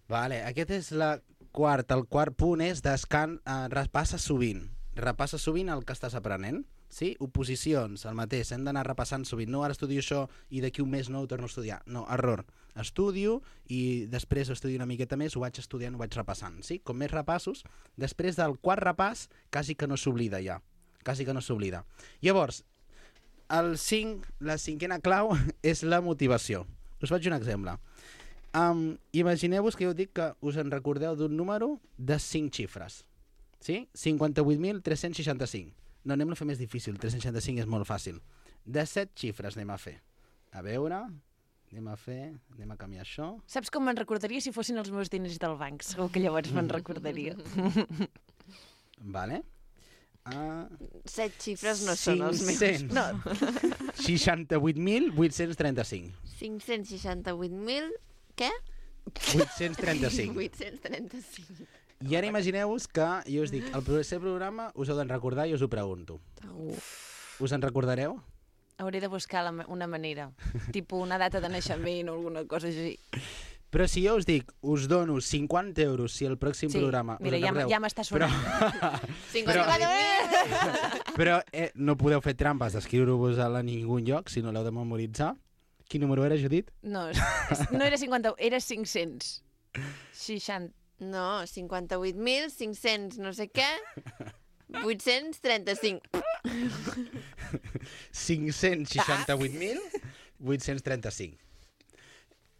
[SPEAKER 9] Vale, aquest és la quarta. El quart punt és descan... Eh, repassa sovint. Repassa sovint el que estàs aprenent. Sí? Oposicions, el mateix. Hem d'anar repassant sovint. No, ara estudio això i d'aquí un mes no ho torno a estudiar. No, error. Estudio i després estudio una miqueta més, ho vaig estudiant, ho vaig repassant. Sí? Com més repassos, després del quart repàs, quasi que no s'oblida ja. Quasi que no s'oblida. Llavors, el cinc, la cinquena clau és la motivació. Us faig un exemple. Um, Imagineu-vos que jo dic que us en recordeu d'un número de cinc xifres. Sí? cinquanta-vuit mil tres-cents seixanta-cinc. No, anem a fer més difícil. tres-cents seixanta-cinc és molt fàcil. De set xifres anem a fer. A veure, anem a fer, anem a canviar això.
[SPEAKER 2] Saps com me'n recordaria si fossin els meus diners del banc? Segur que llavors me'n recordaria.
[SPEAKER 9] Vale. Uh,
[SPEAKER 1] Set xifres no són els meus.
[SPEAKER 9] No. seixanta-vuit mil vuit-cents trenta-cinc.
[SPEAKER 1] cinc-cents seixanta-vuit mil... Què?
[SPEAKER 9] vuit-cents trenta-cinc.
[SPEAKER 1] vuit-cents trenta-cinc.
[SPEAKER 9] I ara imagineu-vos que, jo us dic, el proper programa us heu de recordar i us ho pregunto. Us en recordareu?
[SPEAKER 2] Hauré de buscar la, ma- una manera. Tipus una data de naixement o alguna cosa així.
[SPEAKER 9] Però si jo us dic, us dono cinquanta euros si el pròxim
[SPEAKER 2] Sí,
[SPEAKER 9] programa...
[SPEAKER 2] mira,
[SPEAKER 9] us
[SPEAKER 2] ja,
[SPEAKER 9] en
[SPEAKER 2] m-
[SPEAKER 9] recordeu,
[SPEAKER 2] ja m'està sonant.
[SPEAKER 1] cinquanta
[SPEAKER 9] Però eh, no podeu fer trampes d'escriure-vos a ningú lloc, si no l'heu de memoritzar. Quin número era, Judit?
[SPEAKER 2] No, és- no era cinquanta, era cinc-cents. seixanta.
[SPEAKER 1] No, cinquanta-vuit mil cinc-cents no sé què, vuit-cents trenta-cinc.
[SPEAKER 9] cinc-cents seixanta-vuit mil vuit-cents trenta-cinc.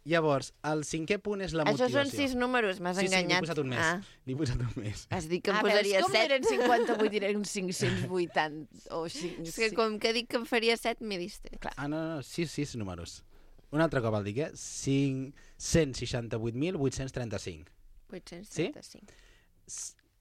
[SPEAKER 9] Llavors, el cinquè punt és la
[SPEAKER 1] Això
[SPEAKER 9] motivació.
[SPEAKER 1] són sis números, m'has
[SPEAKER 9] Sí, sí,
[SPEAKER 1] enganyat.
[SPEAKER 9] n'he posat un més.
[SPEAKER 1] Ah,
[SPEAKER 9] N'he posat un més.
[SPEAKER 1] has dit que em
[SPEAKER 2] Ah, veus,
[SPEAKER 1] posaria
[SPEAKER 2] com
[SPEAKER 1] set.
[SPEAKER 2] eren cinquanta-vuit i eren cinc-cents vuitanta o cinc,
[SPEAKER 1] És que com que dic que em faria set, m'he dist.
[SPEAKER 9] Ah, no, no, sis, sis números. Un altre cop el dic, eh? cinc-cents seixanta-vuit mil vuit-cents trenta-cinc.
[SPEAKER 1] vuit-cents
[SPEAKER 9] Sí?
[SPEAKER 1] trenta-cinc.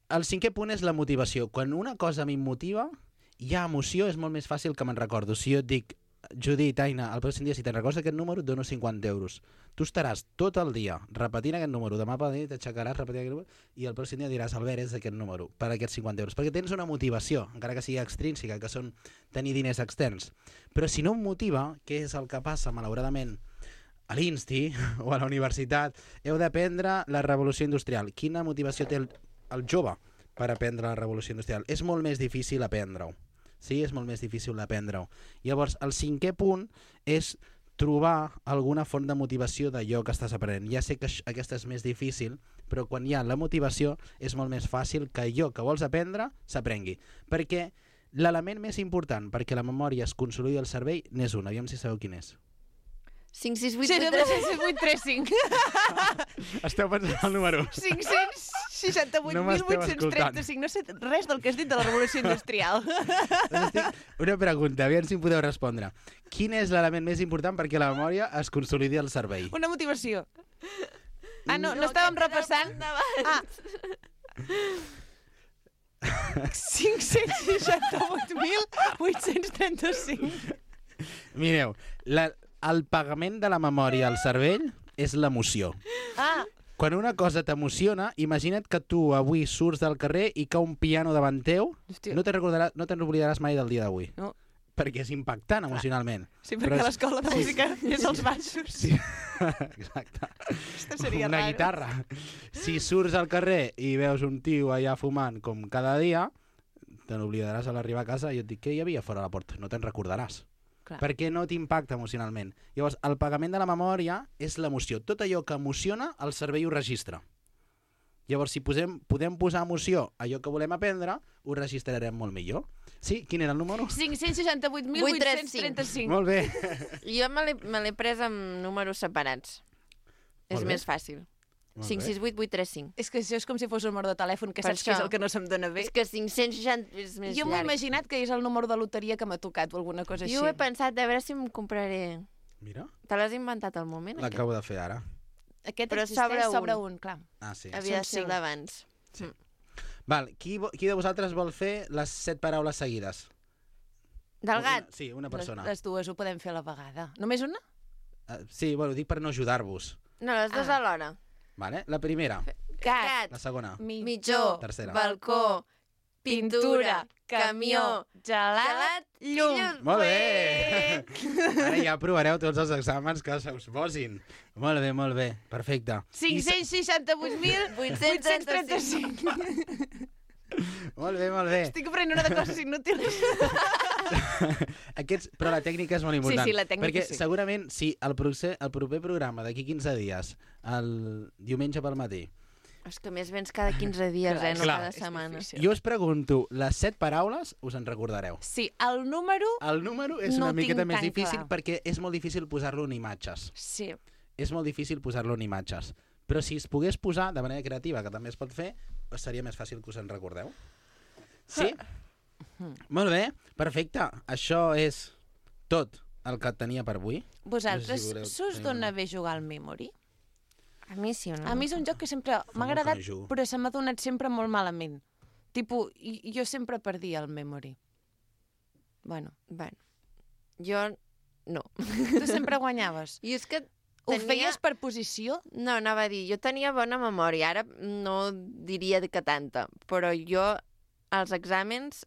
[SPEAKER 9] El cinquè punt és la motivació. Quan una cosa m'immotiva, hi ha emoció, és molt més fàcil que me'n recordo. Si jo et dic, Judit, Aina, el pròxim dia, si te'n recordes aquest número, et dono cinquanta euros. Tu estaràs tot el dia repetint aquest número. Demà per la nit t'aixecaràs repetint aquest número i el pròxim dia diràs, Albert, és aquest número, per aquests cinquanta euros. Perquè tens una motivació, encara que sigui extrínseca, que són tenir diners externs. Però si no em motiva, què és el que passa, malauradament, a l'Insti o a la universitat, heu d'aprendre la revolució industrial. Quina motivació té el, el jove per aprendre la revolució industrial? És molt més difícil aprendre-ho. Sí, és molt més difícil aprendre-ho. Llavors, el cinquè punt és trobar alguna font de motivació d'allò que estàs aprenent. Ja sé que això- aquesta és més difícil, però quan hi ha la motivació és molt més fàcil que allò que vols aprendre s'aprengui. Perquè l'element més important perquè la memòria es consolidi al cervell n'és un. Aviam si sabeu quin és.
[SPEAKER 1] cinc sis vuit
[SPEAKER 2] Sí,
[SPEAKER 1] vuit
[SPEAKER 2] no,
[SPEAKER 1] tres.
[SPEAKER 2] vuit tres cinc.
[SPEAKER 9] Esteu pensant el número.
[SPEAKER 2] cinc-cents seixanta-vuit mil vuit-cents trenta-cinc. No sé res del que has dit de la revolució industrial.
[SPEAKER 9] Una pregunta, aviam si em podeu respondre. Quin és l'element més important perquè la memòria es consolidi al cervell?
[SPEAKER 2] Una motivació. Ah, no, no estàvem repassant? Ah. cinc-cents seixanta-vuit mil vuit-cents trenta-cinc.
[SPEAKER 9] Mireu, la, el pagament de la memòria al cervell és l'emoció.
[SPEAKER 2] Ah,
[SPEAKER 9] Quan una cosa t'emociona, imagina't que tu avui surts del carrer i cau un piano davant teu,
[SPEAKER 2] hòstia.
[SPEAKER 9] no te'n recordaràs, no te'n oblidaràs mai del dia d'avui.
[SPEAKER 2] No.
[SPEAKER 9] Perquè és impactant emocionalment.
[SPEAKER 2] Sí,
[SPEAKER 9] Però
[SPEAKER 2] perquè
[SPEAKER 9] és-
[SPEAKER 2] l'escola de
[SPEAKER 9] sí,
[SPEAKER 2] música és als baixos.
[SPEAKER 9] Sí, exacte.
[SPEAKER 2] Aquesta seria
[SPEAKER 9] Una
[SPEAKER 2] raro.
[SPEAKER 9] guitarra. Si surts al carrer i veus un tio allà fumant com cada dia, te n'oblidaràs a l'arribar a casa i et dic, què hi havia fora de la porta? No te'n recordaràs.
[SPEAKER 2] Clar.
[SPEAKER 9] Perquè no t'impacta emocionalment. Llavors, el pagament de la memòria és l'emoció. Tot allò que emociona, el cervell ho registra. Llavors, si posem, podem posar emoció a allò que volem aprendre, ho registrarem molt millor. Sí? Quin era el número?
[SPEAKER 2] cinc-cents seixanta-vuit mil vuit-cents trenta-cinc.
[SPEAKER 9] Molt bé.
[SPEAKER 1] Jo me l'he- me l'he pres amb números separats. És
[SPEAKER 9] Molt bé.
[SPEAKER 1] més fàcil.
[SPEAKER 9] Molt
[SPEAKER 1] cinc
[SPEAKER 9] bé.
[SPEAKER 1] sis vuit vuit tres cinc.
[SPEAKER 2] És que això és com si fos un número de telèfon, que
[SPEAKER 1] Per
[SPEAKER 2] saps que és
[SPEAKER 1] això.
[SPEAKER 2] el que no se'm dona bé.
[SPEAKER 1] És que cinc-cents seixanta és més
[SPEAKER 2] Jo m'ho he
[SPEAKER 1] llarg.
[SPEAKER 2] imaginat que és el número de loteria que m'ha tocat o alguna cosa així.
[SPEAKER 1] Jo ho he pensat, a veure si em compraré...
[SPEAKER 9] Mira,
[SPEAKER 1] Te l'has inventat al moment? aquest?
[SPEAKER 9] l'acabo de fer ara.
[SPEAKER 2] Aquest
[SPEAKER 1] Però
[SPEAKER 2] existeix
[SPEAKER 1] sobre
[SPEAKER 2] sobre
[SPEAKER 1] un.
[SPEAKER 2] un, clar.
[SPEAKER 9] Ah, sí.
[SPEAKER 1] Havia de
[SPEAKER 2] Són
[SPEAKER 1] ser el
[SPEAKER 2] cinc.
[SPEAKER 1] d'abans.
[SPEAKER 9] Val, qui, vo- qui de vosaltres vol fer les set paraules seguides?
[SPEAKER 1] Del gat?
[SPEAKER 9] Una, sí, una
[SPEAKER 2] Les,
[SPEAKER 9] persona.
[SPEAKER 2] les dues ho podem fer a la vegada. Només una?
[SPEAKER 9] Uh, sí, bueno, dic per no ajudar-vos.
[SPEAKER 1] No, les dues
[SPEAKER 2] Ah.
[SPEAKER 1] alhora.
[SPEAKER 9] Vale? La primera,
[SPEAKER 2] Gat,
[SPEAKER 9] la segona.
[SPEAKER 1] Mitjó,
[SPEAKER 9] Tercera.
[SPEAKER 1] balcó, pintura, camió,
[SPEAKER 2] gelat,
[SPEAKER 1] gelat,
[SPEAKER 2] llum.
[SPEAKER 1] llum.
[SPEAKER 9] Molt bé! Ara ja provareu tots els exàmens que se us posin. Molt bé, molt bé. Perfecte.
[SPEAKER 2] cinc-cents seixanta-vuit mil vuit-cents trenta-cinc.
[SPEAKER 9] Molt bé, molt bé.
[SPEAKER 2] Estic aprenent una de coses inútils.
[SPEAKER 9] Aquests, però la tècnica és molt important.
[SPEAKER 2] Sí, sí, la tècnica
[SPEAKER 9] perquè
[SPEAKER 2] sí.
[SPEAKER 9] segurament si el, proce- el proper programa d'aquí quinze dies, el diumenge pel matí,
[SPEAKER 1] És que més vens cada quinze dies, eh? No
[SPEAKER 9] Clar.
[SPEAKER 1] cada
[SPEAKER 2] És
[SPEAKER 1] setmana.
[SPEAKER 2] difícil.
[SPEAKER 9] jo us pregunto, les set paraules us en recordareu.
[SPEAKER 2] Sí, el número...
[SPEAKER 9] El número és
[SPEAKER 2] No
[SPEAKER 9] una
[SPEAKER 2] ho
[SPEAKER 9] miqueta
[SPEAKER 2] tinc
[SPEAKER 9] més
[SPEAKER 2] tan
[SPEAKER 9] difícil
[SPEAKER 2] clar.
[SPEAKER 9] perquè és molt difícil posar-lo en imatges.
[SPEAKER 2] Sí.
[SPEAKER 9] És molt difícil posar-lo en imatges. Però si es pogués posar de manera creativa, que també es pot fer, seria més fàcil que us en recordeu. Sí? Molt bé, perfecte. Això és tot el que tenia per avui.
[SPEAKER 2] Vosaltres,
[SPEAKER 9] No sé si voleu
[SPEAKER 2] s'us
[SPEAKER 9] tenir
[SPEAKER 2] dona
[SPEAKER 9] una-
[SPEAKER 2] bé jugar al Memory?
[SPEAKER 1] A mi sí o no?
[SPEAKER 2] A mi és un joc que sempre m'ha
[SPEAKER 9] molt que
[SPEAKER 2] agradat,
[SPEAKER 9] no hi jugo.
[SPEAKER 2] però se m'ha donat sempre molt malament. Tipo, i- jo sempre perdia el Memory. Bueno,
[SPEAKER 1] Bueno, jo no.
[SPEAKER 2] tu sempre guanyaves.
[SPEAKER 1] I és que
[SPEAKER 2] Ho
[SPEAKER 1] tenia...
[SPEAKER 2] feies per posició?
[SPEAKER 1] No, anava a dir, jo tenia bona memòria, ara no diria que tanta, però jo als exàmens,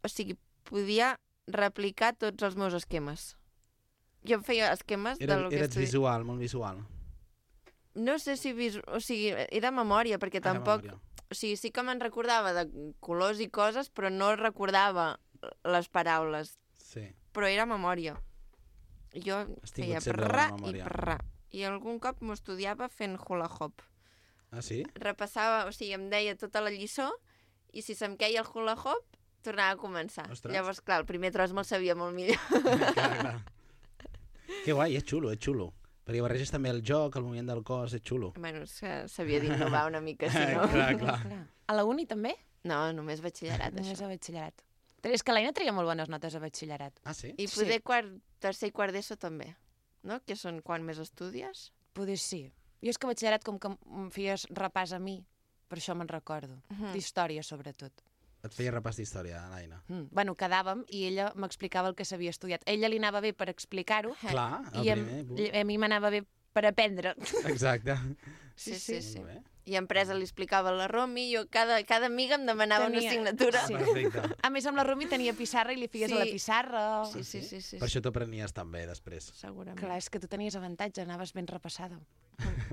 [SPEAKER 1] o sigui, podia replicar tots els meus esquemes. Jo em feia esquemes
[SPEAKER 9] Era,
[SPEAKER 1] del que
[SPEAKER 9] eres
[SPEAKER 1] estudi...
[SPEAKER 9] visual, molt visual.
[SPEAKER 1] No sé si... Visu... O sigui, era de memòria, perquè
[SPEAKER 9] Ah, de
[SPEAKER 1] tampoc...
[SPEAKER 9] memòria.
[SPEAKER 1] O sigui, sí que me'n recordava de colors i coses, però no recordava les paraules.
[SPEAKER 9] Sí.
[SPEAKER 1] Però era memòria. Jo
[SPEAKER 9] Has tingut
[SPEAKER 1] feia
[SPEAKER 9] sempre
[SPEAKER 1] prrra
[SPEAKER 9] bona
[SPEAKER 1] i
[SPEAKER 9] memòria.
[SPEAKER 1] prrra. I algun cop m'ho estudiava fent hula hop.
[SPEAKER 9] Ah, sí?
[SPEAKER 1] Repassava, o sigui, em deia tota la lliçó i si se'm queia el hula hop, tornava a començar.
[SPEAKER 9] Ostres.
[SPEAKER 1] Llavors, clar, el primer tros me'l sabia molt millor.
[SPEAKER 9] clar, clar. Que guai, és xulo, és xulo. Perquè barreges també el joc, el moviment del cos, és xulo.
[SPEAKER 1] Bueno, és que s'havia d'innovar una mica, si no...
[SPEAKER 9] clar, clar.
[SPEAKER 2] A la uni també?
[SPEAKER 1] No, només batxillerat,
[SPEAKER 2] Només
[SPEAKER 1] això.
[SPEAKER 2] a batxillerat. És que l'Aina treia molt bones notes a batxillerat.
[SPEAKER 9] Ah, sí?
[SPEAKER 1] I poder quart, tercer i quart d'ESO també, no? Que són quan més estudies.
[SPEAKER 2] Poder sí. Jo és que a batxillerat, com que em feies repàs a mi, per això me'n recordo.
[SPEAKER 1] Mhm.
[SPEAKER 2] D'història, sobretot.
[SPEAKER 9] Et feia repàs d'història, l'Aina.
[SPEAKER 2] Mm. Bueno, quedàvem i ella m'explicava el que s'havia estudiat. A ella li anava bé per explicar-ho
[SPEAKER 9] Clar, el
[SPEAKER 2] i em,
[SPEAKER 9] primer. punt.
[SPEAKER 2] a mi m'anava bé per aprendre.
[SPEAKER 9] Exacte.
[SPEAKER 1] Sí, sí, sí.
[SPEAKER 9] Molt bé.
[SPEAKER 1] I a empresa li explicava a la Romi, jo cada, cada amiga em demanava
[SPEAKER 2] Tenia-
[SPEAKER 1] una assignatura.
[SPEAKER 2] Sí.
[SPEAKER 9] Perfecte.
[SPEAKER 2] A més, amb la Rumi tenia pissarra i li fies
[SPEAKER 1] Sí.
[SPEAKER 2] a la pissarra.
[SPEAKER 1] Sí, sí, sí, sí.
[SPEAKER 9] Per això t'ho prenies també després.
[SPEAKER 1] Segurament.
[SPEAKER 2] Clar, és que tu tenies avantatge, anaves ben repassada.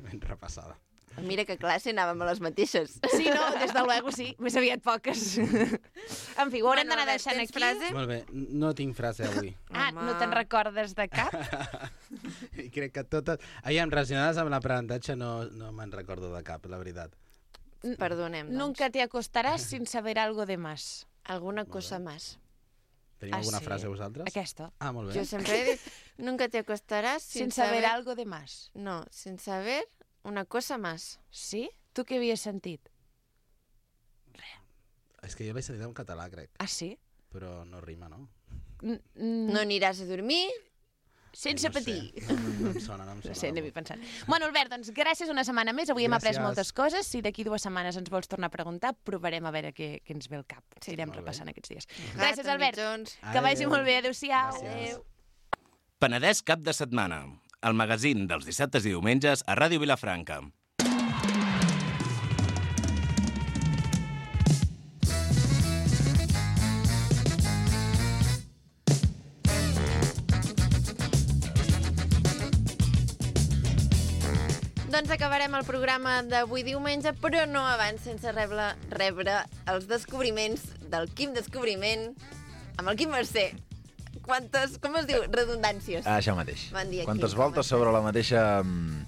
[SPEAKER 9] Ben repassada.
[SPEAKER 1] Mira que a classe anàvem a les mateixes.
[SPEAKER 2] Sí, no, des de luego sí, més aviat poques. En fi, ho haurem
[SPEAKER 1] Bueno,
[SPEAKER 2] d'anar
[SPEAKER 1] Albert,
[SPEAKER 2] deixant
[SPEAKER 1] tens
[SPEAKER 2] aquí.
[SPEAKER 1] frase?
[SPEAKER 9] Molt bé, no tinc frase avui.
[SPEAKER 2] Ah,
[SPEAKER 1] Home.
[SPEAKER 2] no te'n recordes de cap?
[SPEAKER 9] I crec que totes... Aviam, relacionades amb l'aprenentatge no, no me'n recordo de cap, la veritat.
[SPEAKER 1] Perdonem, doncs.
[SPEAKER 2] Nunca te acostaràs sin saber algo de más.
[SPEAKER 1] Alguna cosa más.
[SPEAKER 9] Teniu
[SPEAKER 2] Ah,
[SPEAKER 9] alguna
[SPEAKER 2] sí?
[SPEAKER 9] frase vosaltres?
[SPEAKER 2] Aquesta.
[SPEAKER 9] Ah, molt bé.
[SPEAKER 1] Yo siempre he dicho, nunca te acostarás
[SPEAKER 2] Sin,
[SPEAKER 1] sin,
[SPEAKER 2] saber algo de más.
[SPEAKER 1] No, sin saber una cosa más.
[SPEAKER 2] Sí? Tu què havies sentit?
[SPEAKER 9] És que jo l'he sentit en català, crec.
[SPEAKER 2] Ah, sí?
[SPEAKER 9] Però no rima, no?
[SPEAKER 2] N -n
[SPEAKER 1] No aniràs a dormir.
[SPEAKER 2] Sense
[SPEAKER 9] no sé.
[SPEAKER 2] patir.
[SPEAKER 9] No, no em sona, no em
[SPEAKER 2] No
[SPEAKER 9] sona.
[SPEAKER 2] sé, anem-hi pensant. Bueno, Albert, doncs gràcies una setmana més. Avui hem après
[SPEAKER 9] Gràcies.
[SPEAKER 2] moltes coses. Si d'aquí dues setmanes ens vols tornar a preguntar, provarem a veure què, què ens ve al cap. Sí, Irem
[SPEAKER 9] molt bé.
[SPEAKER 2] repassant aquests dies.
[SPEAKER 1] Gat,
[SPEAKER 2] Gràcies, Albert.
[SPEAKER 1] mitjons.
[SPEAKER 2] Que vagi
[SPEAKER 9] Adéu.
[SPEAKER 2] molt bé. Adéu-siau.
[SPEAKER 9] Gràcies.
[SPEAKER 8] Penedès cap de setmana. El magazín dels dissabtes i diumenges a Ràdio Vilafranca.
[SPEAKER 1] Doncs acabarem el programa d'avui diumenge, però no abans sense rebre, rebre els descobriments del Quim Descobriment amb el Quim Mercè. Quantes, com es diu? Redundàncies.
[SPEAKER 10] Ah, això mateix.
[SPEAKER 1] Bon dia,
[SPEAKER 10] Quantes
[SPEAKER 1] Quim, com
[SPEAKER 10] voltes
[SPEAKER 1] estàs?
[SPEAKER 10] sobre la mateixa mm,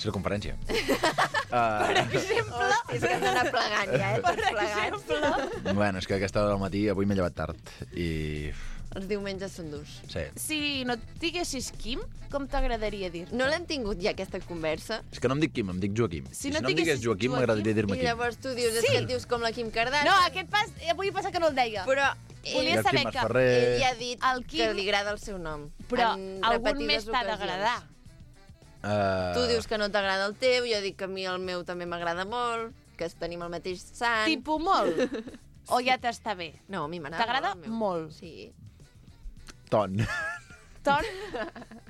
[SPEAKER 10] circunferència. uh,
[SPEAKER 1] Hosti, és que hem d'anar plegant ja, eh? Tots plegats.
[SPEAKER 10] bueno, és que a aquesta hora del matí avui m'he llevat tard i...
[SPEAKER 1] Els diumenges són durs.
[SPEAKER 10] Sí.
[SPEAKER 2] Si no et diguessis Quim, com t'agradaria dir?
[SPEAKER 1] No l'hem tingut ja, aquesta conversa?
[SPEAKER 10] És que no em dic Quim, em dic Joaquim.
[SPEAKER 2] Si
[SPEAKER 10] I
[SPEAKER 2] no
[SPEAKER 10] si no em
[SPEAKER 2] diguessis
[SPEAKER 10] digués Joaquim,
[SPEAKER 2] Joaquim,
[SPEAKER 10] m'agradaria
[SPEAKER 1] I
[SPEAKER 10] dir-me Quim.
[SPEAKER 1] llavors tu dius, és
[SPEAKER 2] Sí.
[SPEAKER 1] que et dius com la Kim Kardashian.
[SPEAKER 2] No, aquest pas, avui passa que no el deia.
[SPEAKER 1] Però
[SPEAKER 2] Volia
[SPEAKER 10] I el
[SPEAKER 2] saber
[SPEAKER 10] Quim
[SPEAKER 2] que
[SPEAKER 10] Masferrer.
[SPEAKER 1] ell ja ha dit
[SPEAKER 2] El Quim-
[SPEAKER 1] que li agrada el seu nom.
[SPEAKER 2] Però
[SPEAKER 1] en
[SPEAKER 2] algun
[SPEAKER 1] repetides
[SPEAKER 2] més t'ha
[SPEAKER 1] ocasions.
[SPEAKER 2] d'agradar.
[SPEAKER 10] Uh,
[SPEAKER 1] Tu dius que no t'agrada el teu, jo dic que a mi el meu també m'agrada molt, que tenim el mateix sant.
[SPEAKER 2] Tipo molt? O ja t'està bé?
[SPEAKER 1] No, a mi m'agrada
[SPEAKER 2] T'agrada
[SPEAKER 1] molt el meu.
[SPEAKER 2] molt?
[SPEAKER 1] Sí.
[SPEAKER 10] Ton.
[SPEAKER 2] Ton?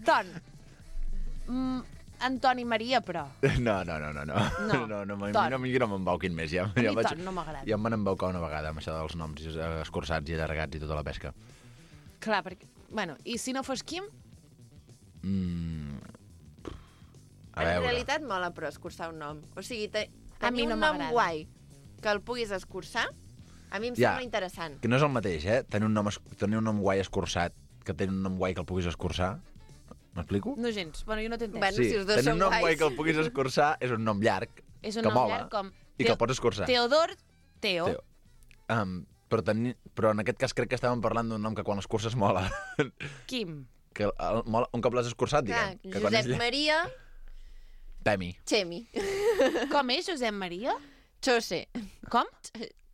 [SPEAKER 2] Ton. Mm, Antoni Maria, però.
[SPEAKER 10] No, no, no, no. No,
[SPEAKER 2] No.
[SPEAKER 10] no, no, no,
[SPEAKER 2] Ton.
[SPEAKER 10] no, no, no m'embauquin més. Ja,
[SPEAKER 2] A mi
[SPEAKER 10] ja vaig-
[SPEAKER 2] Ton no m'agrada.
[SPEAKER 10] Ja em van embaucar una vegada amb això dels noms eh, escurçats i allargats i tota la pesca.
[SPEAKER 2] Clar, perquè... Bueno, i si no fos Quim?
[SPEAKER 10] Mm. A
[SPEAKER 1] En
[SPEAKER 10] veure.
[SPEAKER 1] realitat mola, però, escurçar un nom. O sigui, te...
[SPEAKER 2] A mi
[SPEAKER 1] tenir
[SPEAKER 2] no
[SPEAKER 1] un nom
[SPEAKER 2] m'agrada.
[SPEAKER 1] guai que el puguis escurçar, a mi em
[SPEAKER 10] Ja.
[SPEAKER 1] sembla interessant.
[SPEAKER 10] Que no és el mateix, eh? Tenir un nom, es- tenir un nom guai escurçat que tenir un nom guai que el puguis escurçar. M'explico?
[SPEAKER 2] No gens. Bueno, jo no t'he entès.
[SPEAKER 1] Bueno,
[SPEAKER 10] sí,
[SPEAKER 1] si els dos
[SPEAKER 10] tenir
[SPEAKER 1] són
[SPEAKER 10] un nom
[SPEAKER 1] guais.
[SPEAKER 10] guai que el puguis escurçar és un nom llarg
[SPEAKER 2] És un
[SPEAKER 10] que
[SPEAKER 2] nom
[SPEAKER 10] mola
[SPEAKER 2] llarg com...
[SPEAKER 10] i que el pots escurçar.
[SPEAKER 2] Teodor Teo.
[SPEAKER 10] Teo. Um, però, tenir, però en aquest cas crec que estàvem parlant d'un nom que quan l'escurces mola.
[SPEAKER 2] Quim.
[SPEAKER 10] que el, mola un cop l'has escurçat,
[SPEAKER 1] Clar,
[SPEAKER 10] diguem. Que quan és
[SPEAKER 1] Josep
[SPEAKER 10] llarg-
[SPEAKER 1] Maria
[SPEAKER 10] Pemi.
[SPEAKER 1] Chemi.
[SPEAKER 2] Com és Josep Maria?
[SPEAKER 1] Chose.
[SPEAKER 2] Com?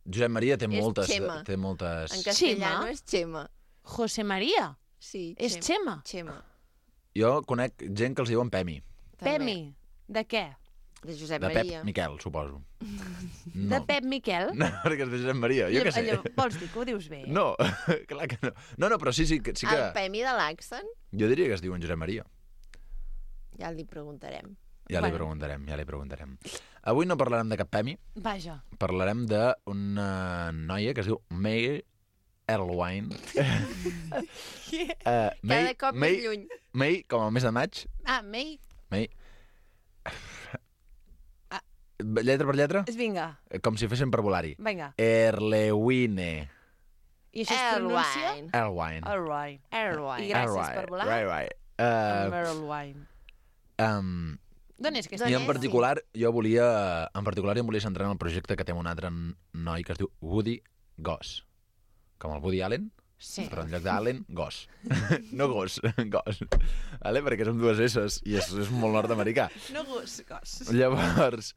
[SPEAKER 10] Josep Maria té
[SPEAKER 1] És
[SPEAKER 10] moltes...
[SPEAKER 1] Xema.
[SPEAKER 10] Té moltes...
[SPEAKER 1] En castellano
[SPEAKER 2] Xema?
[SPEAKER 1] és Chema.
[SPEAKER 2] José Maria.
[SPEAKER 1] Sí,
[SPEAKER 2] És Xema?
[SPEAKER 1] Xema.
[SPEAKER 10] Jo conec gent que els diuen Pemi.
[SPEAKER 1] També.
[SPEAKER 2] Pemi. De què?
[SPEAKER 1] De Josep
[SPEAKER 10] De Pep
[SPEAKER 1] Maria.
[SPEAKER 10] Miquel, suposo. No.
[SPEAKER 2] De Pep Miquel?
[SPEAKER 10] No, perquè és de Josep Maria, jo què sé.
[SPEAKER 2] Allò, vols dir que ho dius bé?
[SPEAKER 10] No, clar que no. No, no, però sí, sí, que, sí que...
[SPEAKER 1] El Pemi de l'Axen?
[SPEAKER 10] Jo diria que es diuen Josep Maria.
[SPEAKER 1] Ja li preguntarem.
[SPEAKER 10] Ja li
[SPEAKER 2] Bueno.
[SPEAKER 10] preguntarem, ja li preguntarem. Avui no parlarem de cap premi,
[SPEAKER 2] Vaja.
[SPEAKER 10] parlarem d'una noia que es diu May Erlewine. uh,
[SPEAKER 1] Cada cop
[SPEAKER 10] May,
[SPEAKER 1] més lluny.
[SPEAKER 10] May, com el mes de maig.
[SPEAKER 2] Ah, May,
[SPEAKER 10] May. Lletra per lletra?
[SPEAKER 2] vinga,
[SPEAKER 10] Com si féssim per volar-hi.
[SPEAKER 2] vinga.
[SPEAKER 10] Erlewine.
[SPEAKER 2] I això es pronuncia?
[SPEAKER 1] Erlewine.
[SPEAKER 10] Erlewine.
[SPEAKER 2] Erlewine.
[SPEAKER 1] Erlewine.
[SPEAKER 2] I gràcies per volar.
[SPEAKER 10] Right, right. Uh,
[SPEAKER 2] Erlewine.
[SPEAKER 10] um,
[SPEAKER 2] D'on és que
[SPEAKER 1] D'on
[SPEAKER 10] I
[SPEAKER 2] està?
[SPEAKER 10] en
[SPEAKER 1] és?
[SPEAKER 10] particular, jo volia, en particular, jo em volia centrar en el projecte que té un altre noi que es diu Woody Goss. Com el Woody Allen,
[SPEAKER 2] Sí.
[SPEAKER 10] però en lloc d'Allen, Goss. No Goss, Goss. Vale? Perquè són dues S's i és, és molt nord-americà.
[SPEAKER 2] No gos, gos.
[SPEAKER 10] Llavors,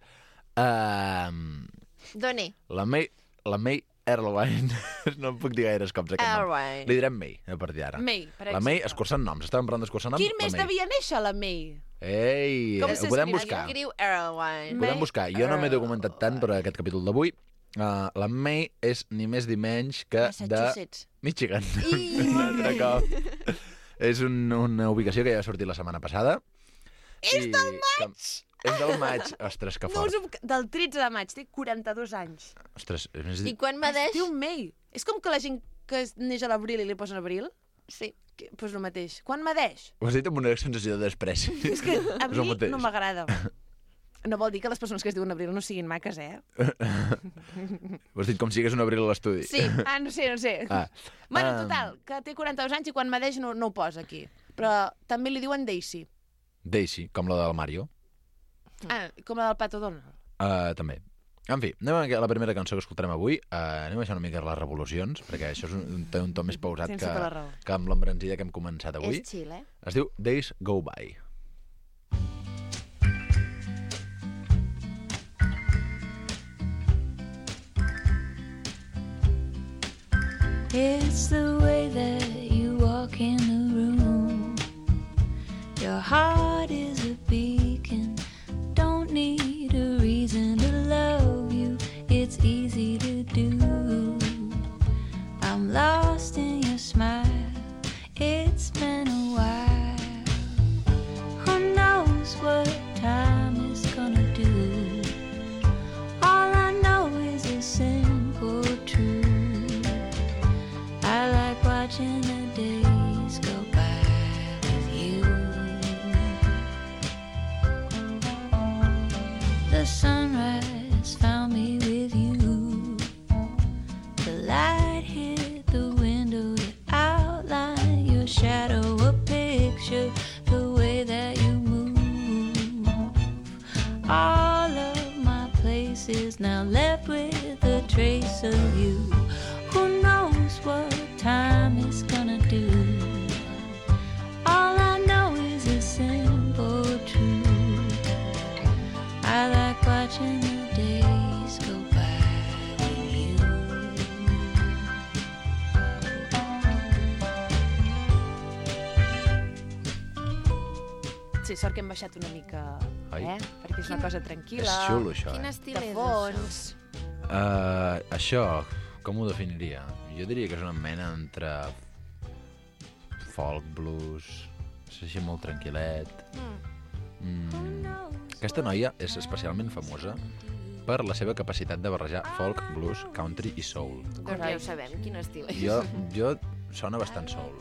[SPEAKER 10] uh,
[SPEAKER 1] D'on és?
[SPEAKER 10] la May, la May Erlewine, no em puc dir gaires cops aquest nom.
[SPEAKER 1] Erlewine.
[SPEAKER 10] Li direm May, a partir d'ara.
[SPEAKER 2] May, per
[SPEAKER 10] La
[SPEAKER 2] exemple.
[SPEAKER 10] May, escurçant noms. Estàvem parlant d'escurçant noms.
[SPEAKER 2] Quin
[SPEAKER 10] la
[SPEAKER 2] mes
[SPEAKER 10] May.
[SPEAKER 2] devia néixer la May?
[SPEAKER 10] Ei,
[SPEAKER 2] Com
[SPEAKER 10] ho
[SPEAKER 2] s'escriu?
[SPEAKER 10] podem buscar.
[SPEAKER 1] Escriu Erlewine.
[SPEAKER 10] Ho podem buscar. Jo no m'he documentat tant per a aquest capítol d'avui. Uh, la May és ni més ni menys que de
[SPEAKER 2] Massachusetts.
[SPEAKER 10] Michigan. Un altre cop. És un, una ubicació que ja va sortir la setmana passada.
[SPEAKER 2] És del
[SPEAKER 10] maig! Que, és del maig. Ostres, que
[SPEAKER 2] No
[SPEAKER 10] fort.
[SPEAKER 2] us ho... Del tretze de maig, té quaranta-dos anys.
[SPEAKER 10] Ostres, és més...
[SPEAKER 1] I quan
[SPEAKER 2] Es
[SPEAKER 1] medeix?
[SPEAKER 2] diu May. És com que la gent que es neix a l'abril i li posen abril,
[SPEAKER 1] Sí.
[SPEAKER 2] que, pues el mateix. Quan medeix?
[SPEAKER 10] Ho has dit amb una sensació de despreci.
[SPEAKER 2] És que a
[SPEAKER 10] És el
[SPEAKER 2] mi
[SPEAKER 10] mateix.
[SPEAKER 2] no m'agrada. No vol dir que les persones que es diuen abril no siguin maques, eh?
[SPEAKER 10] Ho has dit com si hagués un abril a l'estudi.
[SPEAKER 1] Sí.
[SPEAKER 2] Ah, no sé, no sé.
[SPEAKER 10] Ah.
[SPEAKER 2] Bueno,
[SPEAKER 10] Ah.
[SPEAKER 2] total, que té quaranta-dos anys i quan medeix no, no ho posa aquí. Però també li diuen Daisy.
[SPEAKER 10] Daisy, com la del Mario.
[SPEAKER 2] Ah, com la del Pato Donald.
[SPEAKER 10] Uh, també. En fi, anem a la primera cançó que escoltarem avui. Uh, anem a baixar una mica les revolucions, perquè això és un, un, un to més pausat
[SPEAKER 2] Tens
[SPEAKER 10] que,
[SPEAKER 2] tota la raó.
[SPEAKER 10] que amb l'embranzida que hem començat avui.
[SPEAKER 1] És chill, eh?
[SPEAKER 10] Es diu Days Go By.
[SPEAKER 3] It's the way that you walk in the room. Your heart is a beacon. Don't need a reason to love you. It's easy to do. I'm lost in your smile. It's been a while. Who knows what time is gonna do? All I know is a simple truth. I like watching the days go by with you. The sunrise found me with you. The light hit the window to outline your shadow, a picture, the way that you move. All of my places now left with a trace of you. Who knows what time is gonna do? All I know is a simple truth. I like watching the days go by with you.
[SPEAKER 2] Sí, sort que hem baixat una mica,
[SPEAKER 10] Ai.
[SPEAKER 2] eh? Perquè és una cosa tranquil·la.
[SPEAKER 10] És xulo, això,
[SPEAKER 1] Quin
[SPEAKER 10] eh?
[SPEAKER 1] estil
[SPEAKER 2] De
[SPEAKER 1] és
[SPEAKER 2] fons.
[SPEAKER 10] Uh, això, com ho definiria? Jo diria que és una mena entre folk, blues, és així molt tranquil·let. Mm. Aquesta noia és especialment famosa per la seva capacitat de barrejar folk, blues, country i soul.
[SPEAKER 1] Doncs ja ho sabem, quin estil és.
[SPEAKER 10] Jo, jo sona bastant soul,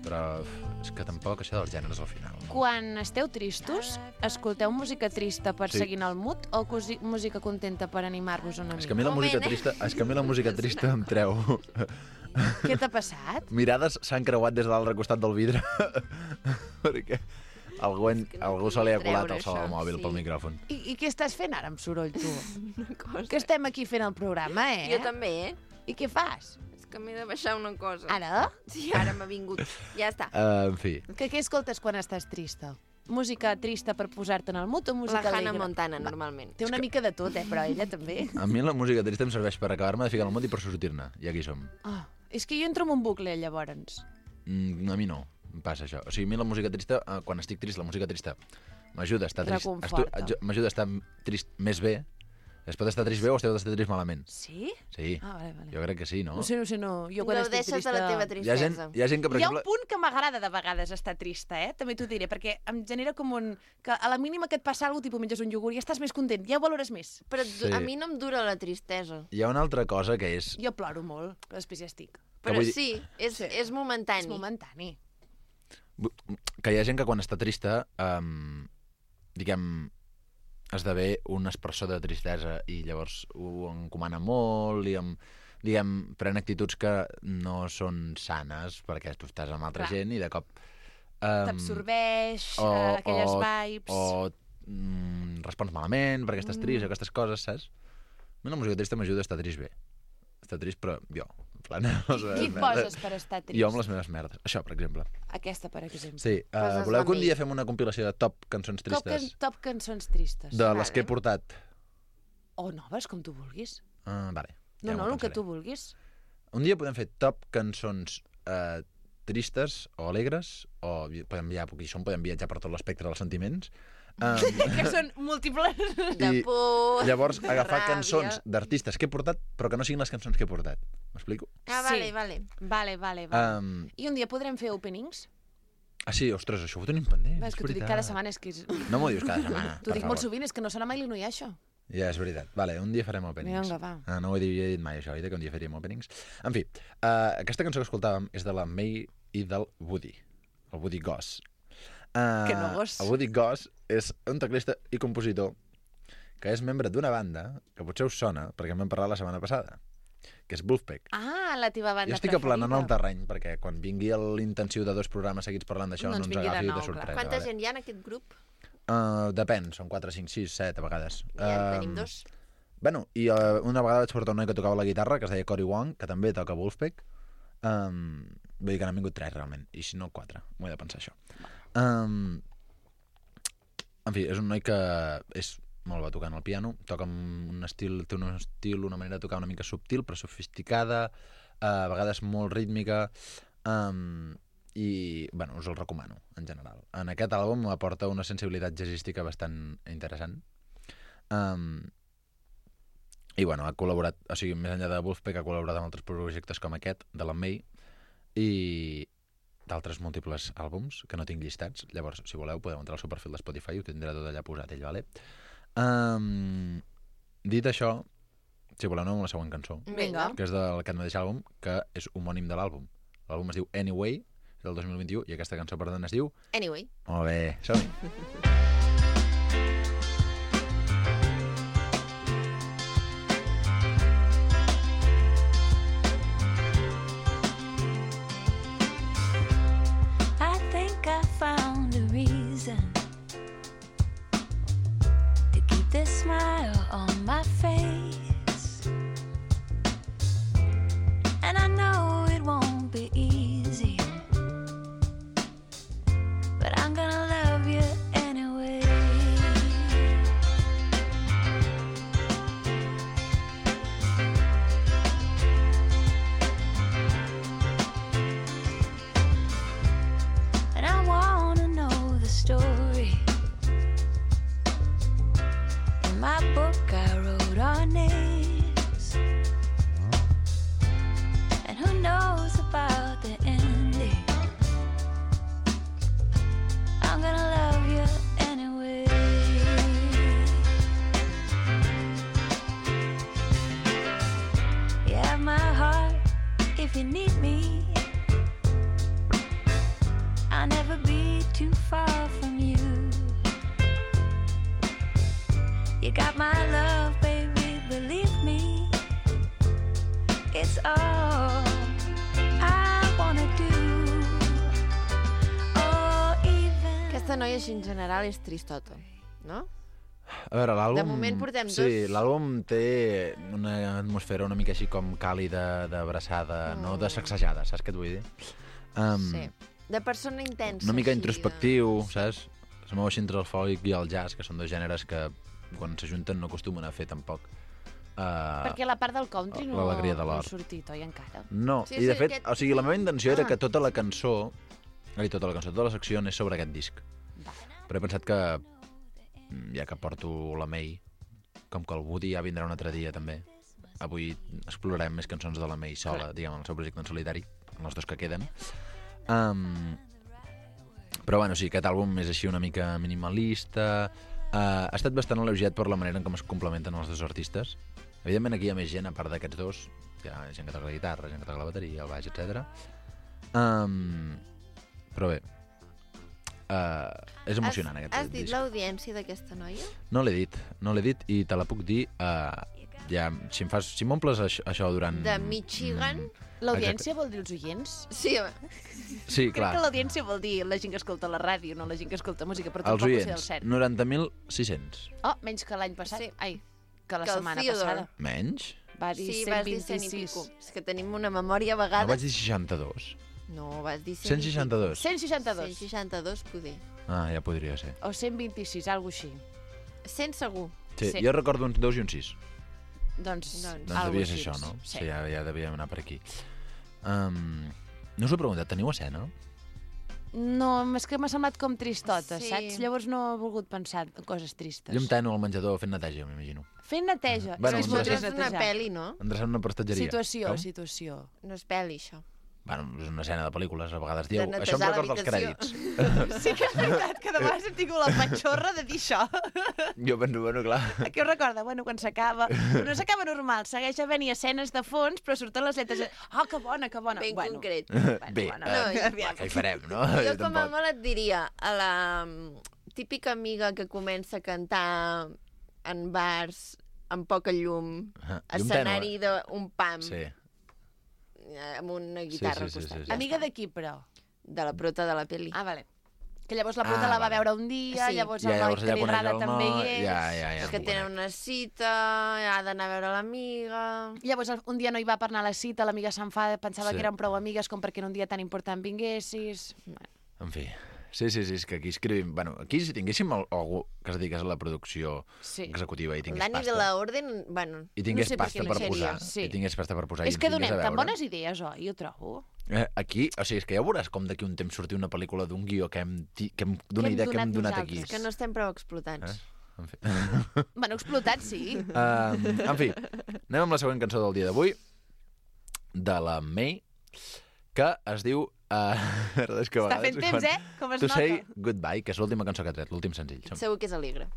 [SPEAKER 10] però és que tampoc això dels gèneres al final.
[SPEAKER 2] Quan esteu tristos, escolteu música trista per
[SPEAKER 10] Sí.
[SPEAKER 2] seguir en el mood o cosi- música contenta per animar-vos una
[SPEAKER 10] És
[SPEAKER 2] mica?
[SPEAKER 10] que a mi la
[SPEAKER 1] Moment,
[SPEAKER 10] música
[SPEAKER 1] eh?
[SPEAKER 10] trista, és que a mi la música trista em treu.
[SPEAKER 2] Què t'ha passat?
[SPEAKER 10] Mirades s'han creuat des de l'altre costat del vidre perquè algú, en,
[SPEAKER 1] que no
[SPEAKER 10] algú se li ha
[SPEAKER 1] podem
[SPEAKER 10] colat
[SPEAKER 1] treure
[SPEAKER 10] el so del
[SPEAKER 1] això,
[SPEAKER 10] mòbil
[SPEAKER 1] sí.
[SPEAKER 10] pel micròfon.
[SPEAKER 2] I, I què estàs fent ara amb soroll, tu?
[SPEAKER 1] Una cosa.
[SPEAKER 2] Que estem aquí fent el programa, eh?
[SPEAKER 1] Jo també, eh?
[SPEAKER 2] I què fas?
[SPEAKER 1] És que m'he de baixar una cosa.
[SPEAKER 2] Ara?
[SPEAKER 1] Sí, ara m'ha vingut. Ja està.
[SPEAKER 10] Uh, en fi,
[SPEAKER 2] Que què escoltes quan estàs trista? Música trista per posar-te en el mood o música
[SPEAKER 1] La Hannah
[SPEAKER 2] alegre?
[SPEAKER 1] Montana, normalment.
[SPEAKER 2] Té una mica de tot, eh? Però ella també.
[SPEAKER 10] a mi la música trista em serveix per acabar-me de ficar al món i per sortir-ne, i aquí som.
[SPEAKER 2] Oh, és que jo entro en un bucle, llavors.
[SPEAKER 10] Mm, a mi no, em passa això. O sigui, a mi la música trista, eh, quan estic trist, la música trista m'ajuda a estar trist.
[SPEAKER 2] Reconforta.
[SPEAKER 10] estu- aju- M'ajuda a estar trist més bé, Es pot estar trist bé o es pot estar trist malament.
[SPEAKER 2] Sí?
[SPEAKER 10] Sí,
[SPEAKER 2] Ah, vale, vale.
[SPEAKER 10] jo crec que sí, no?
[SPEAKER 2] No sé, no sé, no. Jo quan
[SPEAKER 1] No
[SPEAKER 2] estic
[SPEAKER 1] deixes
[SPEAKER 2] trista...
[SPEAKER 1] de la teva
[SPEAKER 10] Hi ha
[SPEAKER 1] tristesa.
[SPEAKER 10] gent, hi ha gent que, per
[SPEAKER 2] Hi ha
[SPEAKER 10] exemple...
[SPEAKER 2] un punt que m'agrada de vegades estar trista, eh? També t'ho diré, perquè em genera com un... que a la mínima que et passa alguna cosa, tipus menges un iogurt i estàs més content, ja ho valores més.
[SPEAKER 1] Però
[SPEAKER 10] Sí.
[SPEAKER 1] a mi no em dura la tristesa.
[SPEAKER 10] Hi ha una altra cosa que és...
[SPEAKER 2] Jo ploro molt, però després ja estic.
[SPEAKER 1] Però
[SPEAKER 10] vull dir-
[SPEAKER 1] sí, és,
[SPEAKER 2] Sí.
[SPEAKER 1] és momentani.
[SPEAKER 2] És momentani.
[SPEAKER 10] que hi ha gent que quan està trista, um, diguem, esdevé un espersor de tristesa i llavors ho encomana molt i amb, diguem, pren actituds que no són sanes perquè tu estàs amb altra
[SPEAKER 2] Clar.
[SPEAKER 10] gent i de cop... Um,
[SPEAKER 2] T'absorbeix
[SPEAKER 10] o-
[SPEAKER 2] eh, aquelles
[SPEAKER 10] o-
[SPEAKER 2] vibes...
[SPEAKER 10] o mm, respons malament perquè estàs trist, aquestes coses, saps? Una música trista m'ajuda a estar trist bé. Estar trist, però jo, en plan... les
[SPEAKER 2] Qui
[SPEAKER 10] meves
[SPEAKER 2] et poses
[SPEAKER 10] merdes.
[SPEAKER 2] per estar trist?
[SPEAKER 10] Jo amb les meves merdes. Això, per exemple.
[SPEAKER 2] Aquesta, per exemple.
[SPEAKER 10] Sí, uh,
[SPEAKER 1] Poses
[SPEAKER 10] voleu
[SPEAKER 1] la
[SPEAKER 10] que un
[SPEAKER 1] mi.
[SPEAKER 10] dia fem una compilació de top cançons
[SPEAKER 2] Top, can,
[SPEAKER 10] tristes?
[SPEAKER 2] top cançons tristes.
[SPEAKER 10] De
[SPEAKER 1] Vale.
[SPEAKER 10] les que he portat.
[SPEAKER 2] O noves, com tu vulguis.
[SPEAKER 10] Uh, vale,
[SPEAKER 2] No,
[SPEAKER 10] ja
[SPEAKER 2] no,
[SPEAKER 10] m'ho
[SPEAKER 2] el que
[SPEAKER 10] pensaré.
[SPEAKER 2] tu vulguis.
[SPEAKER 10] Un dia podem fer top cançons uh, tristes o alegres, o vi- podem viatjar, perquè això podem viatjar per tot l'espectre dels sentiments. Um,
[SPEAKER 2] que són múltiples.
[SPEAKER 1] De
[SPEAKER 10] I
[SPEAKER 1] por,
[SPEAKER 10] llavors
[SPEAKER 1] de
[SPEAKER 10] agafar
[SPEAKER 1] ràbia.
[SPEAKER 10] cançons d'artistes que he portat, però que no siguin les cançons que he portat. M'explico?
[SPEAKER 1] Ah, vale,
[SPEAKER 2] Sí.
[SPEAKER 1] vale.
[SPEAKER 2] Vale, vale, vale.
[SPEAKER 10] Um,
[SPEAKER 2] I un dia podrem fer openings?
[SPEAKER 10] ah, sí, ostres, això ho tenim pendent.
[SPEAKER 2] És que t'ho dic cada setmana, és que... És...
[SPEAKER 10] No m'ho dius cada setmana,
[SPEAKER 2] T'ho
[SPEAKER 10] per
[SPEAKER 2] dic molt
[SPEAKER 10] favor.
[SPEAKER 2] sovint, és que no sona mai l'Inuia, això.
[SPEAKER 10] Ja, és veritat. Vale, un dia farem openings.
[SPEAKER 2] Vinga, va.
[SPEAKER 10] Ah, no ho he dit, jo he dit mai, això, oi, que un dia faríem openings. En fi, uh, aquesta cançó que escoltàvem és de la May i del Woody, el Woody Goss. Uh,
[SPEAKER 2] Que no gos.
[SPEAKER 10] El Woody Goss és un teclista i compositor que és membre d'una banda que potser us sona, perquè en vam parlar la setmana passada, que és Wolfpack.
[SPEAKER 2] Ah, la teva banda
[SPEAKER 10] Jo estic
[SPEAKER 2] preferida.
[SPEAKER 10] aplanant el terreny, perquè quan vingui l'intensiu de dos programes seguits parlant d'això
[SPEAKER 2] No
[SPEAKER 10] no,
[SPEAKER 2] ens
[SPEAKER 10] ens
[SPEAKER 2] vingui de
[SPEAKER 10] agafi de,
[SPEAKER 2] nou, clar.
[SPEAKER 10] sorpresa.
[SPEAKER 1] Quanta
[SPEAKER 10] vale?
[SPEAKER 1] gent hi ha en aquest grup?
[SPEAKER 10] Uh, depèn, són quatre, cinc, sis, set a vegades.
[SPEAKER 1] Ja en
[SPEAKER 10] Um,
[SPEAKER 1] tenim dos.
[SPEAKER 10] Bueno, i uh, una vegada vaig portar un noi que tocava la guitarra, que es deia Cory Wong, que també toca Wolfpack. Um, vull dir que n'han vingut tres, realment, i si no, quatre. M'ho he de pensar, això. Um, en fi, és un noi que és molt bo tocant el piano, toca amb un estil, té un estil, una manera de tocar una mica subtil, però sofisticada, uh, a vegades molt rítmica, um, i, bueno, us el recomano, en general. En aquest àlbum aporta una sensibilitat jazzística bastant interessant. Um, I, bueno, ha col·laborat, o sigui, més enllà de Wolfpack, ha col·laborat amb altres projectes com aquest, de la May, i d'altres múltiples àlbums que no tinc llistats. Llavors, si voleu, podeu entrar al seu perfil de Spotify, ho tindrà tot allà posat ell, vale? Um, dit això, si voleu, anem amb la següent cançó,
[SPEAKER 2] Vinga.
[SPEAKER 10] que és d'aquest mateix àlbum, que és homònim de l'àlbum. L'àlbum es diu Anyway, és del dos mil vint-i-u, i aquesta cançó, per tant, es diu...
[SPEAKER 1] Anyway.
[SPEAKER 10] Molt bé, som-hi.
[SPEAKER 3] I think I found a reason to keep this smile on my face. And I know it won't be easy, but I'm gonna love you anyway. And I wanna know the story. In my book I wrote our names. And who knows about the ending? I'm gonna love you anyway. You have my heart if you need me. I'll never be too far from you. You got my love, baby, believe me. It's all I wanna do. Oh, even
[SPEAKER 1] Aquesta noia, així en general, és tristota, no?
[SPEAKER 10] A veure, l'àlbum...
[SPEAKER 1] De moment portem
[SPEAKER 10] Sí,
[SPEAKER 1] dos.
[SPEAKER 10] l'àlbum té una atmosfera una mica així com càlida, d'abraçada, mm. no de sacsejada, saps què et vull dir? Um,
[SPEAKER 1] Sí. De persona intensa.
[SPEAKER 10] Una mica
[SPEAKER 1] així,
[SPEAKER 10] introspectiu, saps? Es mou així entre el folk i el jazz, que són dos gèneres que quan s'ajunten no acostumen a fer tampoc. Uh,
[SPEAKER 2] Perquè la part del country no,
[SPEAKER 10] l'alegria de
[SPEAKER 2] no
[SPEAKER 10] l'or.
[SPEAKER 2] ha sortit, oi, encara?
[SPEAKER 10] No,
[SPEAKER 1] Sí,
[SPEAKER 10] i de
[SPEAKER 1] sí,
[SPEAKER 10] fet,
[SPEAKER 1] aquest-
[SPEAKER 10] o sigui, la meva intenció era
[SPEAKER 1] Ah.
[SPEAKER 10] que tota la cançó, ai, tota la cançó, tota la secció anés sobre aquest disc.
[SPEAKER 2] Va.
[SPEAKER 10] Però he pensat que, mm, ja que porto la May, com que el Woody ja vindrà un altre dia també, avui explorarem més cançons de la May sola, diguem, el seu projecte en solitari, els dos que queden. Um, però bueno, sí, aquest àlbum és així una mica minimalista, uh, ha estat bastant elogiat per la manera en com es complementen els dos artistes. Evidentment aquí hi ha més gent, a part d'aquests dos, hi ha gent que toca la guitarra, gent que toca la bateria, el baix, etcètera. Um, però bé, uh, és emocionant
[SPEAKER 1] has,
[SPEAKER 10] aquest
[SPEAKER 1] Has dit
[SPEAKER 10] disc.
[SPEAKER 1] l'audiència d'aquesta noia?
[SPEAKER 10] No l'he dit, no l'he dit i te la puc dir, uh, ja, si em fas, si m'omples això, això durant...
[SPEAKER 1] De Michigan?
[SPEAKER 10] Mm,
[SPEAKER 2] L'audiència vol dir els oients?
[SPEAKER 1] Sí, home.
[SPEAKER 10] sí,
[SPEAKER 2] Crec
[SPEAKER 10] clar.
[SPEAKER 2] que l'audiència vol dir la gent que escolta la ràdio, no la gent que escolta música, però
[SPEAKER 10] Els
[SPEAKER 2] tampoc ho sé del
[SPEAKER 10] oients,
[SPEAKER 2] cert.
[SPEAKER 10] noranta mil sis-cents.
[SPEAKER 2] Oh, menys que l'any passat.
[SPEAKER 1] Sí.
[SPEAKER 2] Ai, que la
[SPEAKER 1] Que el
[SPEAKER 2] setmana
[SPEAKER 1] Theodore.
[SPEAKER 2] passada.
[SPEAKER 10] Menys?
[SPEAKER 2] Va dir
[SPEAKER 1] Sí,
[SPEAKER 2] cent
[SPEAKER 1] vas dir cent i
[SPEAKER 2] vint-i-sis.
[SPEAKER 1] pico. És que tenim una memòria a
[SPEAKER 10] No
[SPEAKER 1] vegades...
[SPEAKER 10] vaig dir seixanta-dos.
[SPEAKER 1] No, vas dir cent
[SPEAKER 10] cent seixanta-dos.
[SPEAKER 2] cent seixanta-dos.
[SPEAKER 1] cent seixanta-dos, poder.
[SPEAKER 10] Ah, ja podria ser.
[SPEAKER 2] O cent vint-i-sis, alguna així.
[SPEAKER 1] cent segur.
[SPEAKER 10] Sí,
[SPEAKER 2] Sí.
[SPEAKER 10] jo recordo uns dos i un sis.
[SPEAKER 2] Doncs,
[SPEAKER 1] Doncs
[SPEAKER 10] Doncs
[SPEAKER 2] algo
[SPEAKER 10] devia ser
[SPEAKER 2] així.
[SPEAKER 10] això, no?
[SPEAKER 2] Sí.
[SPEAKER 10] Sí, ja, ja devíem anar per aquí. Um, no us ho he preguntat, teniu escena?
[SPEAKER 2] No, és que m'ha semblat com tristota,
[SPEAKER 1] Sí.
[SPEAKER 2] saps? Llavors no he volgut pensar en coses tristes.
[SPEAKER 10] Jo em teno al menjador fent neteja, m'imagino.
[SPEAKER 2] Fent neteja.
[SPEAKER 10] Bueno,
[SPEAKER 2] és
[SPEAKER 10] un
[SPEAKER 2] que
[SPEAKER 1] Això
[SPEAKER 2] és
[SPEAKER 1] és una
[SPEAKER 2] netejar.
[SPEAKER 1] pel·li, no?
[SPEAKER 10] Endreçant una prestatgeria.
[SPEAKER 2] Situació,
[SPEAKER 10] Com?
[SPEAKER 2] situació.
[SPEAKER 1] No és pel·li, això.
[SPEAKER 10] Bueno, és una escena de pel·lícules, a vegades dieu.
[SPEAKER 1] De
[SPEAKER 10] Això em
[SPEAKER 1] netejar
[SPEAKER 10] recorda els
[SPEAKER 1] l'habitació.
[SPEAKER 10] crèdits.
[SPEAKER 2] Sí que és veritat que de vegades hem tingut la patxorra de dir això.
[SPEAKER 10] Jo penso, bueno, clar.
[SPEAKER 2] A què us recorda? Bueno, quan s'acaba... No s'acaba normal, segueix havent-hi escenes de fons, però surten les lletres... Ah, oh, que bona, que bona.
[SPEAKER 1] Ben
[SPEAKER 2] bueno,
[SPEAKER 1] concret.
[SPEAKER 10] Bé,
[SPEAKER 2] bueno,
[SPEAKER 1] no,
[SPEAKER 10] eh,
[SPEAKER 1] aviam.
[SPEAKER 10] què hi farem, no?
[SPEAKER 1] Jo com a
[SPEAKER 10] tampoc.
[SPEAKER 1] molt et diria, a la mm, típica amiga que comença a cantar en bars amb poca llum,
[SPEAKER 10] Ah, llum
[SPEAKER 1] escenari
[SPEAKER 10] tènue.
[SPEAKER 1] d'un pam,
[SPEAKER 10] Sí.
[SPEAKER 1] amb una guitarra
[SPEAKER 10] sí,
[SPEAKER 1] al
[SPEAKER 10] sí,
[SPEAKER 1] costat.
[SPEAKER 10] sí, sí.
[SPEAKER 1] Ja
[SPEAKER 2] Amiga
[SPEAKER 1] està.
[SPEAKER 2] de qui, però?
[SPEAKER 1] De la prota de la pel·li.
[SPEAKER 2] Ah, vale. Que llavors la puta
[SPEAKER 10] Ah,
[SPEAKER 2] la va
[SPEAKER 10] vale.
[SPEAKER 2] veure un dia,
[SPEAKER 1] Sí.
[SPEAKER 2] llavors
[SPEAKER 10] Ja,
[SPEAKER 2] el noi
[SPEAKER 10] llavors
[SPEAKER 2] que
[SPEAKER 10] allà
[SPEAKER 2] li
[SPEAKER 10] coneix
[SPEAKER 2] agrada
[SPEAKER 10] el
[SPEAKER 2] també hi
[SPEAKER 10] noi,
[SPEAKER 2] és.
[SPEAKER 10] ja, ja, ja.
[SPEAKER 1] És que
[SPEAKER 10] em
[SPEAKER 1] tenen
[SPEAKER 10] conec.
[SPEAKER 1] una cita, ha d'anar a veure l'amiga...
[SPEAKER 2] Llavors un dia no hi va per anar a la cita, l'amiga s'enfada, pensava
[SPEAKER 10] Sí.
[SPEAKER 2] que eren prou amigues com perquè en un dia tan important vinguessis...
[SPEAKER 10] En fi. Sí, sí, sí, és que aquí escrivim... Bueno, aquí si tinguéssim al- algú que es dediqués a la producció
[SPEAKER 2] Sí.
[SPEAKER 10] executiva i
[SPEAKER 1] El
[SPEAKER 10] tingués
[SPEAKER 1] Dani
[SPEAKER 10] pasta...
[SPEAKER 1] de la Orden, bueno...
[SPEAKER 10] I tingués
[SPEAKER 2] No sé per
[SPEAKER 10] pasta
[SPEAKER 2] què no
[SPEAKER 10] per
[SPEAKER 2] seria,
[SPEAKER 10] posar.
[SPEAKER 2] sí.
[SPEAKER 10] I tingués pasta per posar. i
[SPEAKER 2] És
[SPEAKER 10] ens
[SPEAKER 2] que
[SPEAKER 10] vingués
[SPEAKER 2] donem
[SPEAKER 10] a
[SPEAKER 2] tan
[SPEAKER 10] veure.
[SPEAKER 2] bones idees, oi? Jo trobo.
[SPEAKER 10] Eh, aquí, o sigui, és que ja veuràs com d'aquí un temps sortir una pel·lícula d'un guió que hem, ti- que hem d'una
[SPEAKER 2] hem
[SPEAKER 10] idea que hem
[SPEAKER 2] donat
[SPEAKER 10] donat aquí.
[SPEAKER 1] És que no estem prou explotats.
[SPEAKER 10] Eh? En fi.
[SPEAKER 2] Bueno, explotat, sí.
[SPEAKER 10] Uh, en fi, anem amb la següent cançó del dia d'avui, de la May, que es diu... Uh, és que a
[SPEAKER 2] Està
[SPEAKER 10] vegades
[SPEAKER 2] fent temps,
[SPEAKER 10] quan-
[SPEAKER 2] eh? Com es
[SPEAKER 10] To
[SPEAKER 2] nota.
[SPEAKER 10] Say Goodbye, que és l'última cançó que ha tret, l'últim senzill. Som.
[SPEAKER 1] Segur que és alegre.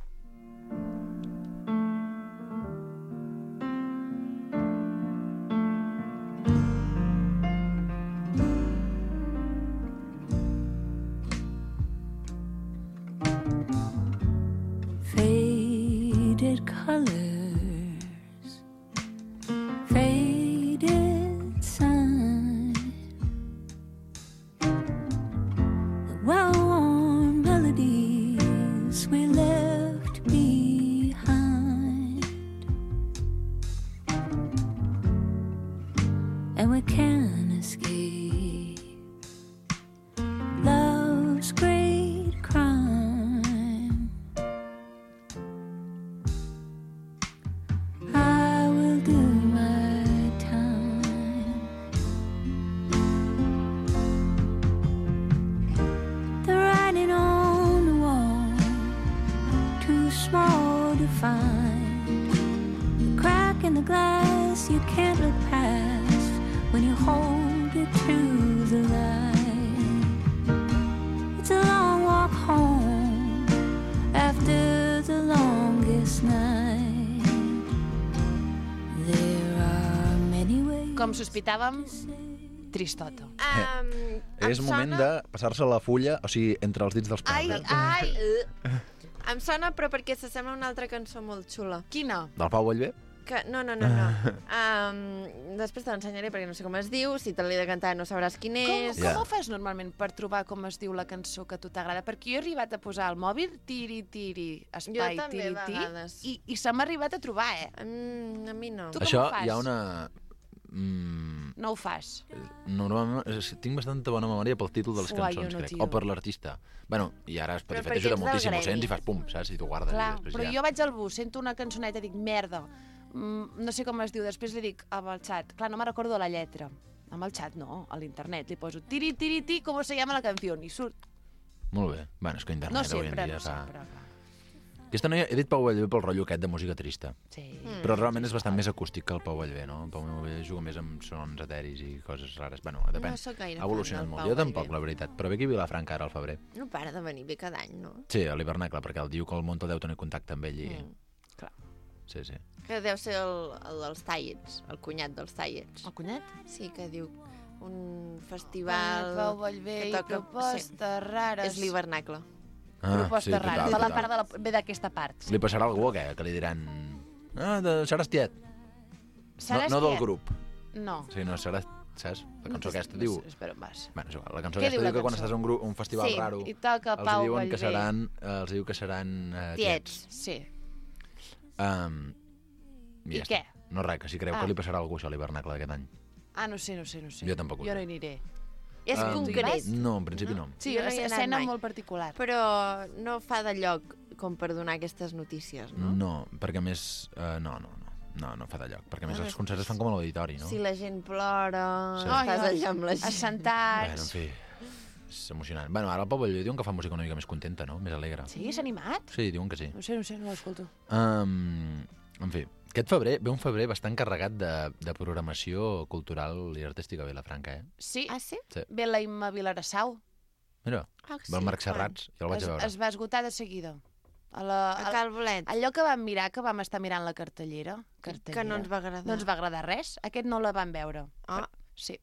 [SPEAKER 3] Faded colors, faded sun, the well-worn melodies we left behind, and we can't escape love's great crime. I will do my time. The writing on the wall, too small to find. The crack in the glass you can't look past when you hold it to the light. It's a long walk home after the longest night. There are many ways.
[SPEAKER 2] Com sospitàvem, tristota.
[SPEAKER 1] Um,
[SPEAKER 10] És moment de passar-se la fulla, o sigui, entre els dits dels
[SPEAKER 2] Ai,
[SPEAKER 10] peus.
[SPEAKER 2] ai!
[SPEAKER 1] Em sona, però perquè s'assembla a una altra cançó molt xula.
[SPEAKER 2] Quina?
[SPEAKER 10] Del Pau Vallvé?
[SPEAKER 1] Que, no, no, no, no. Um, després te l'ensenyaré perquè no sé com es diu. Si te l'he de cantar no sabràs quin
[SPEAKER 2] Com,
[SPEAKER 1] és.
[SPEAKER 2] com
[SPEAKER 10] Ja.
[SPEAKER 2] ho fas normalment per trobar com es diu la cançó que a tu t'agrada? Perquè jo he arribat a posar al mòbil tiri, tiri, espai,
[SPEAKER 1] Jo també,
[SPEAKER 2] tiri,
[SPEAKER 1] a
[SPEAKER 2] tiri,
[SPEAKER 1] vegades.
[SPEAKER 2] i, i se m'ha arribat a trobar, eh?
[SPEAKER 1] Mm, a mi no.
[SPEAKER 2] Tu com
[SPEAKER 10] Això
[SPEAKER 2] ho fas?
[SPEAKER 10] hi ha una... Mm,
[SPEAKER 2] No ho fas.
[SPEAKER 10] normalment és, tinc bastanta bona memòria pel títol de les
[SPEAKER 2] Uai,
[SPEAKER 10] cançons,
[SPEAKER 2] jo no,
[SPEAKER 10] crec.
[SPEAKER 2] tio.
[SPEAKER 10] O per l'artista. Bueno, i ara
[SPEAKER 1] Però
[SPEAKER 10] Spotify
[SPEAKER 1] perquè
[SPEAKER 10] t'ajuda
[SPEAKER 1] ets del
[SPEAKER 10] moltíssim, ho
[SPEAKER 1] gremi.
[SPEAKER 10] sents i fas pum, saps? I tu guardes.
[SPEAKER 2] Clar,
[SPEAKER 10] i després
[SPEAKER 2] però
[SPEAKER 10] ja...
[SPEAKER 2] jo vaig al bus, sento una cançoneta i dic, merda, mm, no sé com es diu, després li dic amb el xat, clar, no me recordo la lletra. Amb el xat no, a l'internet, li poso tiri, tiri, tiri, com se llama la canció, i surt.
[SPEAKER 10] Molt bé. Bueno, és que internet
[SPEAKER 2] No
[SPEAKER 10] avui en
[SPEAKER 2] sempre,
[SPEAKER 10] dia
[SPEAKER 2] no
[SPEAKER 10] fa...
[SPEAKER 2] sempre, clar.
[SPEAKER 10] Aquesta noia, he dit Pau Vallvé pel rotllo aquest de música trista.
[SPEAKER 2] Sí.
[SPEAKER 1] Mm.
[SPEAKER 10] Però realment és bastant més acústic que el Pau Vallvé, no? El Pau Vallvé juga més amb sons eteris i coses rares. Bueno, depèn.
[SPEAKER 1] No sóc gaire
[SPEAKER 10] Ha evolucionat
[SPEAKER 1] fan del
[SPEAKER 10] molt.
[SPEAKER 1] Pau
[SPEAKER 10] Jo tampoc,
[SPEAKER 1] Vallvé.
[SPEAKER 10] la veritat. Però ve aquí a Vilafranca ara al febrer.
[SPEAKER 1] No para de venir bé cada any, no?
[SPEAKER 10] Sí, a l'hivernacle, perquè el diu que el Monto deu tenir contacte amb ell i...
[SPEAKER 1] Mm.
[SPEAKER 2] Clar.
[SPEAKER 10] Sí, sí.
[SPEAKER 1] Que deu ser el, el dels Tallets, el cunyat dels Tallets.
[SPEAKER 2] El cunyat?
[SPEAKER 1] Sí, que diu un festival...
[SPEAKER 2] Pau Vallvé
[SPEAKER 1] que
[SPEAKER 2] i
[SPEAKER 1] toca-
[SPEAKER 2] propostes rares.
[SPEAKER 1] És l'hivernacle.
[SPEAKER 10] Ah,
[SPEAKER 2] Propostes
[SPEAKER 10] sí,
[SPEAKER 2] rares.
[SPEAKER 10] total,
[SPEAKER 2] De la
[SPEAKER 10] total.
[SPEAKER 2] part de la... ve d'aquesta part.
[SPEAKER 10] Li passarà algú, què? Que li diran... Ah, de seràs tiet.
[SPEAKER 2] Seràs
[SPEAKER 10] no, no del
[SPEAKER 2] tiet?
[SPEAKER 10] grup.
[SPEAKER 2] No.
[SPEAKER 10] Sí, no, seràs... Saps? La cançó
[SPEAKER 2] No,
[SPEAKER 10] aquesta
[SPEAKER 2] no
[SPEAKER 10] diu...
[SPEAKER 2] sé, espera, vas.
[SPEAKER 10] Bueno, és igual. La cançó
[SPEAKER 2] Què
[SPEAKER 10] aquesta
[SPEAKER 2] diu la
[SPEAKER 10] diu que quan
[SPEAKER 2] cançó?
[SPEAKER 10] estàs a un, grup, un festival
[SPEAKER 1] Sí,
[SPEAKER 10] raro...
[SPEAKER 2] I toca
[SPEAKER 10] els
[SPEAKER 2] Pau
[SPEAKER 10] diuen que
[SPEAKER 2] Vallvé.
[SPEAKER 10] seran... Eh, els diu que seran... Eh, tiets.
[SPEAKER 1] Tiets.
[SPEAKER 2] Sí.
[SPEAKER 10] Um,
[SPEAKER 2] I
[SPEAKER 10] ja
[SPEAKER 2] què?
[SPEAKER 10] està. No res, que si creu
[SPEAKER 2] Ah.
[SPEAKER 10] que li passarà alguna cosa a l'hivernacle d'aquest any.
[SPEAKER 2] Ah, no sé, no sé, no sé.
[SPEAKER 10] Jo tampoc ho
[SPEAKER 2] Jo
[SPEAKER 10] sé.
[SPEAKER 2] no hi aniré.
[SPEAKER 1] És
[SPEAKER 10] Um,
[SPEAKER 1] concret,
[SPEAKER 10] No, en principi no.
[SPEAKER 2] Sí,
[SPEAKER 1] Jo no hi he anat
[SPEAKER 2] escena
[SPEAKER 1] mai.
[SPEAKER 2] molt particular.
[SPEAKER 1] però no fa de lloc com per donar aquestes notícies, no?
[SPEAKER 10] No, perquè a més... Uh, no, no, no. No, no fa de lloc. Perquè a més
[SPEAKER 1] Bueno,
[SPEAKER 10] els concerts es fan com a l'auditori, no?
[SPEAKER 1] Si la gent plora,
[SPEAKER 10] Sí.
[SPEAKER 1] estàs
[SPEAKER 2] Ai, ai,
[SPEAKER 1] allà amb la gent.
[SPEAKER 2] Assentats.
[SPEAKER 10] Bueno, en fi, és emocionant. Bueno, ara el Pau Vallvé diuen que fa música una mica més contenta, no? Més alegre.
[SPEAKER 2] Sí, s'ha animat?
[SPEAKER 10] Sí, diuen que sí.
[SPEAKER 2] No sé, no sé, no l'escolto.
[SPEAKER 10] Um, en fi, aquest febrer ve un febrer bastant carregat de, de programació cultural i artística a Vilafranca, eh?
[SPEAKER 2] Sí,
[SPEAKER 1] Ah, sí?
[SPEAKER 10] Sí.
[SPEAKER 2] ve la Imma Vilarassau.
[SPEAKER 10] Mira,
[SPEAKER 1] Ah,
[SPEAKER 10] ve el Marc
[SPEAKER 1] quan?
[SPEAKER 10] Serrats, ja el vaig
[SPEAKER 2] Es,
[SPEAKER 10] a veure.
[SPEAKER 2] es va esgotar de seguida. A la,
[SPEAKER 1] A
[SPEAKER 2] a,
[SPEAKER 1] Cal Bolet,
[SPEAKER 2] allò que vam mirar, que vam estar mirant la cartellera, cartellera
[SPEAKER 1] que no ens va agradar.
[SPEAKER 2] no ens va agradar res, aquest no la vam veure.
[SPEAKER 1] Ah.
[SPEAKER 2] Sí.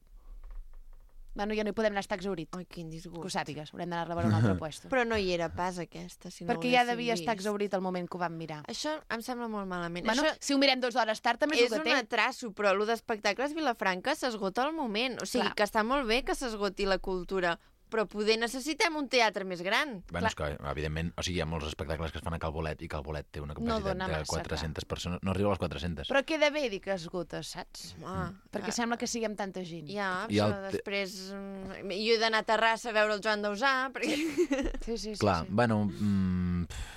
[SPEAKER 2] Bueno, ja no hi podem anar, està exaurit.
[SPEAKER 1] Ai, quin disgust.
[SPEAKER 2] Que ho sàpigues, haurem d'anar-la a veure a un altre puesto.
[SPEAKER 1] Però no hi era pas, aquesta, si no
[SPEAKER 2] Perquè
[SPEAKER 1] ho
[SPEAKER 2] ja
[SPEAKER 1] haguéssim
[SPEAKER 2] devia estar
[SPEAKER 1] vist.
[SPEAKER 2] exaurit al moment que ho vam mirar.
[SPEAKER 1] Això em sembla molt malament.
[SPEAKER 2] Bueno,
[SPEAKER 1] Això
[SPEAKER 2] si ho mirem dues hores tard, també és,
[SPEAKER 1] és
[SPEAKER 2] el
[SPEAKER 1] un
[SPEAKER 2] que té.
[SPEAKER 1] atraso, però el d'espectacles Vilafranca s'esgota al moment. O sigui,
[SPEAKER 2] Clar.
[SPEAKER 1] que està molt bé que s'esgoti la cultura, però poder necessitem un teatre més gran.
[SPEAKER 10] Bueno, és que, evidentment, o sigui, hi ha molts espectacles que es fan a Cal Bolet i Cal Bolet té una capacitat
[SPEAKER 2] dona
[SPEAKER 10] de
[SPEAKER 2] massa,
[SPEAKER 10] quatre-centes persones. No arriba a les quatre-centes.
[SPEAKER 2] Però queda bé dir que esgotes, saps?
[SPEAKER 1] Ah,
[SPEAKER 2] Perquè
[SPEAKER 1] ah,
[SPEAKER 2] sembla que siguem tanta gent.
[SPEAKER 1] Ja,
[SPEAKER 10] I
[SPEAKER 1] però
[SPEAKER 10] el te-
[SPEAKER 1] després... mm, Jo he d'anar a Terrassa a veure el Joan Dausà, perquè...
[SPEAKER 2] Sí, sí, sí.
[SPEAKER 10] Clar,
[SPEAKER 2] sí.
[SPEAKER 10] bueno, mm, pff,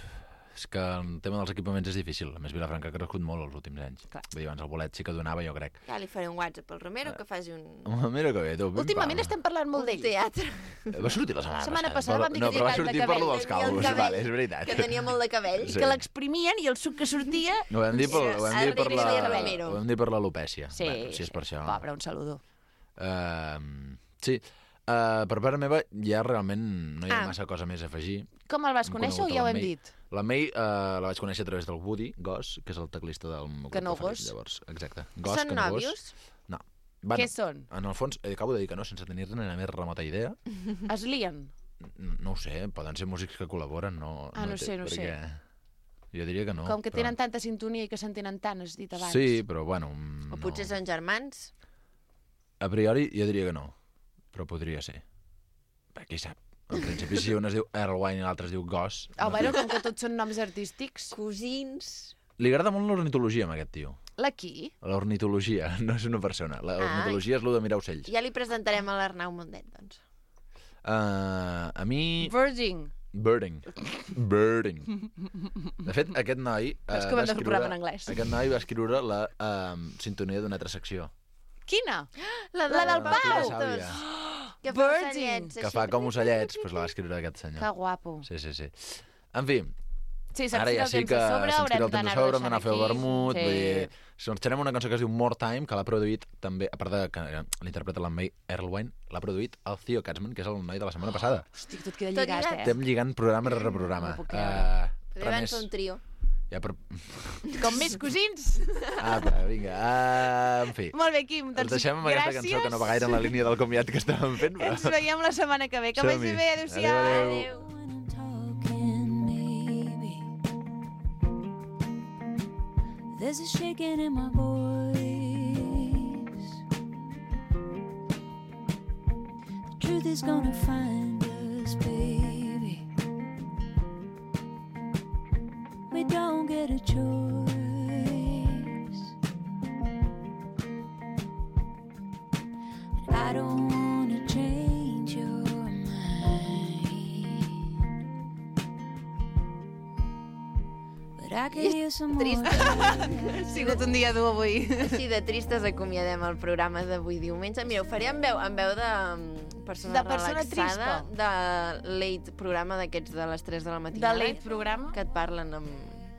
[SPEAKER 10] és que el tema dels equipaments és difícil. A més, Vilafranca ha crescut molt els últims anys.
[SPEAKER 2] Clar.
[SPEAKER 10] Vull dir, abans el bolet sí que donava, jo crec.
[SPEAKER 1] Ja li faré un WhatsApp al Romero que faci un,
[SPEAKER 10] Oh, mira que bé, tu. pim,
[SPEAKER 2] Últimament
[SPEAKER 10] pam.
[SPEAKER 2] estem parlant molt
[SPEAKER 1] un
[SPEAKER 2] d'ell.
[SPEAKER 1] teatre.
[SPEAKER 10] Va sortir la setmana,
[SPEAKER 2] La setmana
[SPEAKER 10] passada,
[SPEAKER 2] passada vam dir
[SPEAKER 10] no,
[SPEAKER 2] que
[SPEAKER 10] però va
[SPEAKER 2] tenia
[SPEAKER 10] sortir
[SPEAKER 2] tall de
[SPEAKER 10] per lo
[SPEAKER 2] cabell,
[SPEAKER 10] dels
[SPEAKER 1] tenia el
[SPEAKER 10] calvos,
[SPEAKER 1] cabell,
[SPEAKER 10] vale, és veritat.
[SPEAKER 1] Que tenia molt de cabell.
[SPEAKER 10] Sí.
[SPEAKER 2] Que l'exprimien i el suc que sortia...
[SPEAKER 10] Ho vam dir per, ho vam dir per,
[SPEAKER 1] Arriba
[SPEAKER 10] la,
[SPEAKER 1] i Ramiro.
[SPEAKER 10] ho vam dir per l'alopècia.
[SPEAKER 2] Sí,
[SPEAKER 10] Bueno, si és per això.
[SPEAKER 2] Pobre, un saludo.
[SPEAKER 10] Uh, sí, uh, per part meva ja realment no hi ha
[SPEAKER 1] Ah.
[SPEAKER 10] massa cosa més a afegir.
[SPEAKER 2] Com el vas
[SPEAKER 10] Hem
[SPEAKER 2] conèixer o
[SPEAKER 10] conegut
[SPEAKER 2] ja ho
[SPEAKER 10] la
[SPEAKER 2] hem
[SPEAKER 10] May.
[SPEAKER 2] dit?
[SPEAKER 10] La May uh, la vaig conèixer a través del Woody Goss, que és el teclista del meu
[SPEAKER 2] Que
[SPEAKER 10] grup
[SPEAKER 2] no
[SPEAKER 10] preferit,
[SPEAKER 2] Goss.
[SPEAKER 10] Llavors, exacte. Goss,
[SPEAKER 1] Són
[SPEAKER 10] que no Goss.
[SPEAKER 1] nòvios?
[SPEAKER 10] No. Bueno,
[SPEAKER 2] Què són?
[SPEAKER 10] en el fons, eh, acabo de dir que no, sense tenir-ne la més remota idea.
[SPEAKER 2] Es lien?
[SPEAKER 10] No, no ho sé, poden ser músics que col·laboren, no,
[SPEAKER 2] Ah, no
[SPEAKER 10] té-
[SPEAKER 2] sé, no sé.
[SPEAKER 10] perquè Jo diria que no.
[SPEAKER 2] Com que
[SPEAKER 10] però-
[SPEAKER 2] tenen tanta sintonia i que s'entenen tant, has dit abans.
[SPEAKER 10] Sí, però bueno... mm,
[SPEAKER 1] O potser
[SPEAKER 10] no.
[SPEAKER 1] són germans?
[SPEAKER 10] A priori jo diria que no, però podria ser. Bé, qui sap? En principi, si un es diu Erlewine i l'altre es diu Goss...
[SPEAKER 2] Oh, bueno, com que tots són noms artístics.
[SPEAKER 1] Cosins?
[SPEAKER 10] Li agrada molt l'ornitologia, a aquest tio.
[SPEAKER 2] La qui?
[SPEAKER 10] L'ornitologia, no és una persona. L'ornitologia és el de mirar ocells.
[SPEAKER 1] Ja li presentarem a l'Arnau Mundet, doncs.
[SPEAKER 10] Uh, a mi...
[SPEAKER 2] Virgin.
[SPEAKER 10] Birding. Birding. De fet, aquest noi... Uh,
[SPEAKER 2] És que ho hem de fer un programa en anglès.
[SPEAKER 10] Aquest noi va escriure la uh, sintonia d'una altra secció.
[SPEAKER 2] Quina?
[SPEAKER 1] La,
[SPEAKER 2] La del
[SPEAKER 10] La
[SPEAKER 2] Pau!
[SPEAKER 10] Tura Sàvia,
[SPEAKER 1] Que fa
[SPEAKER 2] Virgin.
[SPEAKER 1] ocellets,
[SPEAKER 10] que
[SPEAKER 1] així.
[SPEAKER 10] fa com ocellets, doncs la va escriure aquest senyor.
[SPEAKER 2] Que guapo.
[SPEAKER 10] Sí, sí, sí. En fi,
[SPEAKER 2] Sí, se'ns
[SPEAKER 10] ara
[SPEAKER 2] tira
[SPEAKER 10] ja
[SPEAKER 2] el
[SPEAKER 10] sí
[SPEAKER 2] temps
[SPEAKER 10] que
[SPEAKER 2] a sobre,
[SPEAKER 10] se'ns
[SPEAKER 2] haurem
[SPEAKER 10] tira el temps a
[SPEAKER 2] d'anar-ho
[SPEAKER 10] sobre, hem d'anar a fer el
[SPEAKER 2] deixant
[SPEAKER 10] vermut,
[SPEAKER 2] aquí.
[SPEAKER 10] vull dir... Si ens tenim una cançó que es diu More Time, que l'ha produït també, a part de que l'interpreta la May Erlewine, l'ha produït el Theo Katzman, que és el noi de la setmana passada.
[SPEAKER 2] Hosti, tot queda
[SPEAKER 1] Tot
[SPEAKER 2] lligat,
[SPEAKER 1] lligat.
[SPEAKER 2] eh?
[SPEAKER 10] Estem lligant programa rere programa.
[SPEAKER 2] No puc
[SPEAKER 10] Uh,
[SPEAKER 2] creure.
[SPEAKER 1] Podria van fer un trio.
[SPEAKER 10] ja per...
[SPEAKER 2] Com més cosins.
[SPEAKER 10] Apa, vinga. Uh, en fi.
[SPEAKER 2] Molt bé, Quim,
[SPEAKER 10] Ens
[SPEAKER 2] doncs
[SPEAKER 10] deixem amb aquesta cançó que no va gaire en la línia del comiat que estàvem fent, però...
[SPEAKER 2] ens veiem la setmana que ve. Que vagi
[SPEAKER 10] Som-hi.
[SPEAKER 2] bé, adéu-siau.
[SPEAKER 10] Adéu, adéu.
[SPEAKER 1] Adéu.
[SPEAKER 3] Talking, maybe there's a shaking in my voice. The truth is gonna find us, baby. We don't get a choice. But I don't wanna change your But I could use some more
[SPEAKER 1] Trist.
[SPEAKER 2] Ha sigut un dia dur avui.
[SPEAKER 1] Així de tristes acomiadem el programa d'avui diumenge. Mira, ho faré amb veu, amb veu de, persona
[SPEAKER 2] De persona
[SPEAKER 1] relaxada,
[SPEAKER 2] trispa.
[SPEAKER 1] de late programa d'aquests de les tres de la
[SPEAKER 2] De
[SPEAKER 1] matinada.
[SPEAKER 2] late programa.
[SPEAKER 1] Que et parlen amb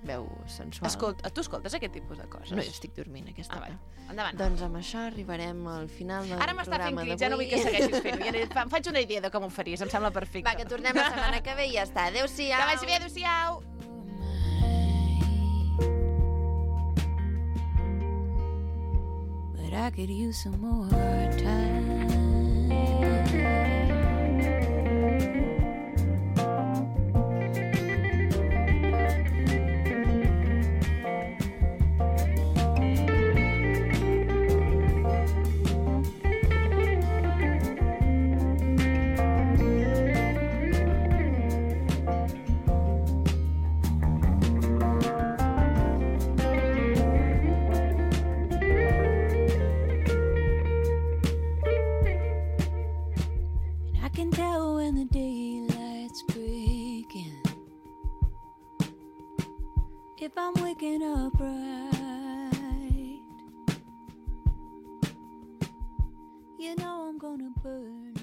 [SPEAKER 1] veu sensual.
[SPEAKER 2] Escolta, tu escoltes aquest tipus de coses?
[SPEAKER 1] No, jo estic dormint aquesta
[SPEAKER 2] Ah,
[SPEAKER 1] hora.
[SPEAKER 2] va. Endavant.
[SPEAKER 1] Doncs amb això arribarem al final del
[SPEAKER 2] Ara m'està fent
[SPEAKER 1] programa
[SPEAKER 2] crits, ja no vull que
[SPEAKER 1] d'avui.
[SPEAKER 2] segueixis fent-ho. Ja ne- fa- em faig una idea de com ho faries, em sembla perfecte.
[SPEAKER 1] Va, que tornem la setmana que ve i ja està. Adéu-siau.
[SPEAKER 2] Que vagi bé, adéu-siau.
[SPEAKER 3] But I could use some more time. I can tell when the daylight's breaking, if I'm waking up right. You know I'm gonna burn